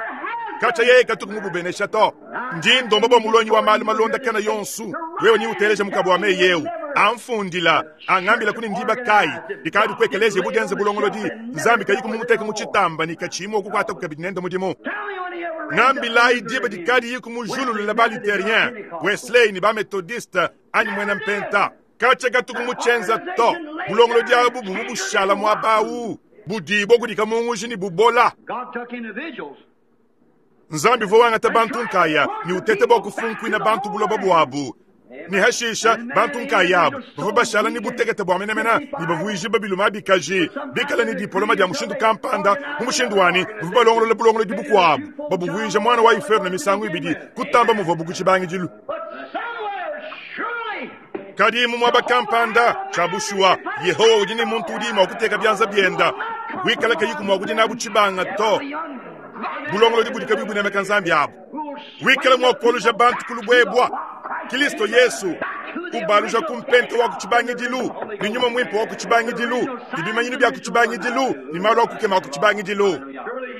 kacha yeye katuku mububenesha to ndi ndomba bwa mulonyi wa malu malonda kana yonsu wewe ni uteleja mukabo wa meyewu amfundila angambila kuni ndiba kai dikadi kwekeleze bugenze bulongolo di nzambi kayi kumuteka mu chitamba ni kachimo okukwata kukabinenda mudimu ngambila idiba dikadi yiku mujululu la baluterien Wesley ni ba methodiste anyi mwena mpenta kacha katuku muchenza to bulongolo diabu bubushala mwabawu budibo kudika munguji ni bubola nzambi vowanga tabantu nkaya ni utete bwa kufunkwina bantu buloba bwabu ni hashisha bantu nkayabu bava bashala ni butekete bwa menemena ni bavuiji babiluma bikaji bikala ni diploma dia mushindu kampanda mu mushindu wani bava balongolola bulongolo dibukwabu babuvuija mwana wa iferu na misangu ibidi kutamba muva bukuchibangidilu kadi mu mwaba kampanda chabushuwa Yehowa udi ni muntu udi mwa kuteka byanza byenda wikala kayiku mwa kudi nabu chibanga to bulongolo dibudika bibunemeka nzambi abu wikala mwa koluja bantu kulubwebwa Kristo Yesu ubaluja kumpente wa kuchibangidilu ni nyuma mwimpo wa kuchibangidilu ibimanyinu bya kuchibangidilu ni malo kukema wa kuchibangidilu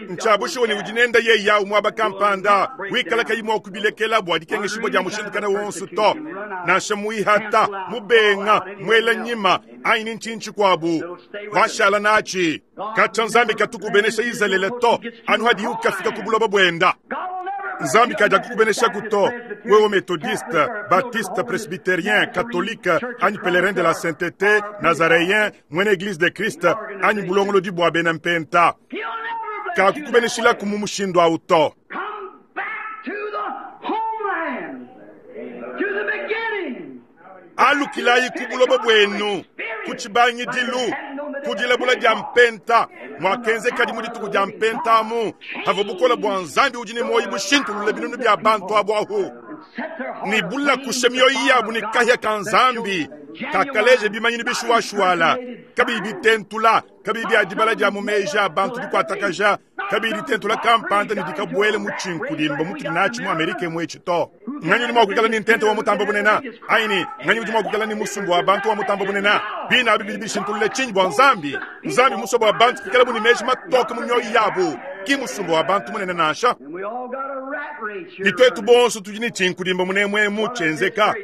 nchabushiwe ni udinenda ye yawu mwaba kampanda wikala kayimwa okubilekela bwa dikengeshibwa dia mushindu kana wonso to nansha muihata mubenga mwela nyima aini nchinchi kwabu washala nachi kacha nzambi katukubenesha Izalele to anu hadi ukafika kubuloba bwenda nzambi kaja kukubenesha kuto wewe methodiste baptiste presbytérien catholique anyi pèlerin de la sainteté nazaréen mwene église de Christ anyi bulongolo dibwa bena mpenta kakukubeneshila kumu mushindu auto alukilayi kubuloba bwenu kuchibangidilu kudilabula dia mpenta mwakenze kadi mu dituku dia mpenta amu hava bukola bwa nzambi udi ne moyi bushintulula binunu bia bantu abu ahu ni bula kusha mioyo yabu ni kahya ka nzambi kakaleje bimanyini bishuwashuwala kabiyi bitentula kabiyi bia dibala dia mu meja abantu dikuatakaja kabiyi ditentula kampanda ni dikabwele mu tshinkulimba mutuli nachi mu Amerika mwetshi to nganyi udi mua kuikala ni ntente wa mutamba bunena aini nganyi udi mua kuikala ni musumbu wa bantu wa mutamba bunena bina abi bidi bishintulule tshinyi bua nzambi nzambi musobo wa bantu kuikala buni meji matoke mu mioyo yabu ki musumbu wa bantu munene nansha ni twetu bonso tudi ni tshinkulimba munemwemu tshenzeka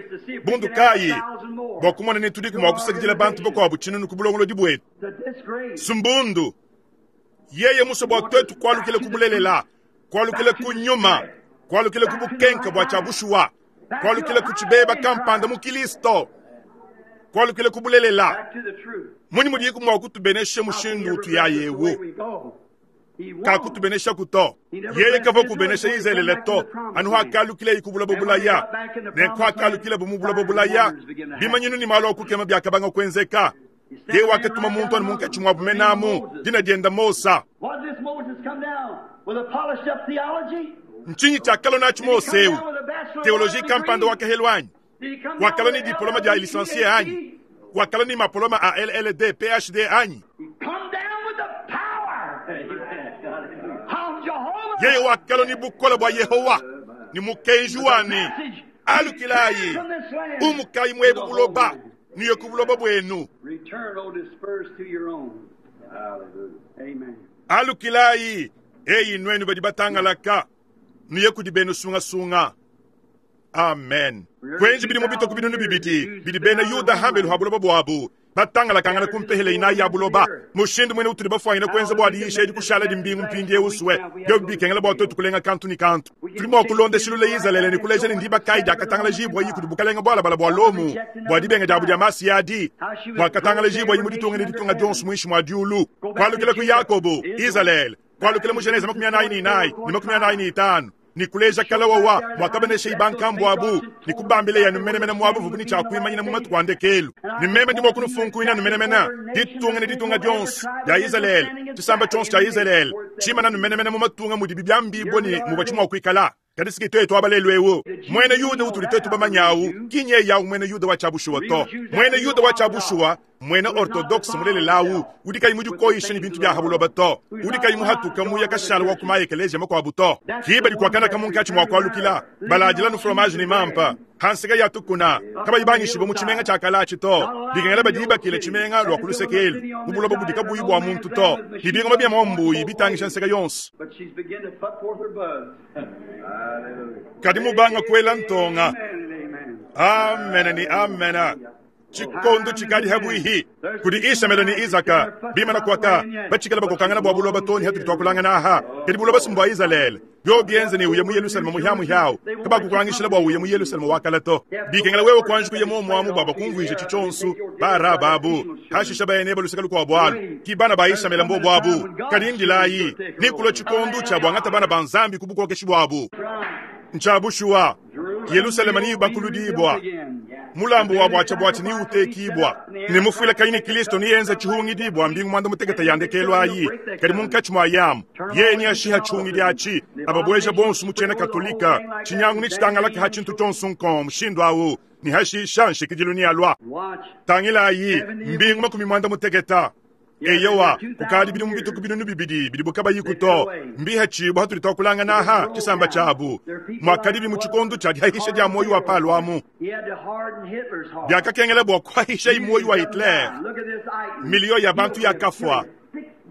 bundu kayi bua kumona ni tudi mua kusakidila bantu bakuabu tshinunu ku bulongolodi bwetu sumbundu yeye musobo wa twetu kualukile kubulelela kualukile kunyuma kualukile kubukenka bua tshia bushuwa Kwalukila ku tshibeba kampanda mu Kilisto. Kwalukila ku bulelela. Munyi mudiku mua kutubenesha mushindu utuya yewu. Kakutubenesha kuto. Yeye kavua kubenesha Izalele to. Anu hakalukila ikubula bobulaya. Ne kwakalukila bumubula bobulaya. Bimanyinu ni malu akukema byakabanga kwenzeka. Yeye wakatuma muntu anu munkatshi mwa bumenamu dina dienda Mosa. Nchinyi tshiakalua natshi Mose eu? Teoloji kampanda wakahelu anyi? Wakalua ni diploma dia licencié anyi? Wakalua ni mapoloma a L L D, P H D anyi? Yeye wakalua ni bukola bua Yehowa ni mukenji wani alukilayi umukayi mwebu buloba niye ku buloba bwenu. Alukilayi eyi nwenu badi batangalaka niye kudi benu sungasunga. Amen. Kwenji bidi mubito ku binunu bibidi bidi bena Yuda hambelu ha buloba bwabu batangalakangana kumpehele inayi ya buloba mushindu mwene utuli bafwanyina kwenza bwa diyisha edi kushala dimbingu mpindi euswe byo bikengela bwa twetu kulenga kantu ni kantu tuli mwa kulondeshilula Izalele ni kuleja ni ndiba kai diakatangala jibwa yi kudi bukalenga bwalabala bwa Lomu bwa dibenga diabu dia masi adi bwakatangala jibwa yi mu ditunga ne ditunga dionso muinshi mwa diulu kwalukila ku Yakobo Izalele kwalukila mu Genese makumi anayi ni inayi ni makumi anayi ni itanu ni kuleja kalawawa mwakabenesha ibankambu abu ni kubambile yanu menemene mwabu vubuni cha kuimanyina mu matuku andekelu ni meme ndi mwakunufunkuina numenemene ditunga ne ditunga dionso dia Izalele tshisamba tshionso tshia Izalele tshimana numenemene mu matunga mudi bibyambibwa ni mubwa tshimwa kuikala kadi siki twetu abalelu ewu mwene Yuda utuli twetu bamanyawu kinye yawu mwene Yuda wa chabushuwa to mwene Yuda wa chabushuwa mwene orthodoxe mulelelawu udi kayi mudikoyisha ni bintu bya habuloba to udi kayi muhatuka muya kashala wa kumaya ekelesia makwabu to kiba dikwakana kamunkatshi mwakwalukila baladila nu fromage ni mampa hansika ya tukuna kabayibangishiba mu tshimenga tshia kalachi to bikengela badibakile tshimenga lwa kulusekelu mubuloba budi kabuyi bwa muntu to bibingoma bya mwambuyi bitangisha nseka yonso kadi mubanga kwela ntonga amena ni amena chikondo chikali habwihi kudi Ishamela ni Isaka bimana kwaka bachikala bakokangana bwa buloba toni hatuli twakulangana aha kadi buloba simbwa Izalele byo byenze ni uye mu Yerusalemu muhyamu hyawu kabakukwangishila bwa uye mu Yerusalemu wakala to bikengela wewe kwanji kuye momwamu baba kumvwisha chichonsu bara babu hashisha bayene baluseka lukwa bwalu kibana ba Ishamela mbo bwabu kadi ndilayi nikulo chikondo cha bwangata bana banzambi kubukokeshi bwabu nchabushuwa Yerusalemu ni bakuludibwa mulambo wa bwacha bwachi ni utekibwa ni mufwila kaini Kristo ni yenza chihungidibwa mbingu mwanda muteketa yandekelwa ayi kali munkachi mwa yamu ye ni ashiha chihungidi achi ababweja bonsu muchena katolika chinyangu ni chitangalaka ha chintu chonsu nko mushindu awu ni hashisha nshikidilu ni alwa tangila ayi mbingu makumi mwanda muteketa eyowa kukali bili mubituku binunu bibidi bili bukaba yikuto mbiha chibu hatuli twakulanga naha chisamba chabu mwakali mu chikondo cha dihahisha dia moyo wa palwamu byakakengela bwa kwahisha imoyo wa Hitler milio ya bantu ya kafwa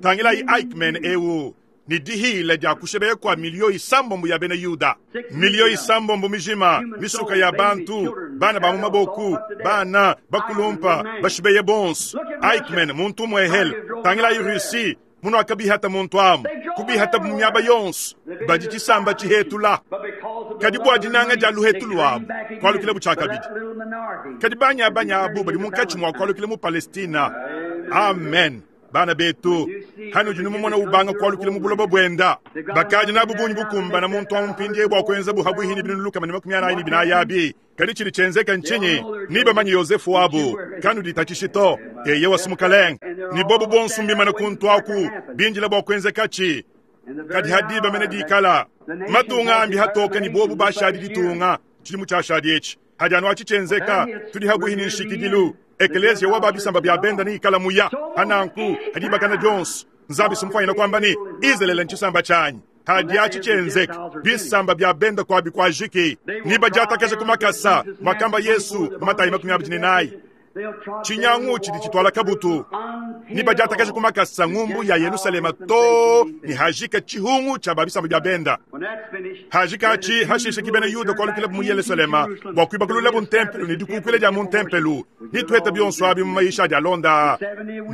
tangila i Eichmann ewu ni dihile dia kushebeye kwa milio isambombo ya bene Yuda milio isambombo mijima misuka ya bantu bana ba mumaboku bana bakulumpa bashibeye bonso Eichmann muntu mwehel tangila i Russi muno akabihata muntu amu kubihata munyaba yonso badi chisamba chihetula kadi bwa dinanga dia luhetu lwabu kwalukile buchakabidi kadi banya banya abu badi munkatshi mwa kwalukile mu Palestina. Amen. Bana betu hano jinu mumona ubanga kwalukile mu buloba bwenda bakadi nabu bunyi bukumba na muntu amumpindie bwa kwenza buhabwihini binuluka mani makumi anayi ni binayabi kadi chili chenzeka nchinyi niba manyi Yosefu wabu kanu ditachishito eye wasumukalenga ni bobu bonsu mbimana kuntu aku binjila bwa kwenza kachi kadi hadiba mene dikala matunga ambi hatoka ni bobu bashadi ditunga chili muchashadi echi hadi anu achichenzeka tuli habwihini nshikidilu Ekelezia wa babisamba bya benda ni ikala muya hananku hadibakana Jones nzabi sumfanya kwamba ni Izalele nchisamba chanyi hadi achichenzeka bisamba bya benda kwa bikwajiki niba jatakaje kumakasa makamba Yesu matayi makumi abiri nayi Tshinyangu tshidi tshitwala kabutu ni badiatakaje ku makasa ngumbu ya Yerusalema to ni hajika tshihungu tshia babisambo bia benda. Hajika atshi hashishe ki bena Yuda kualukila mu Yerusalema bua kuibakulula ntempelu ne dikukuila dia mu ntempelu ni tuheta bionso abi mu maisha adi alonda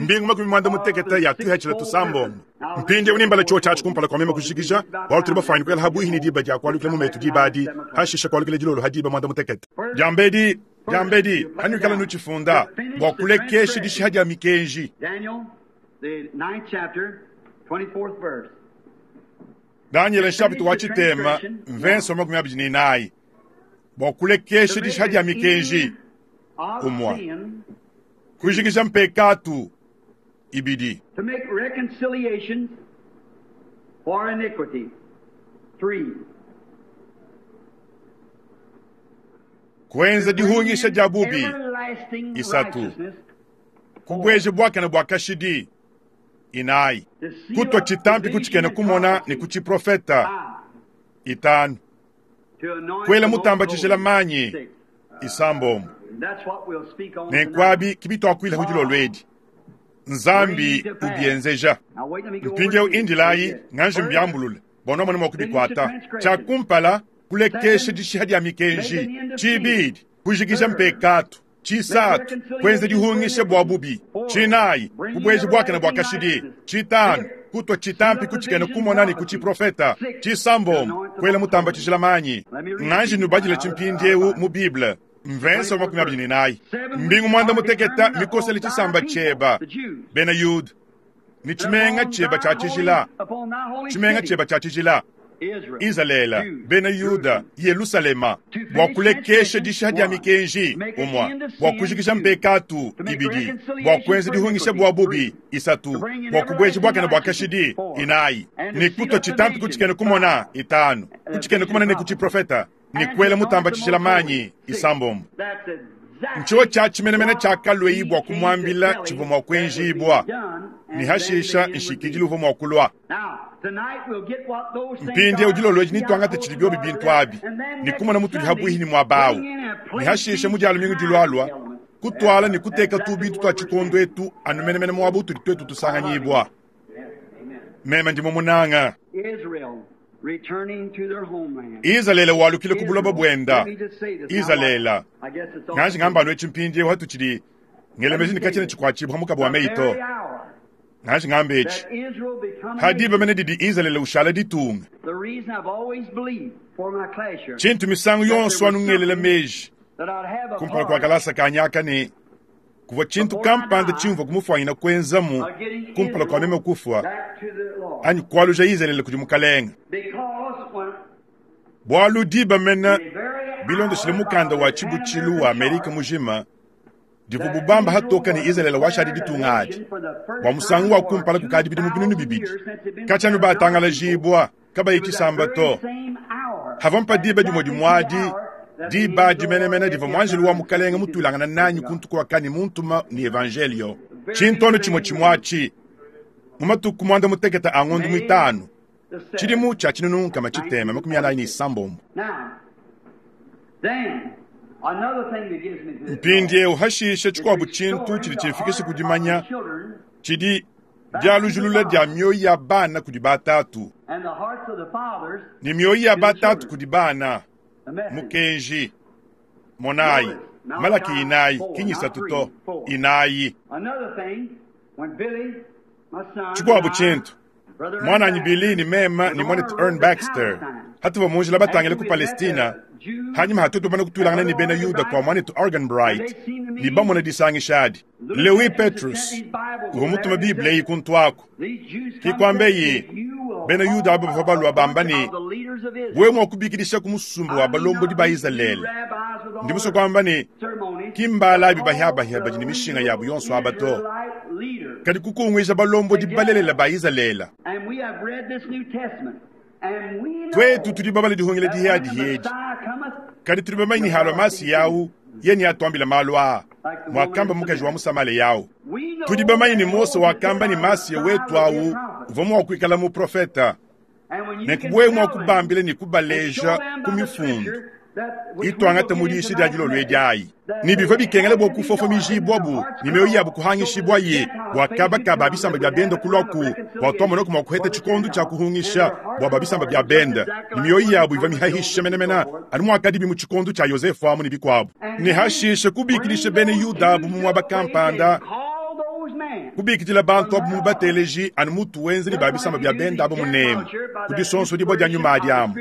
mbingu makumi mwanda mutekete ya tuhechela tusambombo. Mpindieu nimbala chio tshiatshi kumpala kwa mema kushikisha bualu tuli bafanyi kuela habuihi ni diba dia kualukila mu metu diba adi hashishe kualukila dilolo ha diba mwanda mutekete. Diambedi diambedi hanuikala nutshifunda bua kulekesha dishiha dia mikenji. Daniel, the ninth chapter, twenty-fourth verse. Daniel nshapita wa tshitema mvenso makumi abidi ne inayi bua kulekesha dishiha dia mikenji Of Umwa. sin, kujikisha mpekatu ibidi to make reconciliation for iniquity. Three. kuenza dihungisha dia bubi Everlasting Isatu. righteousness. kubweje bwakana bwa kashidi inayi To seal kutwa up chitampi the vision kuchikene and kumona prophecy. ni kuchiprofeta Five. itanu To anoint Kwela the most mutamba chishela holy. manyi. Six. isambombo And that's what we'll speak on tonight. nenkwabi kibitwakwila hudilo lwedi nzambi ubienzeja Now wait, let me go over mpindieu to you. indilayi nganji First, mbyambulule bonomone mwa kubikwata tshakumpala kulekesha dishiha dia mikenji tshibidi kujikisha mpekatu tshisatu kuenza dihungisha bua bubi tshinayi kubweja bwakana bua kashidi tshitanu kutwa tshitampi kutshikene kumona ni kutshiprofeta tshisambombo kuela mutamba tshijila manyi nganji nubadila tshimpindiewu mu bible mvenso wa makumi abidi ne inayi mbingu mwanda muteketa mikosele tshisamba tshieba bena yuda ni tshimenga tshieba tshia tshijila tshimenga tshieba tshia tshijila Izalele bena Yuda Yerusalema bua kulekesha dishiha dia mikenji umwa bua kujikisha mpekatu ibidi bua kuenza dihungisha bua bubi isatu bua kubweja bwakana bua kashidi inayi ni kutwa chitampi kutshikene kumona itanu kutshikene kumona ne kutshiprofeta ni kuela mutamba tshijila manyi isambombo nchiwo tshia tshimenemene tshiakalweyi bua kumwambila tshivua mua kuenjibwa ni hashisha nshikidili uvua mua kulwa mpindieu dilolo edi nituangata tshidi biobi bintu abi ni kumona mutudi habuihi ni muaba awu ni hashisha mu dia lumingu dilualua kutwala ni kuteka tu bintu tua tshikondo etu anu menemene muaba utudi tuetu tusanganyibua meme ndi mumunanga Israel returning to their homeland. Izalele walukile ku buloba buenda Let me just say this. Izalele I guess it's all nganji ngamba anu etshi mpindieu hatutshidi ngelemeji ni katshina tshikuatshibua mukabu wa The meyi to very hour nganji ngamba etshi that Israel become a hadiba nation, mene didi Izalele ushala ditunga the reason I've always believed for my class here tshintu misangu yonso anu ngelela meji that I'd have a kumpala kua part kalasa kanyaka ne kuvua tshintu kampanda tshimvua kumufwanyina kuenzamu of getting kumpala kua meme Israel kufua back to the Lord. anyi kualuja Izalele kudi mukalenga Because when bualu diba mena the very bilondeshile hour mukanda of wa the tshibutshilu wa Amerika Pan-American mujima divu Chart, bubamba hatoka ne that Izalele washadi Israel ditunga adi was declared a nation for the bua first musangu time wa for kumpala kukadi bidimu binunu bibidi two thousand years since they've been katshanu batangalajibwa kabayi It was that tshisamba very to same hour, hava mpa diba dimue dimuadi exactly the hour that the diba angel dimenemene divua muanjelu wa mukalenga mutulangana nanyi kuntukuakani muntuma ni evangelio tshintono tshimue tshimuatshi mu matuku mwanda muteketa a ng'ondu muitanu the seventh. tshidimu tshia tshinunu nkama tshitema makumi anayi ne isambombo Now, then, another thing that gives me this mpindieu hashisha tshikuabu is tshintu restoring tshidi the tshimfikisha heart ku dimanya of the children tshidi dialujulula dia mioyo ya bana kudi batatu and the hearts of the fathers, ni mioyo ya batatu kudi bana the message. mukenji monayi malaki inayi kinyisatu to inayi Another thing, when Billy, my son, tshikuabu and I, tshintu Brother mwananyi Ernst Billy ni mema Baxter, ni was mwanetu on our Ern road to Baxter Palestine. hatuva munjila batangile ku After we met Palestina the Jews hanyuma hatutubana kutwilangana ni bena Yuda kwa mwanetu Arganbright ni bamona disangisha adi Lewi Petrus uvua mutuma Bible iyi kuntu aku These Jews come Kikwambe said, yi, "If you will bena Yuda abo bavua balua bamba call ne of the leaders of Israel, wewe mua kubikidisha ku musumba wa balombodi ba Izalele ndi musue kuamba ne ki mbala abi bahiabahia badi ne mishinga yabu yonso aba to kadi kukunguija balombodi balelela ba Izalele And we have read this New Testament. And we know twetu tudi babala dihungile that dihiadi when the hiedi Messiah cometh, kadi tudi bamanyi halwa masi yawu yeni atuambila malu aa mwakamba mukaji wa musamale yawu we know tudi bamanyi ni that Mose Moses wakamba ni said, masiya "The Messiah wetu will be awu a prophet." uvua mua kuikala muprofeta And when you ne can kubwe mua tell them kubambila ni and show kubaleja them ku by the mifundu scripture Ituangata mu diyishi dia dilolo edi ayi. Ne bivua bikengela bua kufofomijibwabu ne mioyo yabu kuhangishibwaye bua kaba ka ba bisamba bia benda kulwaku bua twamonaku mua kuheta tshikondo tshia kuhungisha bua ba bisamba bia benda ne mioyo yabu ivua mihahisha menemene anu muakadibi mu tshikondo tshia Yosefu amu ne bikuabu. Ne hashishe kubikilisha bena Yuda abu mu muaba kampanda, kubikidila bantu abu mu bateleji anu mutu wenza ne ba bisamba bia benda abu munemu ku disonsodibua dia nyuma adi amu.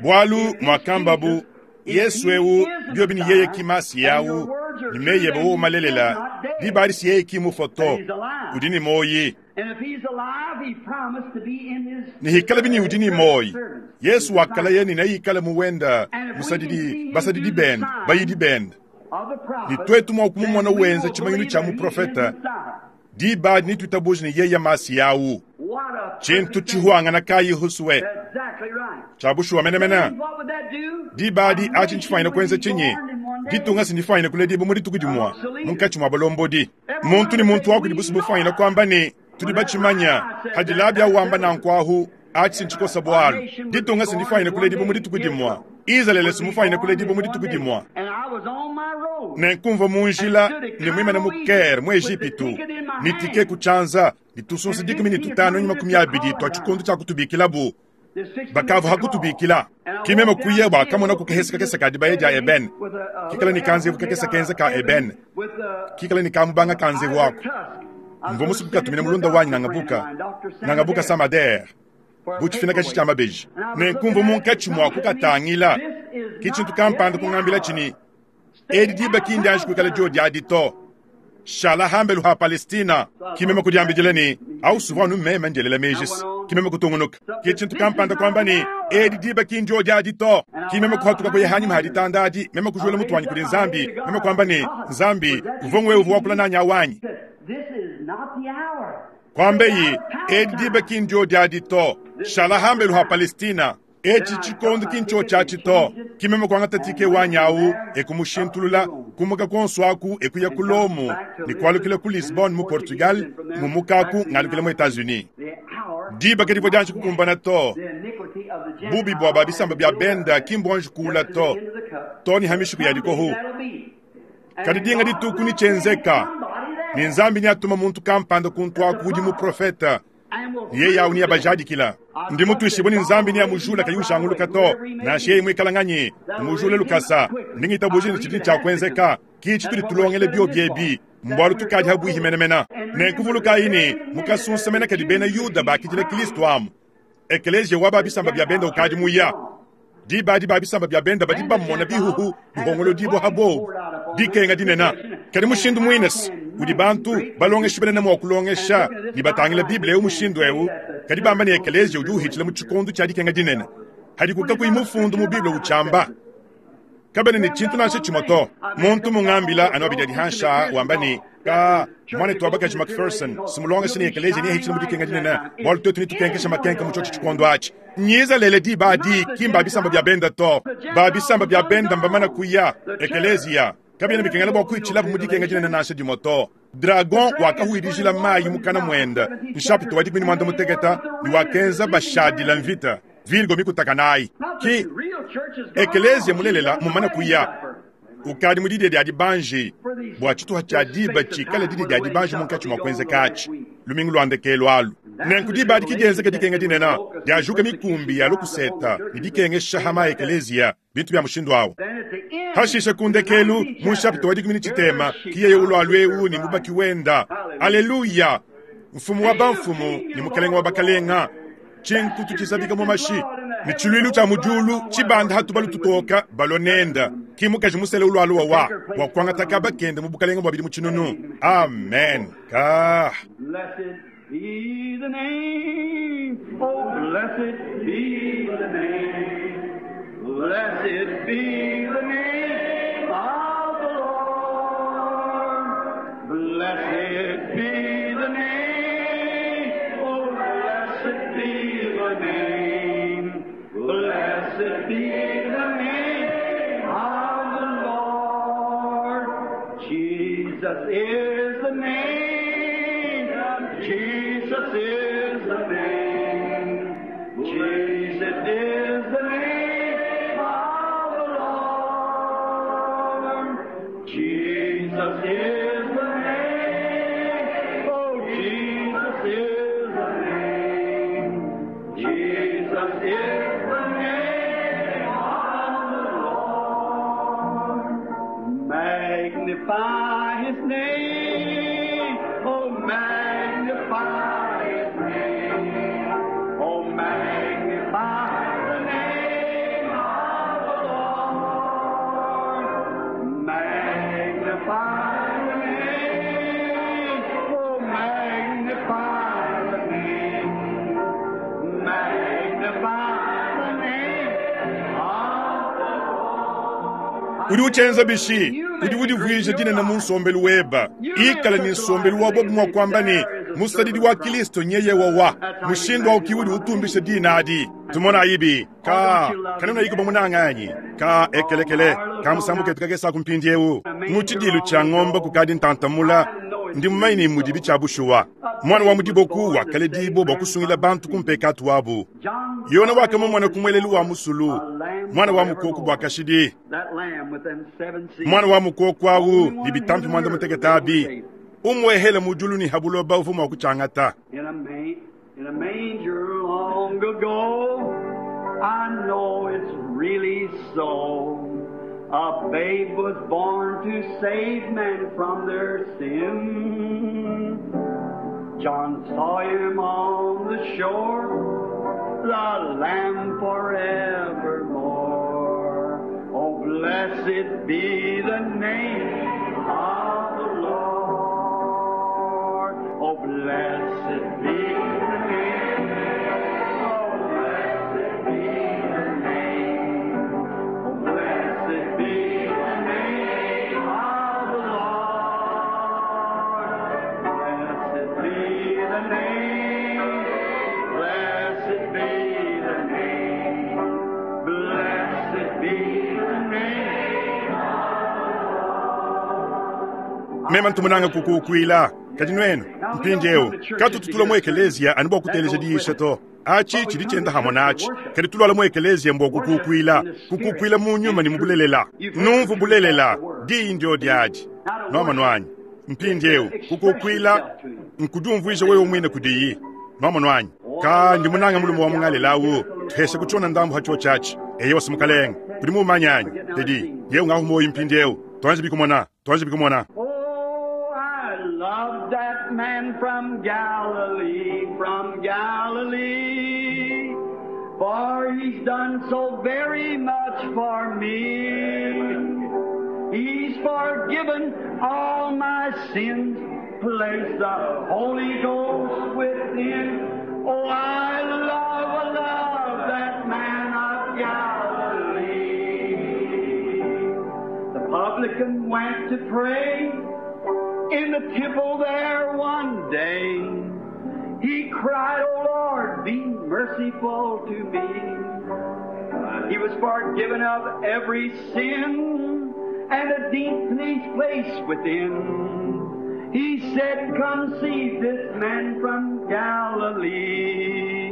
Bualu muakambabu Yesu eu biobi ni yeye ki masi yawu ni meyebe wo malelela diba disi yeye ki mufoto udi ni moyi ni hikala bini udi ni moyi. Yesu wakala ye ni nayikala muwenda musadidi basadidi benda bayidi benda ni twetu mwa kumumona wenza chimanyinu cha muprofeta diba ni tutabuji ni yeye masi yawu chintu chihuangana kayi huswe chabushuwa menemena diba di achi nchifaina kwenza chinyi ditunga sindifaina kule dibu muri tukudimwa munkachi mwa balombodi muntu ni muntu wako dibusu bufaina kwamba ni tudi bachimanya hadilabya wamba nankwahu achi sinchikosa bwalu ditunga sindifaina kule dibu muri tukudimwa Izalele simufaina kule dibu muri tukudimwa nenkumva munjila ni mwimene mu Caire mu Egipitu nitike kuchanza nitusunsa dikumi ni tutano nyuma kumi abidi twa chikondo cha kutubikilabu bakavu hakutubikila kimema kuye bakamona kukehesa kakesa ka dibaye dia eben kikala ni kanzevu kakesa kenza ka eben kikala ni kamubanga kanzevu wako mvo musuku katumina mulunda wanyi nangabuka nangabuka samader buchifina kachi cha mabeji nenkumva munkachi mwa kukatangila kichintu kampanda kungambila chini edi diba kindi anji kuikala dio diadi to shala hambelu ha Palestina kimema kudiambidila ni au souvent nous même ndielela mejis kimema kutungunuka kichintu kampanda kwamba ni edi diba kindi o diadi to kimema kuhatuka kuye hanyuma haditanda adi mema kujuela mutwanyi kuli nzambi mema kwamba ni nzambi uvongwe uvu wakula nanya wanyi kwambeyi edi diba kindi o diadi to shala hambelu ha Palestina echi chikondo kincho chachi to kimema kwangata tike wanyawu ekumushintulula kumuka konswaku ekuya kulomu nikwalukile ku Lisbon mu Portugal mumukaku ngalukile mu Etats-Unis diba kedivo dianji kukumbana to bubi bwa babisamba bya benda kimbwanji kula to to ni hamishiku yadikohu kadi dinga dituku ni chenzeka ni nzambi ni atuma muntu kampanda kuntwaku udi mu profeta ye yawu ni yabajadikila ndi mutuishibwe ni nzambi ni yamujula kayushanguluka to nashe yeye mwikalanganye mujule lukasa ndingitabuji ni chidini chakwenzeka kichi tuli tulongele bio byebi mbwalu tukadi habwihi menemena nenkuvuluka ini mukasunsamena kadi bena Yuda bakidila Kristo amu ekeleziya wa babisamba bya benda ukadi muya diba di babisamba bya benda badi bamona bihuhu bihongolo dibwa habobu dikenga dinena kadi mushindu mwinesi udi bantu balongesha benene mwa kulongesha ni batangila Biblia eu mushindu eu kadi bamba ni ekeleziya udi uhitshila mu tshikondo tshia dikenga dinene hadi kuka mufundu mu Biblia uchamba kabene ni tshintu nansha tshimwe to muntu mungambila anu abidi adihansha wamba ni ka mwana twabakaji Macpherson simulongesha ni ekeleziya ni ehitshila mu dikenga dinene bwalu twetu ni tukenkesha makenka mu tshotshi tshikondo atshi nyiza lele diba adi kimba bisamba bya benda to ba bisamba bya benda mbamana kuya ekeleziya kabina bikengela bwa kuichilapo mu dikenga dinene nansha dimwe to dragon wakahuirijila mayi mukana mwenda nshapito wa dikumi ni mwanda muteketa ni wakenza bashadila mvita virgo mikutakanayi ki ekeleziya mulelela mumana kuya ukadi mudidi dia dibanji bua tshituha tshia diba tshikale didi dia dibanji munkatshi mua kuenzekatshi lumingu lwandekelo alu nenku diba adi kidienzeka dikenga dinena diajuka mikumbi ya lukuseta ni dikengesha hama ekeleziya bintu bya mushindu awu hashishe kundekelu mu nshapito wa dikumi ni tshitema kiyeye ulwalu eu ni mubaki wenda aleluya mfumu wa bamfumu ni mukalenga wa bakalenga tshinkutu tshisabika mu mashi ni tshilwilu tshia mujulu tshibanda hatu tutoka balonenda kimukaji musele ulwalu wa wa kuangataka bakende mu bukalenga bwa bidi mu tshinunu amen ka Blessed be the name, oh blessed be the name, blessed be the name of the Lord. Blessed be the name, oh blessed be the name, blessed be the name of the Lord. Jesus is the name. Jesus is the name. Jesus is the name of the magnify His name. Oh, magnify His name. Oh, magnify the name of the Lord. Magnify the name. Oh, magnify the name. Magnify the name of the Lord. Udi uchenza bishi udi udivuija dinene mu nsombelu weba ikala ni nsombelu wa bobu mwa kwamba ni musadidi wa Kristo nyeye wawa mushindu wa ukiwudi utumbisha dina adi tumona ibi ka kanuna iko bamunanganyi ka ekelekele ka musambuke tukakesa kumpindiewu muchidilu cha ng'ombe kukadi ntantamula ndi mumaini mudibi cha bushuwa mwana wa mudiboku wakaledibo bwakusungila bantu kumpekatu wabu yona wakama mwana kumwelelu wa musulu mwana wa mukoku bwakashidi That lamb with them seven seeds. mwana wa mukoku awu ni bitampi mwanda muteketabi umwehele mujulu ni habuloba ufu mwa kuchangata In a, ma- in a manger long ago, I know it's really so. A babe was born to save men from their sin. John saw him on the shore, the Lamb forevermore. Oh, blessed be the name of the Lord. Oh, blessed be the name. Oh, blessed be the name. Oh, blessed be the name of the Lord. Blessed be the name. Blessed be the name. Blessed be the name mema ntumunanga kukukwila kadi nwenu mpindiewu katututula mu ekeleziya ani bwa kuteleja diisha to achi chili chenda hamwe nachi kadi tulwala mu ekeleziya mbwa kukukwila kukukwila mu nyuma ni mubulelela numvu bulelela diyi ndio diadi nwama nwanyi mpindiewu kukukwila nkudumvuija wewe mwine kudiyi nwama nwanyi ka ndi munanga mulume wa mungalelawu tuhese kuchona ndambu hacho chachi eye wasimukalenga kudi mumanyanyi tedi yewu ngahumoyi mpindiewu twanje bikumona twanje bikumona Oh, I love that man from Galilee, from Galilee. For he's done so very much for me. He's forgiven all my sins, placed the Holy Ghost within. Oh, I love, love that man of Galilee. The publican went to pray in the temple there one day. He cried, O Lord, be merciful to me. He was forgiven of every sin and a deep peace place within. He said, Come see this man from Galilee.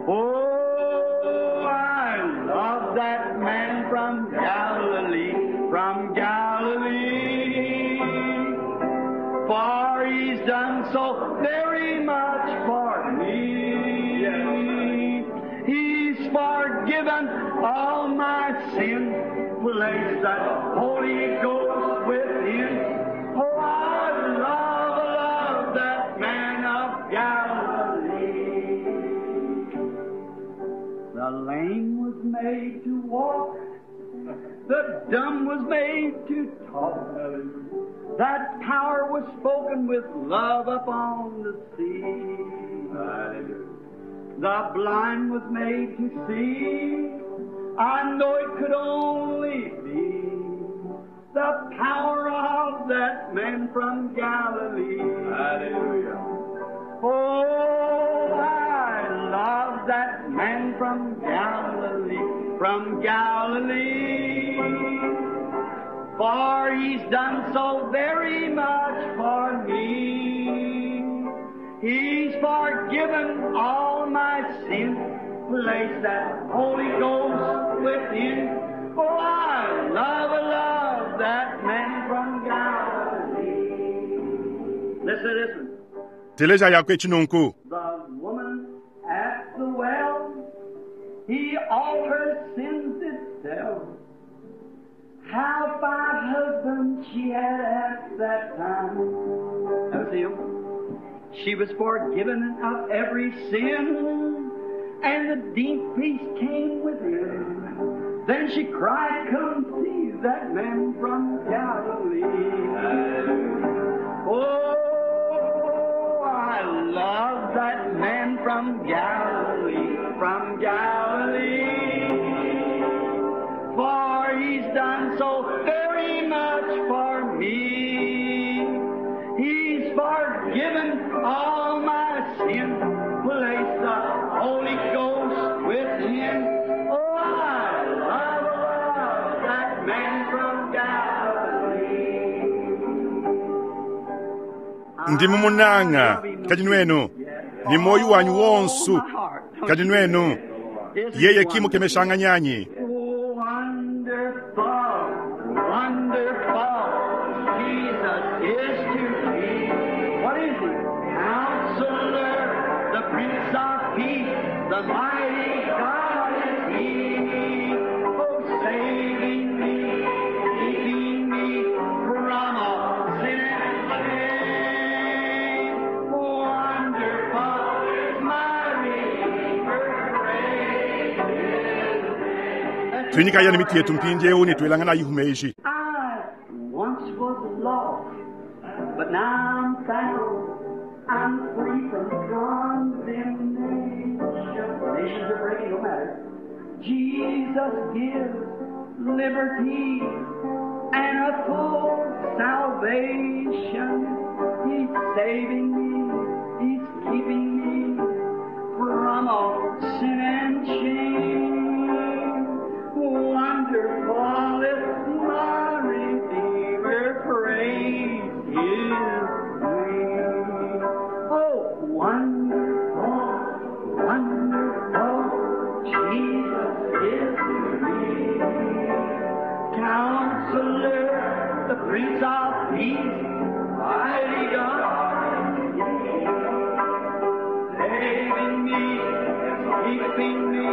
Oh, I love that man from Galilee, from Galilee. For he's done so very much for me. He's forgiven all my sin, placed that Holy Ghost within. Oh, I love, love that man of Galilee. The lame was made to walk, the dumb was made to talk. That power was spoken with love upon the sea. The blind was made to see. I know it could only be the power of that man from Galilee. Hallelujah. Oh, I love that man from Galilee, from Galilee. For he's done so very much for me. He's forgiven all my sin, placed that Holy Ghost within. Oh, I love, love that man from Galilee. Listen to this one. Teleja yakwe chinunku The woman at the well, he all her sins did tell. How five husbands she had at that time. That was him. She was forgiven of every sin, and the deep peace came within. Then she cried, Come see that man from Galilee. Oh, I love that man from Galilee, from Galilee. For he's done so very much for me. He's forgiven all my sin, placed the Holy Ghost within. Oh, I love, love that man from Galilee. Ndi mumunanga kadi nwenu ni moyo wanyu wonsu kadi nwenu yeye kimukemeshanganyanyi Oh, wonderful, wonderful, Jesus is to me. What is he? Counselor, the Prince of Peace, the mighty God is he. Oh, saving me, keeping me from all sin and shame. Wonderful is my Redeemer, praise his name. tuinyikaya ni miti yetu mpindieu ne tuelangana yihumeji I once was lost, but now I'm found. I'm free from condemnation. Nations are breaking, no matter. Jesus gives liberty and a full salvation. He's saving me. He's keeping me from all sin and shame. Wonderful is my Redeemer, praise His name. Oh, wonderful, wonderful, Jesus is to me. Counselor, the Prince of Peace, mighty God, saving me, keeping me.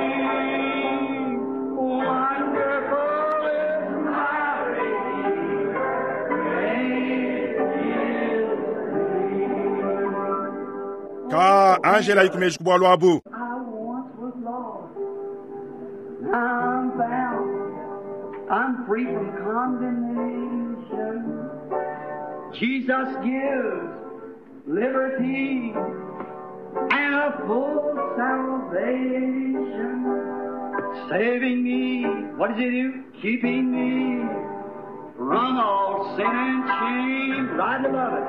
Shame. Wonderful is my Redeemer, praise His name. ka angela yikumeji kubwalwa abu I once was lost, now I'm found. I'm free from condemnation. Jesus gives liberty and a full salvation, saving me. What does He do? Keeping me from all sin and shame. Right above it.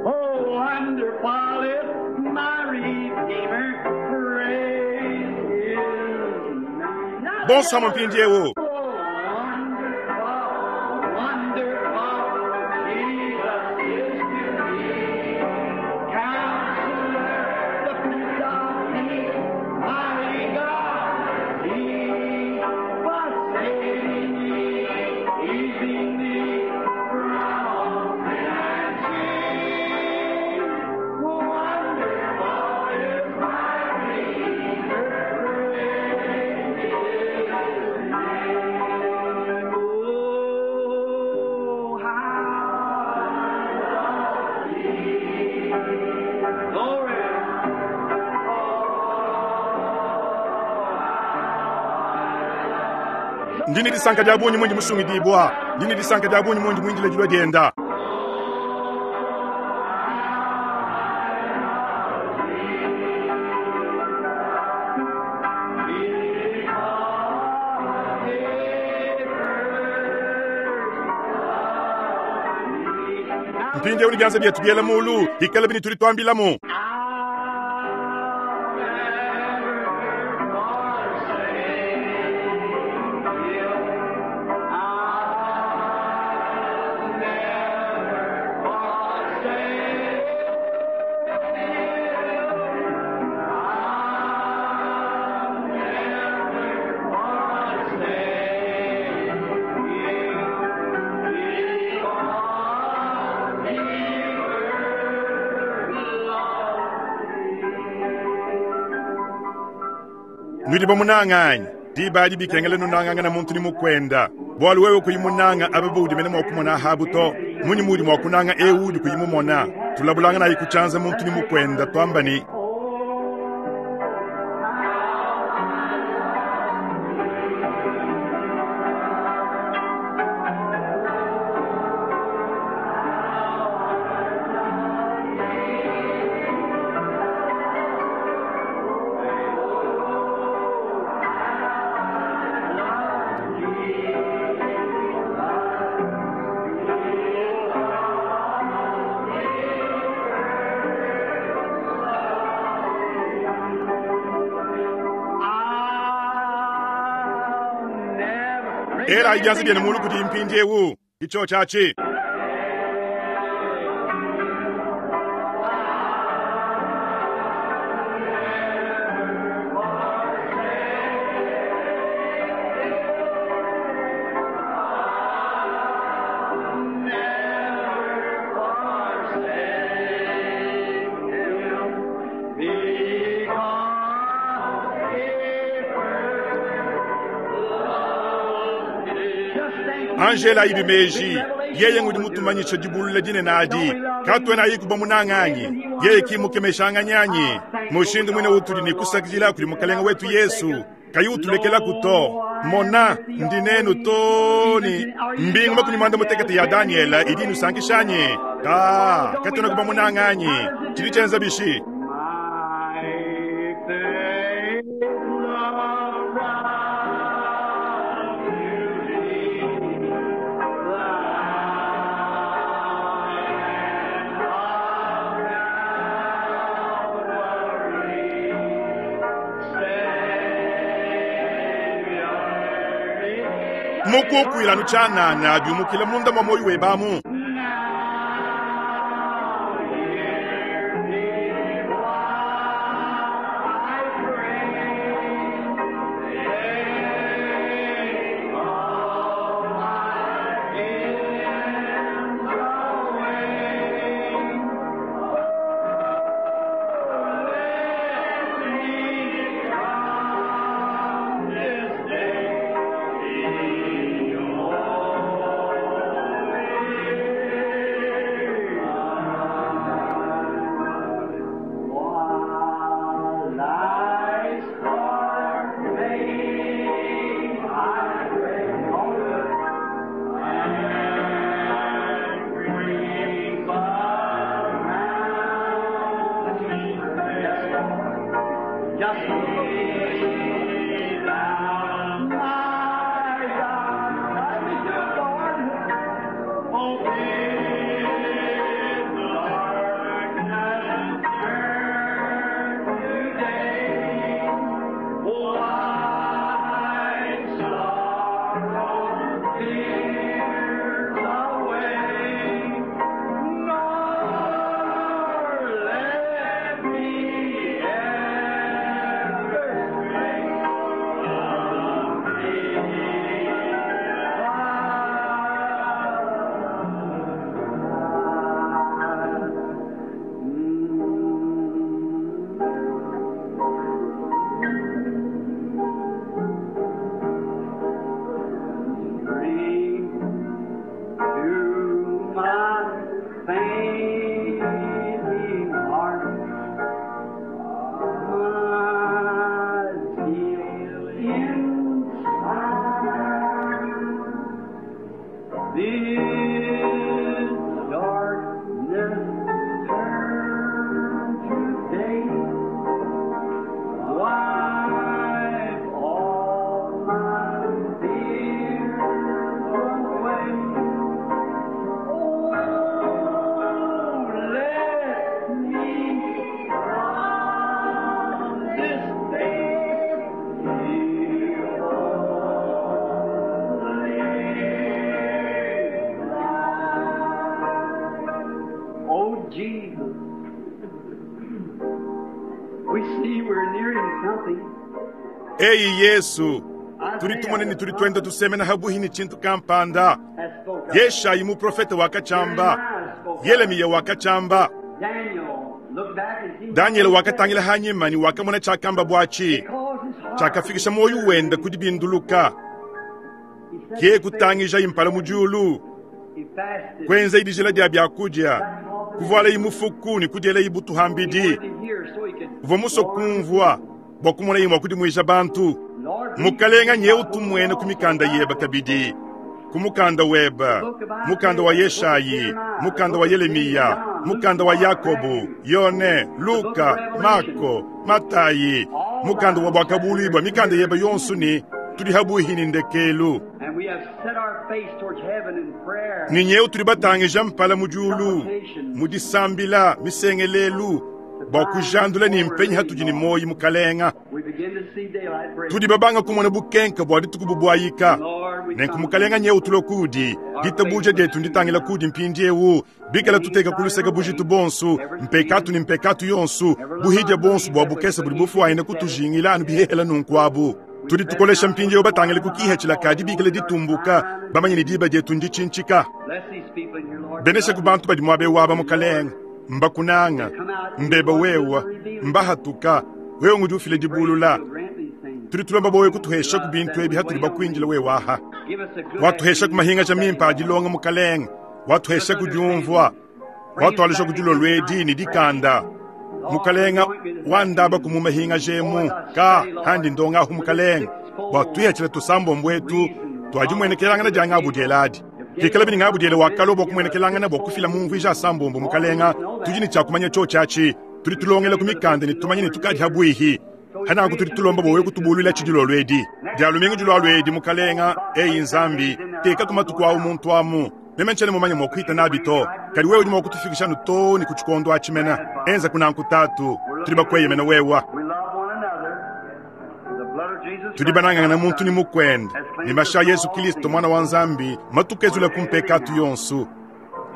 Oh, wonderful is my Redeemer. Praise His name. Now bonsoir mpindieu Oh, wonderful, wonderful, Jesus is to me. Counselor, the Prince of Peace, mighty God, He was saving me, keeping me from all sin and shame. Wonderful is my Redeemer, praise His name. Oh, how I love Thee. Glory. ndini disanka dia bunyi mundi musungidibwa ndini disanka dia bunyi mundi mwindile dilwa dienda mpindieu ni bianza bietu biela mulu ikala bini tuli twambilamu I'll never forsake you. I'll never forsake you. I'll never forsake you. Because he first loved Nudi bamunanga anyi? Diba adi bikengela nunangangana muntu ni mukwenda. Bwalu wewe kuyimunanga aba udi mene mwa kumona habu to. Munyi mudi mwa kunanga ewu udi kuyimumona. Tulabulangana ayi kuchanza muntu ni mukwenda twamba ni Era ijanzi byene mulu kuti mpindi ewu kicho chachi. Angela ibimeji yeye ngudi mutumanyisha dibulula dinene adi katwena ayikuba munanganyi yeye kimukemeshanganyanyi mushindu mwine utuli ni kusakidila kuli mukalenga wetu Yesu kayi utulekela kuto mona ndinenu toni mbingu makumi mwanda mutekete ya Daniela idi nusankishanye ta katwena kuba munanganyi chili chenza bishi. Mukukwila nuchanana byumukila munda mwa moyo webamu. Eyi Yesu, tuli ni tuli twenda tusemena habuhi chintu kampanda. Yeshayi muprofeta wakachamba, Yeremiya wakachamba, Daniel wakatangila hanyima ni wakamona chakamba bwachi. Tshiakafikisha muoyo wende ku dibinduluka. Ke kutangija impala mu diulu. Kwenza idijila dia byakudia. Kuvuala imufuku ne kudiela ibutu hambidi. Uvua musue kumvua bua kumona imua kudimuija bantu. Mukalenga nyeu tumuene ku mikanda yeba kabidi. Ku mukanda weba, mukanda wa Yeshayi, mukanda wa Yeremiya, mukanda wa Yakobo, Yone, Luka, Marko, Matayi, mukanda wa Bwakabuluibwa, mikanda yeba yonso ni tudi habuhi ni ndekelu. Ni nyeu tudi batangija mpala mu diulu, mu disambila misengelelu bua kujandula ni mpenyi hatudi ni moyi mukalenga. Tudi babanga kumona bukenka bua dituku bubwayika. Nenku mukalenga nyeu tulo kudi, ditabuja dietu nditangila kudi mpindiewu, bikala tuteka kuluseka bujitu bonsu, mpekatu ni mpekatu yonsu, buhidya bonsu bua bukesa budi bufuayina kutujingila anu bihehela nunkuabu. Tudi tukolesha mpindiewu batangile ku kihethila kadi bikala ditumbuka, bamanye ni diba dietu nditshintsika. Benesha ku bantu badi muabe waba mukalenga, mbakunanga, mbeba wewa, mbahatuka, wewe ngudi ufile dibulula. Tudi tulomba bowe kutuhesha ku bintu ebi hatudi bakwindila wewe aha. Watuhesha ku mahinga ja mimpa adilonga mukalenga, watuhesha ku diumvua, watualisha ku dilolwedi ni dikanda. Mukalenga wandaba ku mu mahinga jemu ka handi ndonga ahu mukalenga. Watuhethela tusambo mbwetu twajimwenekelangana dia ngabu dieladi. Kikala bini ngabu diele wakalo bwa kumwenekelangana bwa kufila mumvuija asambombo mukalenga, tudi ni tchakumanya cho chachi, tudi tulongela ku mikanda ni tumanye ni tukadi habwihi. Hana tudi tulomba bowe kutubulwila tshidilolwedi. Dia lumingu dilolwedi mukalenga, eyi nzambi, teka kumatuku awu muntu amu. Meme ntshene mumanye mua kuhita nabi to. Kadi wewe udi mua kutufikisha anu to ni ku tshikondo atshimena. Enza kunanku tatu, tudi bakweyemena wewa. Tudi banangana muntu ni mukwende. Ni masha Yesu Kristo mwana wa Nzambi, matukezula kumpekatu yonsu.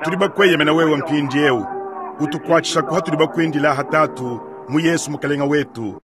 Tudi bakweyemena wewe mpindiewu. Utukuatshisha kuha tudi bakwindila hatatu mu Yesu mukalenga wetu.